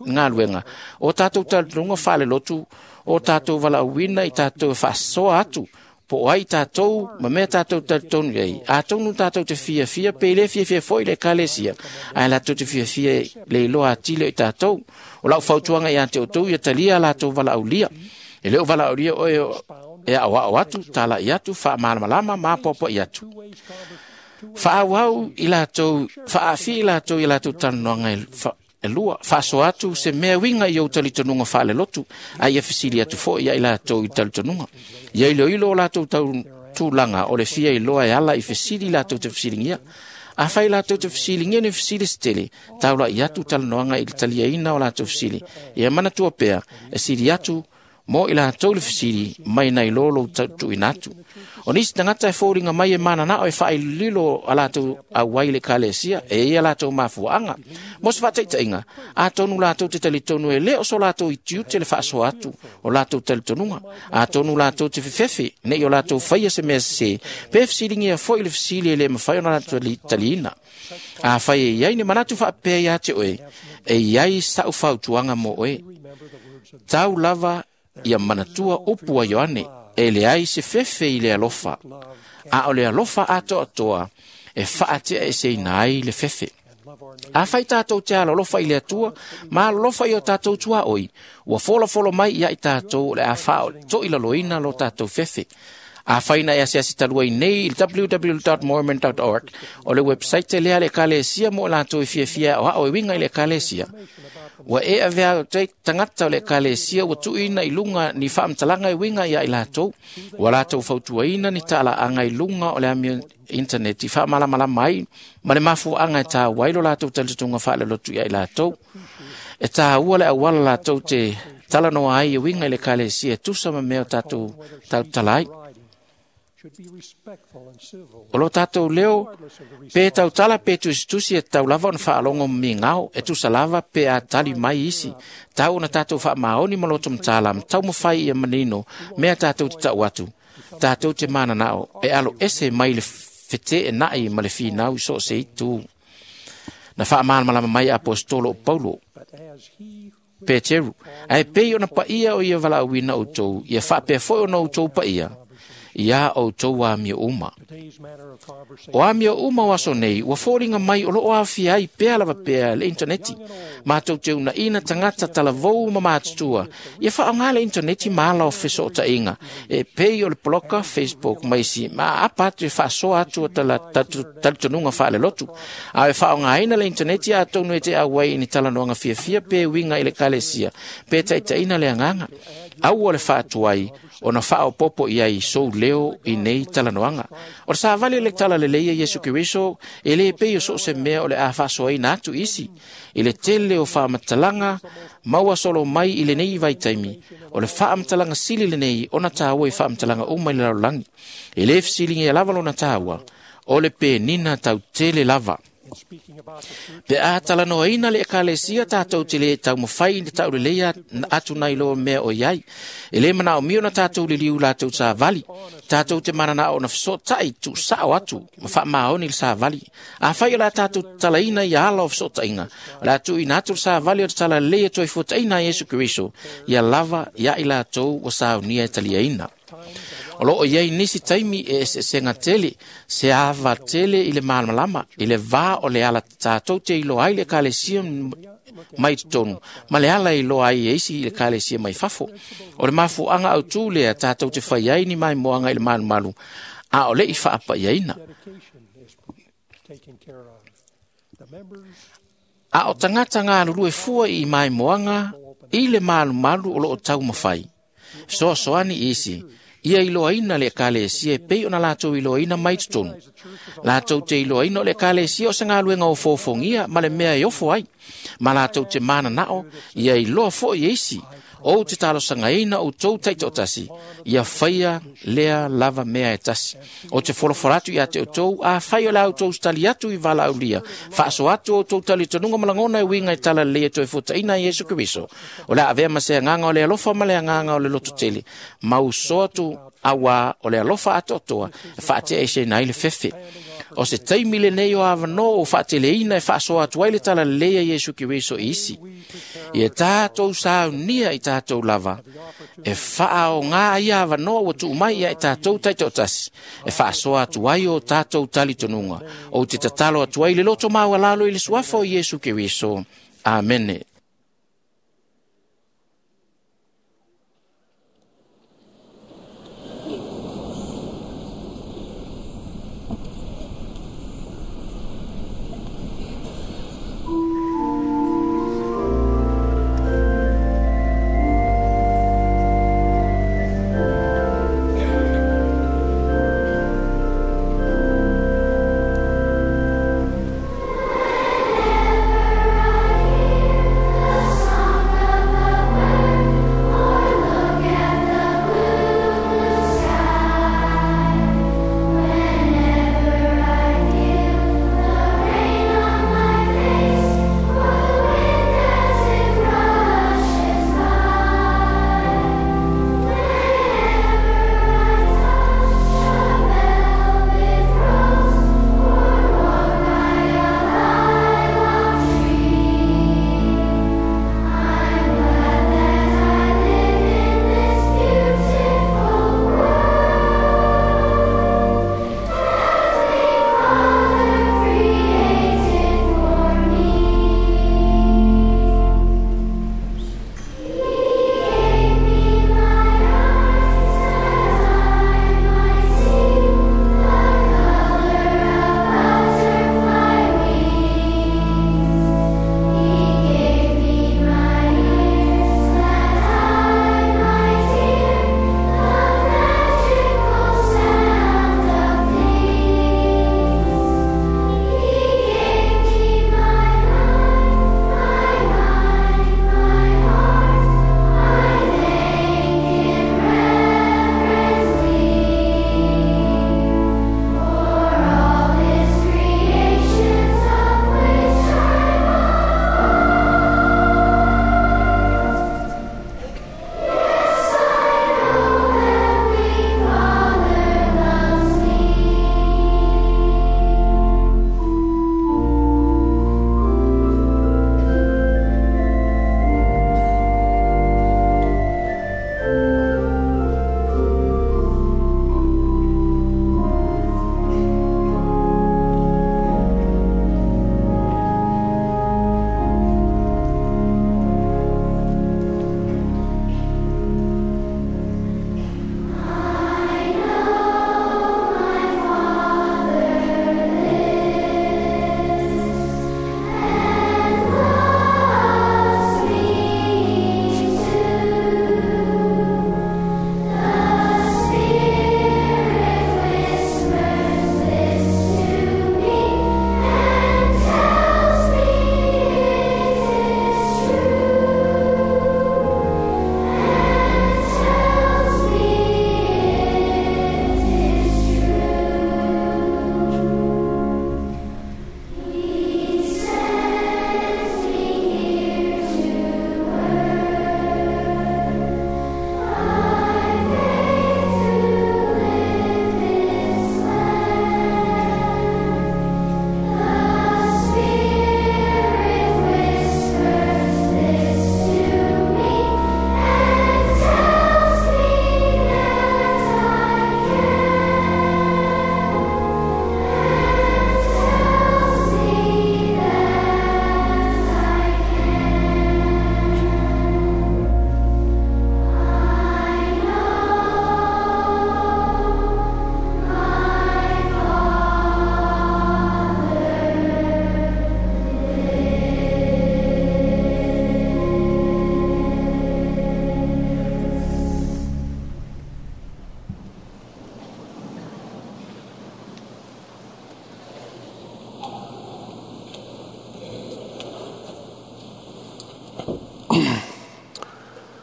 galuega, o tatou talitonuga faalelotu, o tatou valaauina i tatou e faasoa atu Po o ai tātou, ma mea tātou talitonu ai. Atonu tātou te fiafia, pe le fiafia foi le ekalesia. Ae latou te fiafia le iloa atili o i tātou. O lau fautuaga ia te outou ia talia latou valaaulia. E le o valaaulia oe e aoao atu, tala'i atu, faamalamalama ma apoapoa'i atu. Faaauau i latou, faaafi i latou i latou talanoaga e e lua, faasoa atu se mea uiga i ou talitonuga faalelotu, a ia fesili atu foi ia i latou i talitonuga. Ia iloilo o latou tau tulaga o le fia iloa e ala i fesili latou te fesiligia. Afai latou te fesiligia ni fesili se tele, taula'i atu talanoaga i le taliaina o latou fesili. Ia manatua pea, e sili atu mo i latou le fesili mai nai lo lou tuuina atu. O nisi tagata e foliga mai e mananao e faaililo a latou auai i le ekalesia, e ia latou mafuaaga. Mo se faataitaiga, atonu latou te talitonu e le o so latou itiute le faasoa atu o latou talitonuga. Atonu latou te fefefe, nei o latou faia se mea sesē, pe fesiligia foi le fesili e le mafai ona latou taliina. Afai e iai ni manatu faapea ia te oe, e iai sa'u fautuaga mo oe. Tau lava ia manatua upu a Ioane, e leai se fefe i le alofa, a o le alofa atoatoa e faatea eseina ai le fefe. Afai tātou te alolofa i le Atua, ma alolofa i o tātou tuaoi, ua folafolo mai ia i tātou o le a faatoilaloina lo tātou fefe. Afai na e asiasi talu ai nei i le w w w dot mormon dot org, o le website lea le ekalesia mo latou e fiafia o ao e uiga i le ekalesia. Ua e avea te tagata o le ekalesia ua tuuina i luga ni faamatalaga e uiga ia i latou. Ua latou fautuaina ni talaaga i luga o le amio internet i faamalamalama ai ma le mafuaaga e tāua ai lo latou talitonuga faalelotu ia i latou. E tāua le auala latou te talanoa ai e uiga i le ekalesia e tusa ma mea o tatou tautala ai. O lo tātou leo, pe tautala pe tusitusi e tau lava ona faalogo migao, e tusa lava pe a tali mai isi. Tau ona tātou faamaoni ma loto matala, ma taumafai ia manino, mea tātou te tau atu. Tātou te mananao, e alo ese mai le fete e nai ma le finau i so o se itu. Na faamalamalama mai apostolo o Paulo, Peteru, ae pei ona paia o ia valaauina outou, ia faapea foi ona outou paia, ia outou amio uma. O amio uma o aso nei, ua foliga mai o loo aafia ai pea lava pea le interneti. Matou te unaina tagata talavou ma matutua, ia faaaoga le interneti ma ala o fesootaiga, e pei o le poloka, Facebook ma isi, ma apa atu e faasoa atu o talitonuga faalelotu. A e faaaogaina le interneti atonu e te auai i ni talanoaga fiafia pe uiga i le ekalesia, pe taitaina le agaga. Aua le faatuai ona faaopopo i ai sou leo i nei talanoaga. O le savali le tala lelei a Iesu Keriso, e le pei o so o se mea o le a faasoaina atu isi. I le tele o faamatalaga maua solo mai i lenei vaitaimi, o le faamatalaga sili lenei ona tāua i faamatalaga uma i le lalolagi. E le fesiligia lava lona tāua, o le penina tautele lava. Pe a talanoaina le ekalesia tātou te le taumafai i le taulelei atu nai loa mea o iai. E le manaomia ona tātou liliu latou savali. Tātou te mananao ona feso'ota'i tu'usa'o atu ma faamaoni le savali. Afai o le a tātou talaina ia ala o feso'otaiga, o le a tuuina atu le savali o le talalelei e toe fuataina a Iesu Keriso, ia lava ia i latou ua saunia e taliaina. O loo iai nisi taimi e eseesega tele, se ava tele i le malamalama, i le vā o le ala tātou te iloa ai le ekalesia mai totonu, ma le ala iloa ai e isi i le ekalesia mai fafo. O le mafuaaga autū lea tātou te fai ai ni maimoaga i le malumalu, a o le i faapaiaina. A o tagata galulue fua i maimoaga i le malumalu o loo taumafai. Fesoasoani isi, ia iloaina le ekalesia e pei ona latou iloaina mai totonu. Latou te iloaina o le ekalesia o se galuega o fofogia ma le mea e ofo ai. Ma latou te mananao, ia iloa foi e isi, ou te talosagaina outou taitoatasi, ia faia lea lava mea e tasi. O te folafola atu ia te outou, afai o le a outou tali atu i valaaulia, faasoa atu outou talitonuga ma lagona e uiga i talalelei e toe fuataina a Iesu Keriso. O le a avea ma se agaga o le alofa ma le agaga o le lototele, ma uso atu auā o le alofa atoatoa e faatea eseina ai le fefe. O se taimi lenei o avanoa o faateleina e faasoa atu ai le talalelei a Iesu Keriso i isi. Ia tatou saunia i tatou lava, e faaogā ai avanoa ua tuu mai ia i tatou taitoatasi, e faasoa atu ai o tatou talitonuga. Ou te tatalo atu ai le loto maualalo i le suafa o Iesu Keriso. Amene.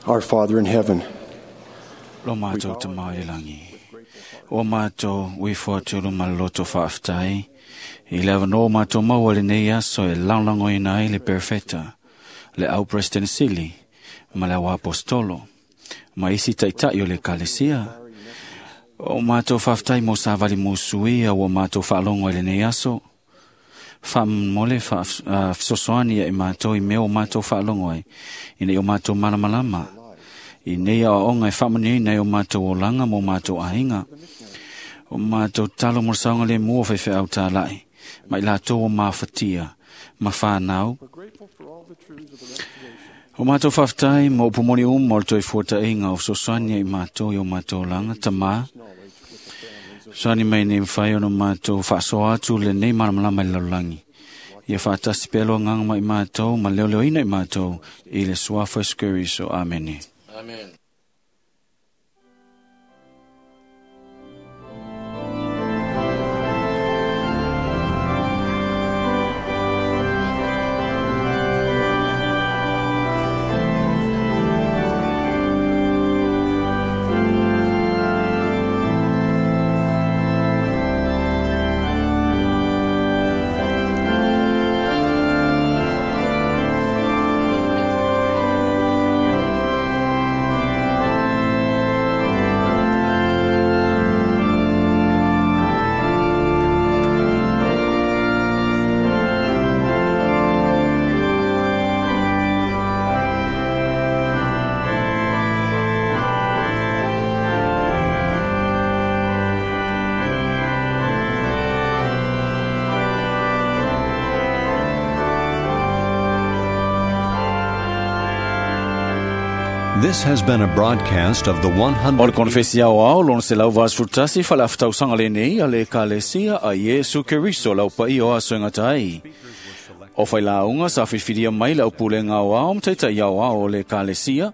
Our Father in heaven, Lo mātou te mai langi. O mātou uifo atu lo maloto whaaftai. I le avanoa mātou maua le nei aso e langlango ina ai le perfeta, le au president sili, ma le au apostolo, ma isi taitai o le kalesia, O mātou whaftai mo sa vali mo sui a ua mātou whaalongo i lenei aso. Wha mole wha uh, ia i mātou i mea o mātou whaalongo ai. I nei o mātou malamalama. I nei a onga e whamani nei o mātou olanga mo mātou ahinga. O mātou talo mo saunga le mua whai wheau tā lai. Mai lātou o māwhatia, ma whānau. O mātou whaftai mo upumoni umo o toi fuata inga o sosania i mātou i o mātou langa tamā. Soani mai nei mwhai ono mātou whaasoa atu le nei malamalama i lalulangi. Ia whaatasi pelo nganga mai mātou, ma leo leo ina i mātou, i le suafa skuriso. Amene. Amen. This has been a broadcast of the one hundred. O le konfesi au au, lona se lau vas futasi, whala whatausanga le nei, a le kalesia a Yesu Keriso lau pa i o aso ngatai. O whai launga sa whiwhiria mai lau pule ngā au, mtaita i au au o le kalesia,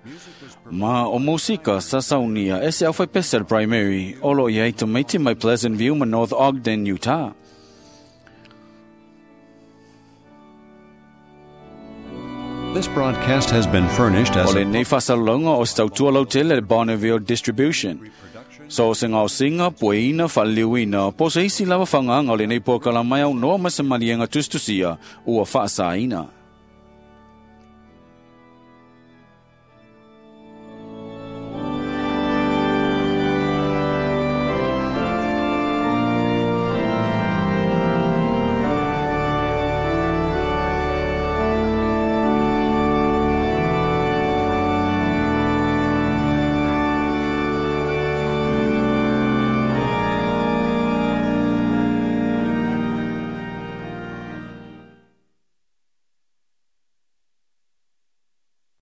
ma o musika sa saunia e se au whai pesel primary, olo i ei tomaiti mai Pleasant View ma North Ogden, Utah. This broadcast has been furnished as O le nei whasalonga o stautua lautele le Bonneville Distribution. So se ngau singa, pueina, whaliliuina, po se isi lava whanganga o le nei pōkala mai au noa masamalienga tustusia, ua whaasaina.